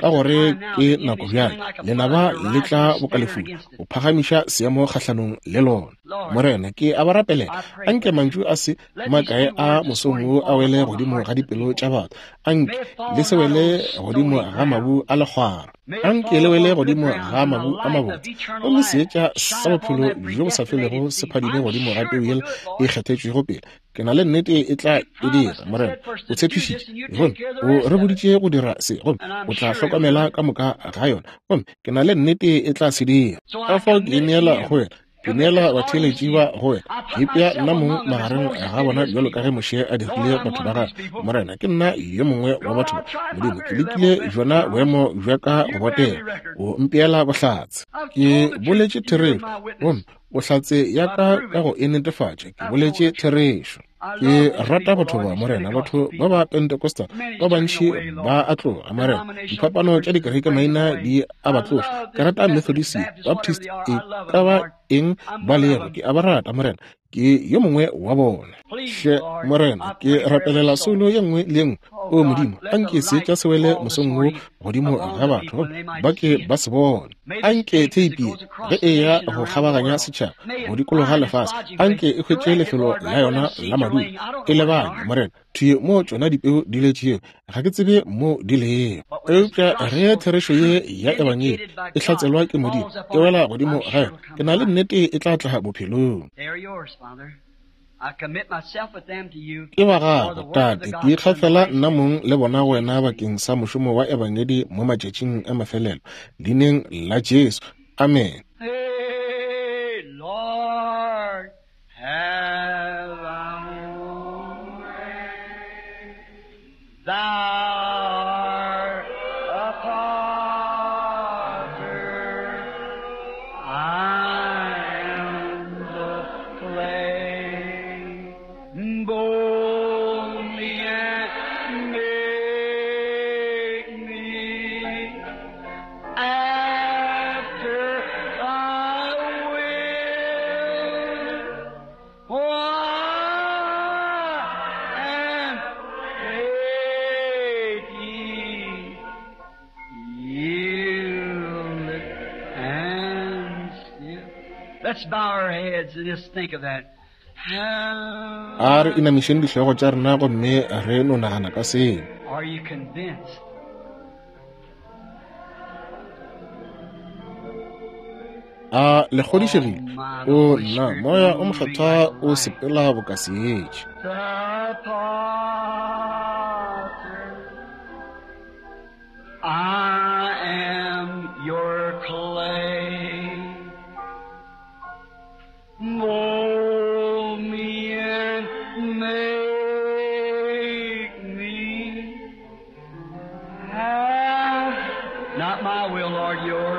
ka gore ke nako bjale, lenaba le tla boka lefula o phagamiša seemo kgahlanong le lona. Morena, ke a ba rapelela, anke mantšu a se makae a mosong wo a wele godimo ga dipelo tša batho. Anke le se wele godimo ga mabu a lekgwara, anke le wele godimo ga mabu a mabotse, gomme seetša sa bophelo bjo bo sa felego se phadime godimo ga peu yela e kgethetšwego pele. Ke na le nnete e tla e dira, Morena. O tshepišitše, gomme o re boditše go dira se, gomme o tla hlokomela ka moka ga yona, gomme ke na le nnete e tla se dira. Ka fao ke ineela go wena, ke neela batheeletši ba go wena, ke ipea nna mong magareng ga bona bjalo ka ge Moshe a dirile batho ba gagwe. Morena, ke nna yo mongwe wa batho ba. Modimo, ke lekile bjona boemo bja ka go botega, o mpeela bohlatse. Ke boletše therešo, gomme bohlatse ya ka ka go e netefatša, ke boletše therešo. Ke rata batho ba, Morena. Batho ba ba Pentecostal ba bantši ba a tloga, Morena. Diphapano tša dikereke maina di a ba tloša. Ke rata Methodist, Baptist, e ka ba eng ba lego, ke a ba rata, Morena. Ke yo mongwe wa bona. Hle Morena, ke rapelela soulo ye nngwe le ye nngwe. O Modimo, anke seetša se wele mosong wo godimo ga batho ba ke ba se bone. Anke theipi ge e ya go kgabaganya setšhaba go dikologa lefase, anke e hwetše lefelo la yona la madulo. E lebanye, Morena, thwi mo tšona dipeu di letšego, ga ke tsebe mo di lego. Eupša ge therešo ye ya ebangedi e hlatselwa ke Modimo, e wela godimo ga yona, ke na le nnete e tla tla bophelong. Ke ba gago, Tate, ke ikgafela nna mong le bona go wena bakeng sa mošomo wa ebangedi mo matšatšing a mafelelo, leineng la Jesu. Amen. Hey, Lord, have thy own way. Thou art a potter, I am the clay. Mold me and make me after thy will. For I am ready, yielded and still. Let's bow our heads and just think of that. A re inamišeng dihlogo tša rena gomme re no nagana ka seo. Are you convinced? A le kgodišegile? O nna, moya o mokgethwa o sepela boka seetša. The potter, I am your clay. Mold me and make me. Have not my will, Lord, yours.